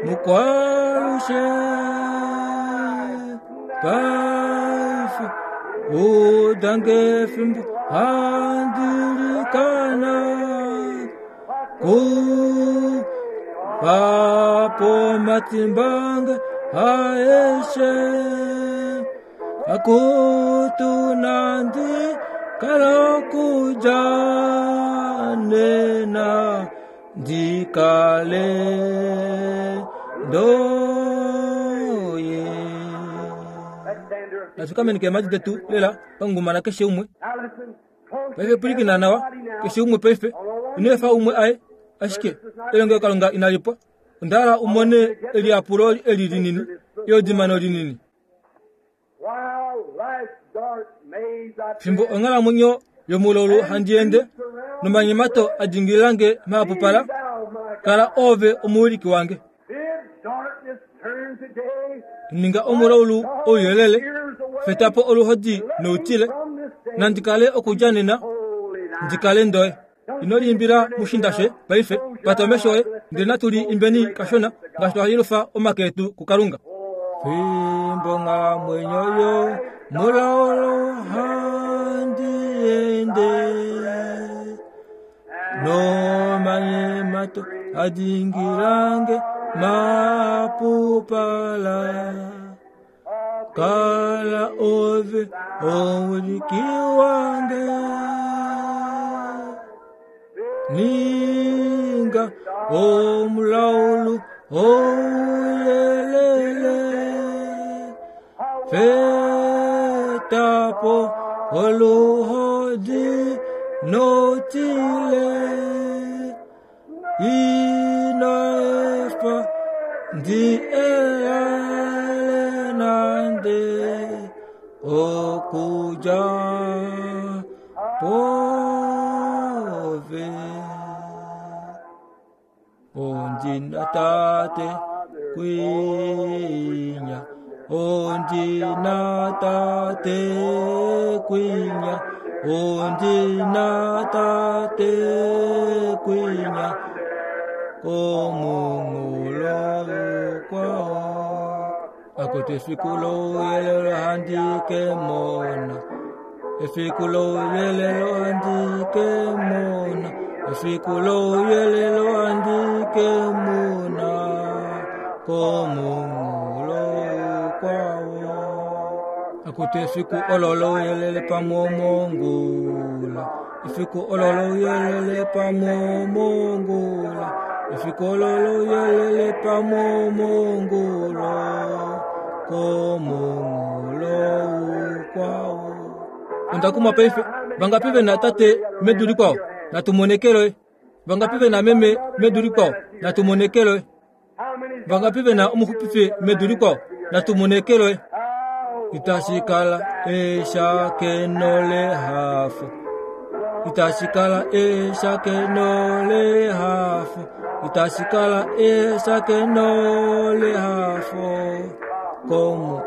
mukwalushe. Paife udange fimbo handi likana ku papo matimbange aeshe akutu nandi kala nena ndikale ndoye. Natu keemhadi detu lela pangumana keshe umwe. Paife pwilikina nawa, keshe umwe paife. Ino efa umwe aye, ashike elongelokalunga inali pwa. Onda hala u mone eliyapulo eli linini, eodimano linini. Fimbo onghalamwenyo yomulaulu handi ende, nomanyemato a dingilila nge mahapupala, kala oove omuwiliki wange. Ninga omulaulu ouyelele, feta po oluhodi noutile, nandi kale okudja nena, ndi kale ndoye. Ino liimbila mushinda she paife, pata omesho oye, ndele natu li imbeni kashona ngaashi twa yelufa omake etu kuKalunga. Fimbo nghalamwenyo yo mulaulu handi ende, nomanyemato a dingilange mapupala. Kala ove omuwiliki wange. Ninga omulaulu ouyelele. Feta po oluhodi notile ino efa ndi eyale nande okuja pove. Ondina tate kwinya, ondina tate kwinya, ondina tate kwinya, komunghulo kwao. Akuti efiku louyelele handike mona, efiku louyelele handike mona, efiku louyelele handike mona, komunghulo kwao. Akuti efiku olo louyelele pamomongula, efiku olo louyelele pamomongula, efiku olo louyelele pamomongula, komunghulo kwao. Ondakuma paife vangapi ve na tate medu likwao natumonekelwe, vangapi ve na meme medu likwao natumonekelwe, vangapi ve na omuxupifi medu likwao natumonekelwe. Itashikala eshakeno lehafo, itashikala eshakeno lehafo, itashikala eshakeno lehafo komu.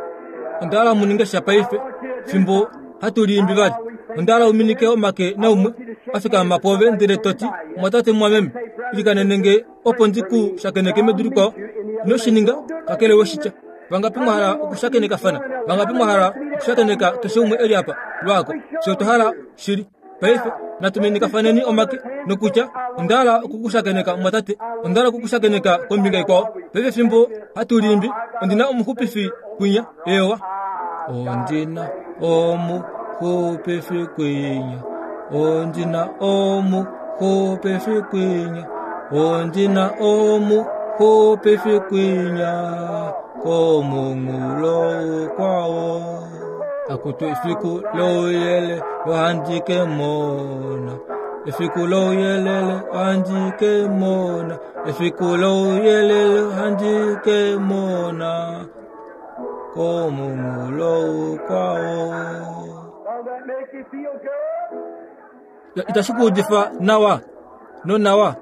Ondala muninge sha paife fimbo hatuliimbi vali. Ondala uminike omake naumwe afika mapove ndele toti mwatate mwameme ilikanenenge opo ndiku shakeneke medu likwao. Inoshininga kakele weshitya. Vangapi mwahala okushakenekafana, vangapi mwahala okushakeneka keshe umwe eli apa lwako sho tohala shili. Paife natuminikafaneni omake nokutya ondala okukushakeneka mwatate, ondala okukushakeneka kombinga ikwao. Paife fimbo hatuliimbi ondina omuxupifi kwinya ewa, ondina omuxupifi kwinya, ondina omuxupifi kwinya, ondina omuxupifi kwinya, komunghulo kwao. Akutu efiku louyelele lohandike mona, efiku louyelele handike mona, efiku louyelele handike mona, komunghulo kwao. Itashi kuudifa nawa no nawa.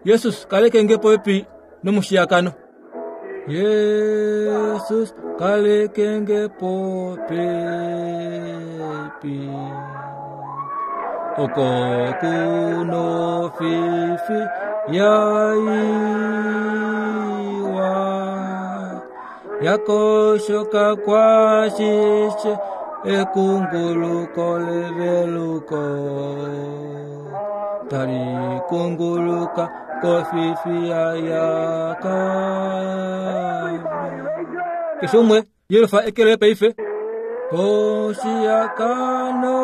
Jesus kalekenge popepi nomushiyakano. Jesus kalekenge popepi, oko kuno fifi yaiwa, yakoshoka kwashishe ekunguluko leveluko, tali kunguluka kofifi yayaka. Keshe umwe yelufa ekele paife. Koshiakano,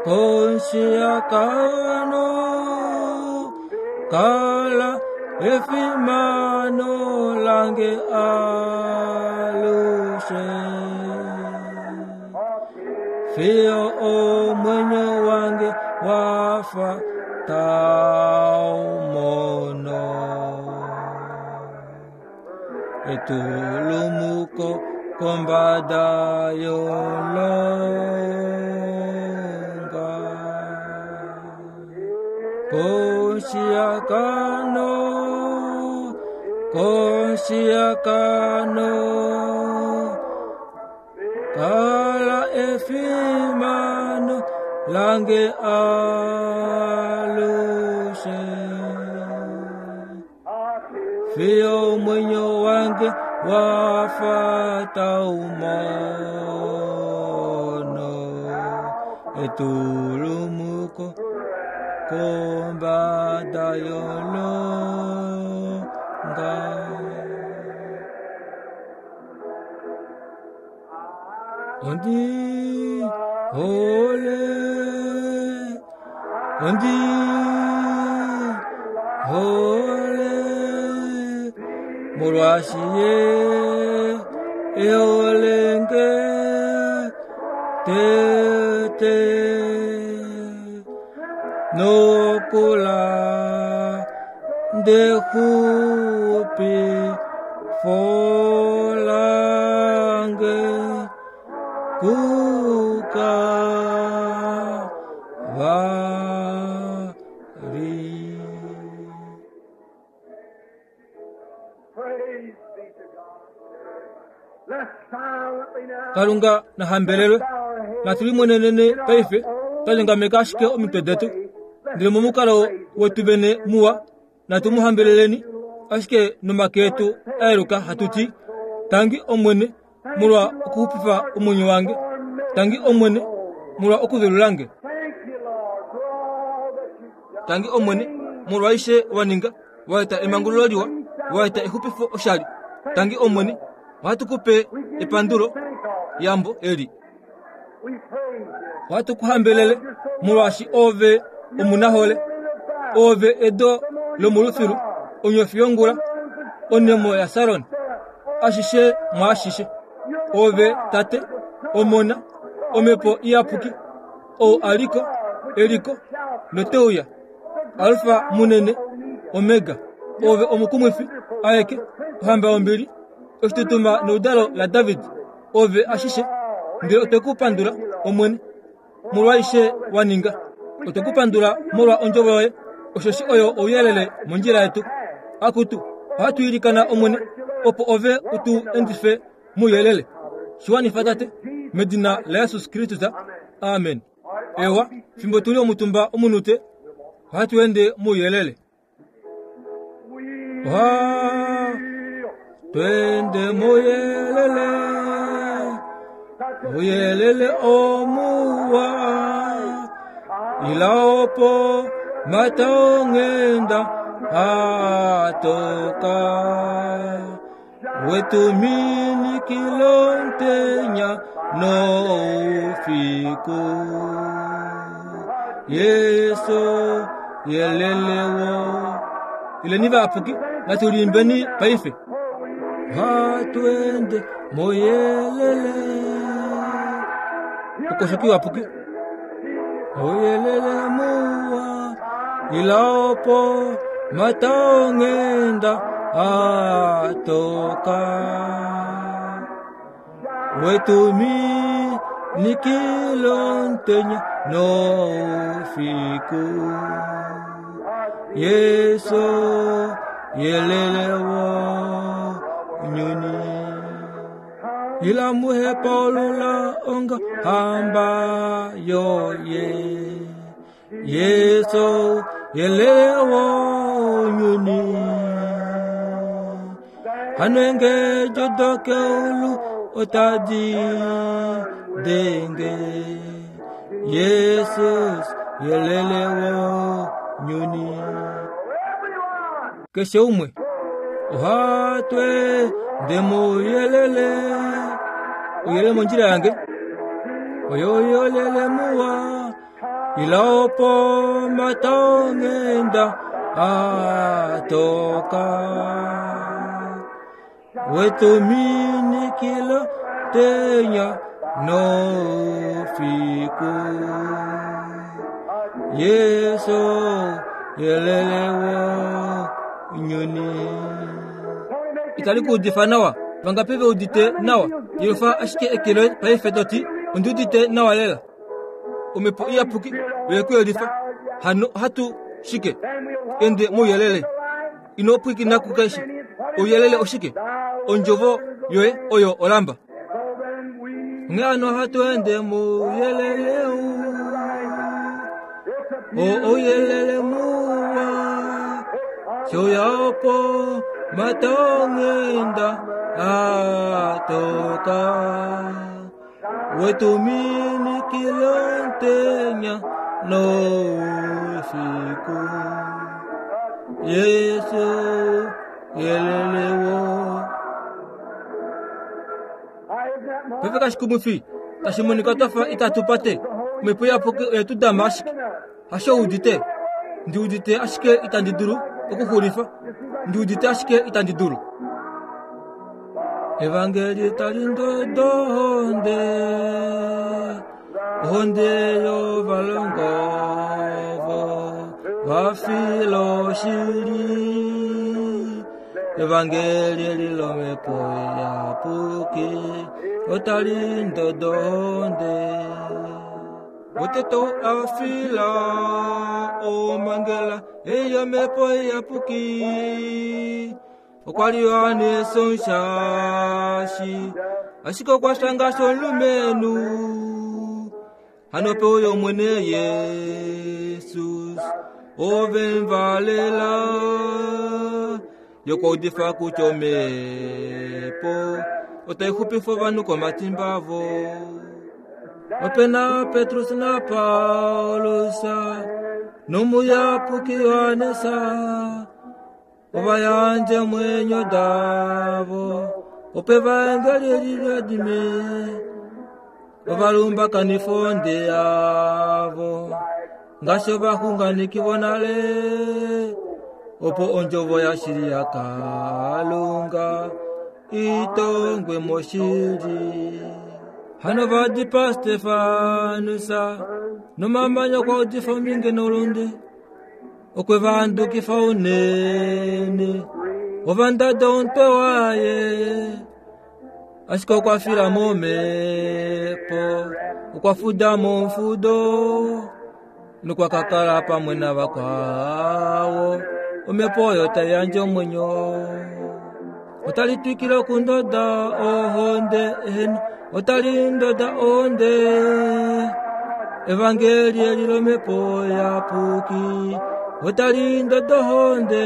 koshiakano, kala efimano lange alushe. Fiyo omwenyo wange wafa taumono, etulumuko kombada yolonga. Koshiakano, koshiakano, kala efimano lange alushe. Fiyo mwenyo wange wafata umono, etulumuko kombada yolonga. Ondi hole, ondi hole, molwaashi ye eholenge Tete nokula ndexupi folange kuka vari. Praise be to God. Let's silently now Kalunga nahambelelwe bow our heads natulimwenenene paife twalingameka ashike omitwe detu ndele momukalo wetu vene muwa natumuhambeleleni ashike nomake etu ayeluka hatuti tangi omwene molwa okuxupifa omwenyo wange tangi omwene molwa okuvelulange Thank you, Lord, for all that you've done. Tangi omwene molwa aishe waninga waeta emangululo liwa waeta exupifo oshali tangi omwene ohatu kupe epandulo yambo eli We praise you. ohatu kuhambelele molwaashi ove omunahole ove edo lomolufilu onyofi yongula onemo yaSaron ashishe mwaashishe ove tate omona omhepo iyapuki ou aliko eliko noteuya alfa munene omega ove omukumwifi aeke ohamba yombili oshitutuma neudalo laDavid ove ashishe ndele otwe ku pandula omwene molwaaishe wa ninga otwe ku pandula molwa ondjovo yoye osheshi oyo ouyelele mondjila yetu akutu ohatu ilikana omwene opo ove utu endife mouyelele shiwanifa tate medina laJesus Kristus amen. Ewa fimbo tuli omutumba omunute ohatu ende mouyelele. Oha twende mouyelele ouyelele omuwa ila opo mata ongenda atoka wetumini kilontenya noufiku Yesu yelelewo ileni vapuki natulimbeni paife hatwende moyelele ukoshoki wapuki oyelele muwa ila opo mata ongenda atoka wetumi nikilontenya noufiku Yesu yelelewo nyuni ila muhepolula onga hamba yoye Yesu yelelewo nyuni hanwenge jodokeulu otadi denge Yesus yelelewo nyuni keshe umwe ohatwe ndemuyelele uyelele mondjila yange oyoyolele muwa ila opo mata ongenda atoka wetuminikila tenya nofiku Yesu yelelewo nyuni itali kuudifa nawa vangapi veudite nawa yelufa ashike ekelo paife toti ondiudite nawa lela omhepo iyapuki oyekuyelifa hano hatu shike ende mouyelele ino pwikina kukeshe ouyelele oshike ondjovo yoye oyo olamba onghee hano hatu ende mouyelele o ouyelele muwa shoya opo mata ongenda atoka wetuminikile ntenya noufiku Yesu yelelewo pepe kashikumufi tashimonika twafa itatupate omhepo iyapuki oyetudama ashike hasho udite ndiudite ashike itandi dulu okuxulifa ndiudite ashike itandi dulu evangeli tali ndodohonde Ohonde yovalongwa ovo va fila oshili. Evangeli eli lomhepo iyapuki otali ndodo ohonde. Otete ou a fila omhangela ei yomhepo iyapuki okwa li Johannes Omushashi, ashike okwa fya ngaashi omulumenhu. Hano pe uya Omwene Jesus, ove mu valela. Ye okwa udifa kutya omhepo otai xupifa ovanhu komatimba avo. Ope na Petrus naPaulus nomuyapuki Johannes ova yandja eemwenyo davo opo evaengeli eli liadime ova lumbakanifa onde yavo ngaashi ovaxunganeki vonale opo ondjovo yashili yaKalunga itongwe moshili. Hano va dipaa Stefanus nomamanya okwa udifa ominge noulunde. Okwe va handukifa unene, ova ndada omutwe waye, ashike okwa fila momhepo, okwa fuda momufudo nokwa ka kala pamwe navakwao. Omhepo oyo tai yandje omwenyo. Otali twikile okundoda ohonde, eheno, otali ndoda ohonde. Evangeli eli lomhepo iyapuki otali ndoda ohonde,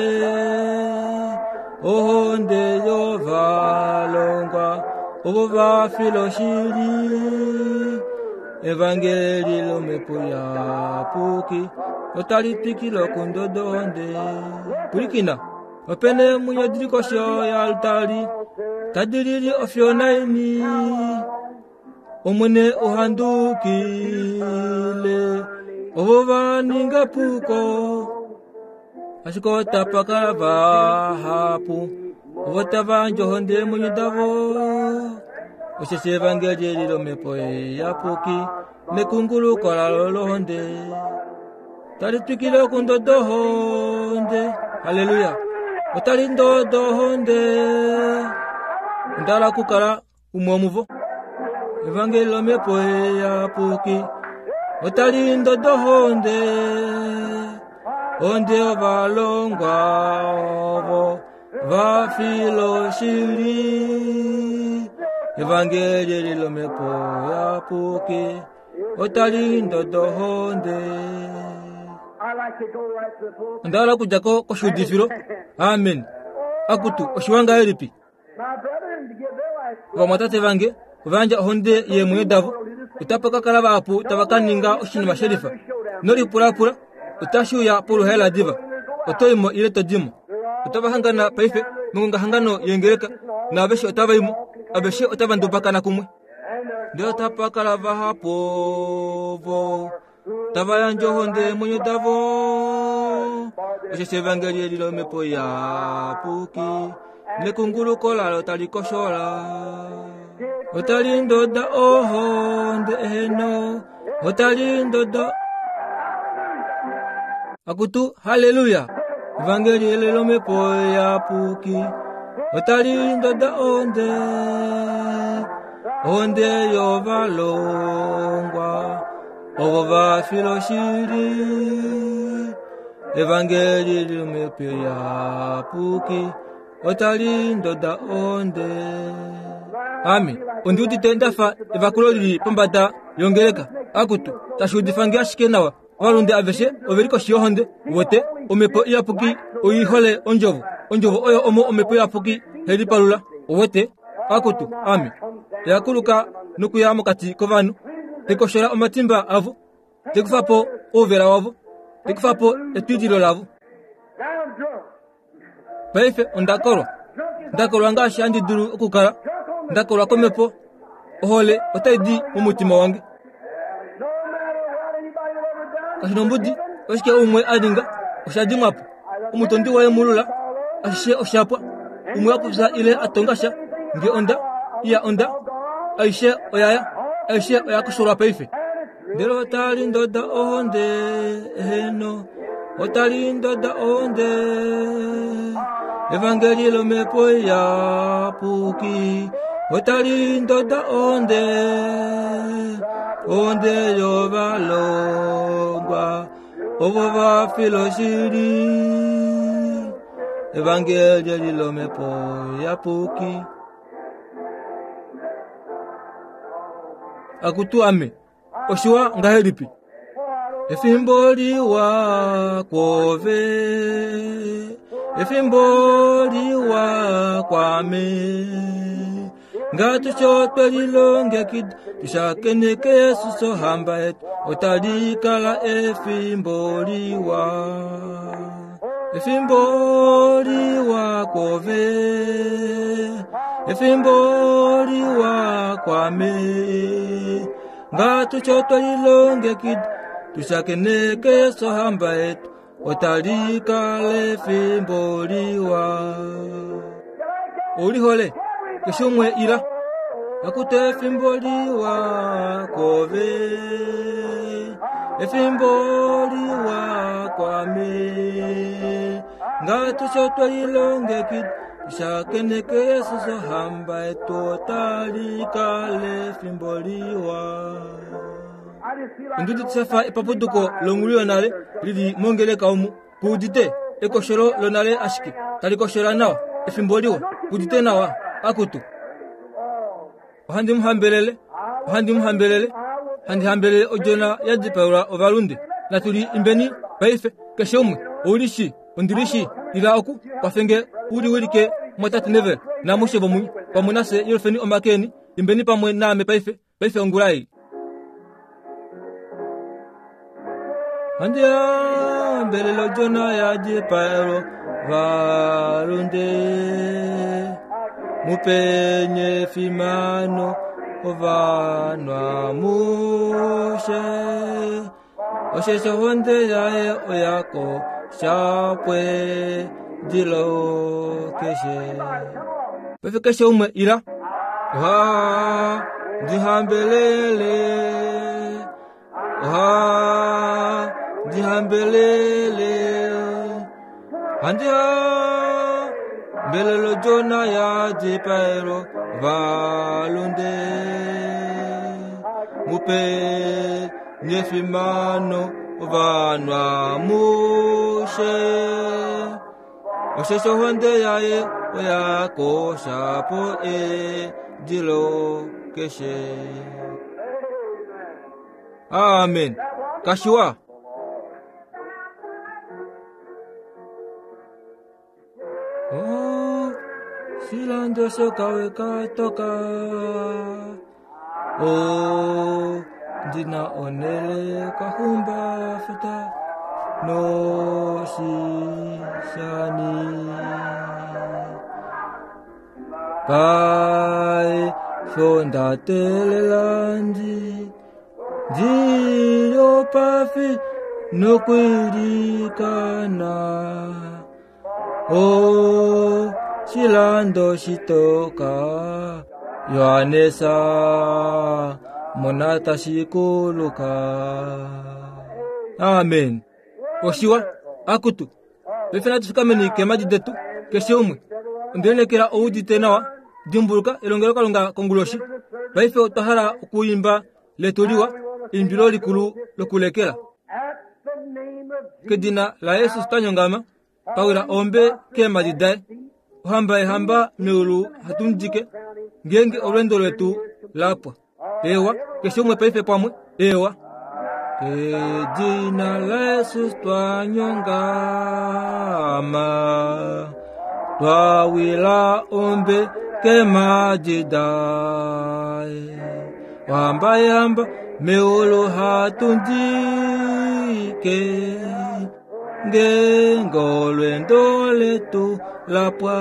ohonde yovalongwa ovo va fila oshili. Evangeli lomhepo iyapuki otali twikile okundoda ohonde. Pwilikina! Ope na eemwenyo di li koshi yoaltari tadi lili ofiyo naini. Omwene ohandukile ovo va ninga epuko, ashike otapa kala vahapu ovo tava yandje ohonde yeemwenyo davo. Osheshi evangeli eli lomhepo iyapuki nekunguluko lalo lohonde tali twikile okundoda ohonde. Halleluya! Otali ndoda ohonde. Onda hala okukala umwe womuvo. Evangeli lomhepo iyapuki otali ndoda ohonde. Ohonde yovalongwa ovo va fila oshili. Evangeli eli lomhepo iyapuki otali ndoda ohonde. Onda hala okudja ko koshiudifilo. Amen. Akutu, oshiwa ngahelipi? Ovamwatate vange ova yandja ohonde yeemwenyo davo. Otapa ka kala vahapu tava ka ninga oshinima shelifa. Nolipulapula, otashi uya poluhaela diva. Oto i mo ile to di mo. Otava hangana paife mongongahangano yeengeleka, naaveshe otava i mo. Aveshe otava ndubakana kumwe. Ndele otapa kala vahapu ovo tava yandje ohonde yeemwenyo davo. Osheshi evangeli eli lomhepo iyapuki nekunguluko lalo tali koshola. Otali ndoda ohonde eheno, otali ndoda. Akutu, haleluya! Evangeli eli lomhepo iyapuki otali ndoda ohonde, ohonde yovalongwa. Ovo va fila oshili. Evangeli lomhepo iyapuki otali ndoda ohonde. Ame ondi udite nda fa evakulo li li pombada yongeleka. Akutu, tashi udifa nge ashike nawa. Ovalunde aveshe ove li koshi yohonde. Uwete, Omhepo Iyapuki oi hole Ondjovo. Ondjovo oyo omo Omhepo Iyapuki hai lipalula. Uwete? Akutu, ame. Oya kuluka nokuya mokati kovanhu, te koshola omatimba avo, te kufa po ouvela wavo, te kufa po etwililo lavo. Paife onda kolwa. Nda kolwa ngaashi handi dulu okukala. Nda kolwa komhepo. Ohole otai di momutima wange. Kashi nombudi oshike umwe a ninga, osha dimwa po. Omutondi waye mulula, ashishe osha pwa. Umwe a popya ile a tonga sha, nge onda, iya onda, aishe oya ya, aishe oya kosholwa paife. Ndele otali ndoda ohonde, eheno, otali ndoda ohonde. Evangeli lomhepo iyapuki otali ndoda ohonde, ohonde yovalongwa ovo va fila oshili. Evangeli eli lomhepo iyapuki. Akutu ame, oshiwa ngahelipi? Efimbo liwa kwove, efimbo liwa kwame. Ngatusho twe lilongekida, tushakeneke Yesus ohamba yetu, otali kala efimbo liwa. Efimbo liwa kwove, efimbo liwa kwame. Ngatusho twe lilongekida, tushakeneke Yesus ohamba yetu, otali kala efimbo liwa. Oulihole, keshe umwe ila. Akutu efimbo liwa kwove, efimbo liwa kwame. Ngatusho twe lilongekida, tushakeneke Yesus ohamba yetu, otali kala efimbo liwa. Ondudu tisafa epapuduko longulu yonale lili mongeleka omu kuudite ekosholo lonale ashike tali koshola nawa efimbo liwa kuudite nawa akutu. Ohandi mu hambelele, ohandi mu hambelele, handi hambelele odjona ya dipaelwa ovalunde. Natu li imbeni paife keshe umwe. Ouli shi, ondili shi, ila oku kwafenge u liwilike mwatate Neville namushe vomunye pamwe nafye yelufeni omake eni, imbeni pamwe naame paife, paife ongula ei. Handi hambelele odjona ya dipaelwa ovalunde. Mupenye efimano ovanhu amushe. Osheshi ohonde yaye oya kosha pwedilo keshe. Paife keshe umwe ila. Ohandi hambelele, ohandi hambelele, handi hambelele odjona ya dipaelwa ovalunde. Mupenye efimano ovanhu amushe. Osheshi ohonde yaye oya kosha po edilo keshe. Amen. Kashiwa. Oh, silando sokawe katoka. Oh, ndina onele kahumba futa no sisani. Pai fonda telelandi ndiyo pafi nokuilikana. Oh, shilando shitoka Yohanesa mona tashikuluka. Amen. Oshiwa akutu. Paife natu fikameni keemadi detu keshe umwe. Onde lineekela ou udite nawa. Dimbuluka elongelokalunga konguloshi. Paife otwa hala okuimba letu liwa eimbilo likulu lokulekela. Kedina la Jesus twanyongama, twawila ombe keemadi daye. Ohamba yehamba meulu hatumudike ngeenge olweendo lwetu lapwa. Ewa, keshe umwe paife pamwe. Ewa. Kedina la Jesus twanyongama, twawila ombe keemadi daye. Ohamba yehamba meulu hatundike ngeenge olweendo letu lapwa.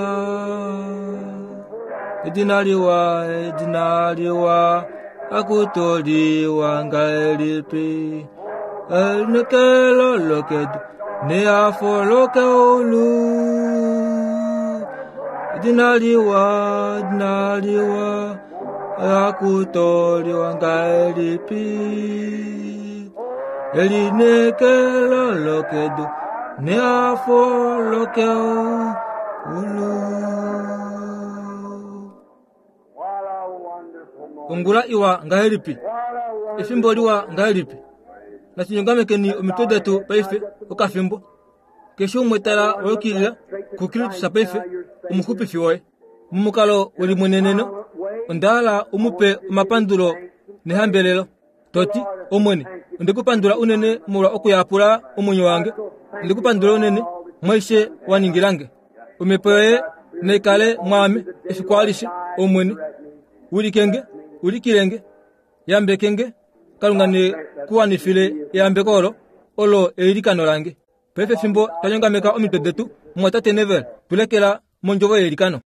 Edina liwa, edina liwa, akutoliwa ngahelipi? Elinekelo lokedu neafo lokeulu. Edina liwa, edina liwa, Oya ngahelipi elineekelo lokedu nehafo lokeulu. Ongula iwa ngahelipi, efimbo liwa ngahelipi. Natu nyongamekeni omitwe detu paife okafimbo. Keshe umwe tala wa yukilila kuKristus paife, omuxupifi woye. Momukalo welimweneneno, onda hala u mu pe omapandulo nehambelelo. To ti, Omwene, onde ku pandula unene molwa okuyapula omwenyo wange. Onde ku pandula unene mwaishe wa ningila nge. Omhepo yoye nai kale mwaame efiku alishe, Omwene. Wilike nge, ulikile nge, yambeke nge. Kalunga ne ku wanifile eyambeko olo, olo eilikano lange. Paife fimbo twa nyongameka omitwe detu, mumwatate Neville, tu lekela mondjovo yeilikano.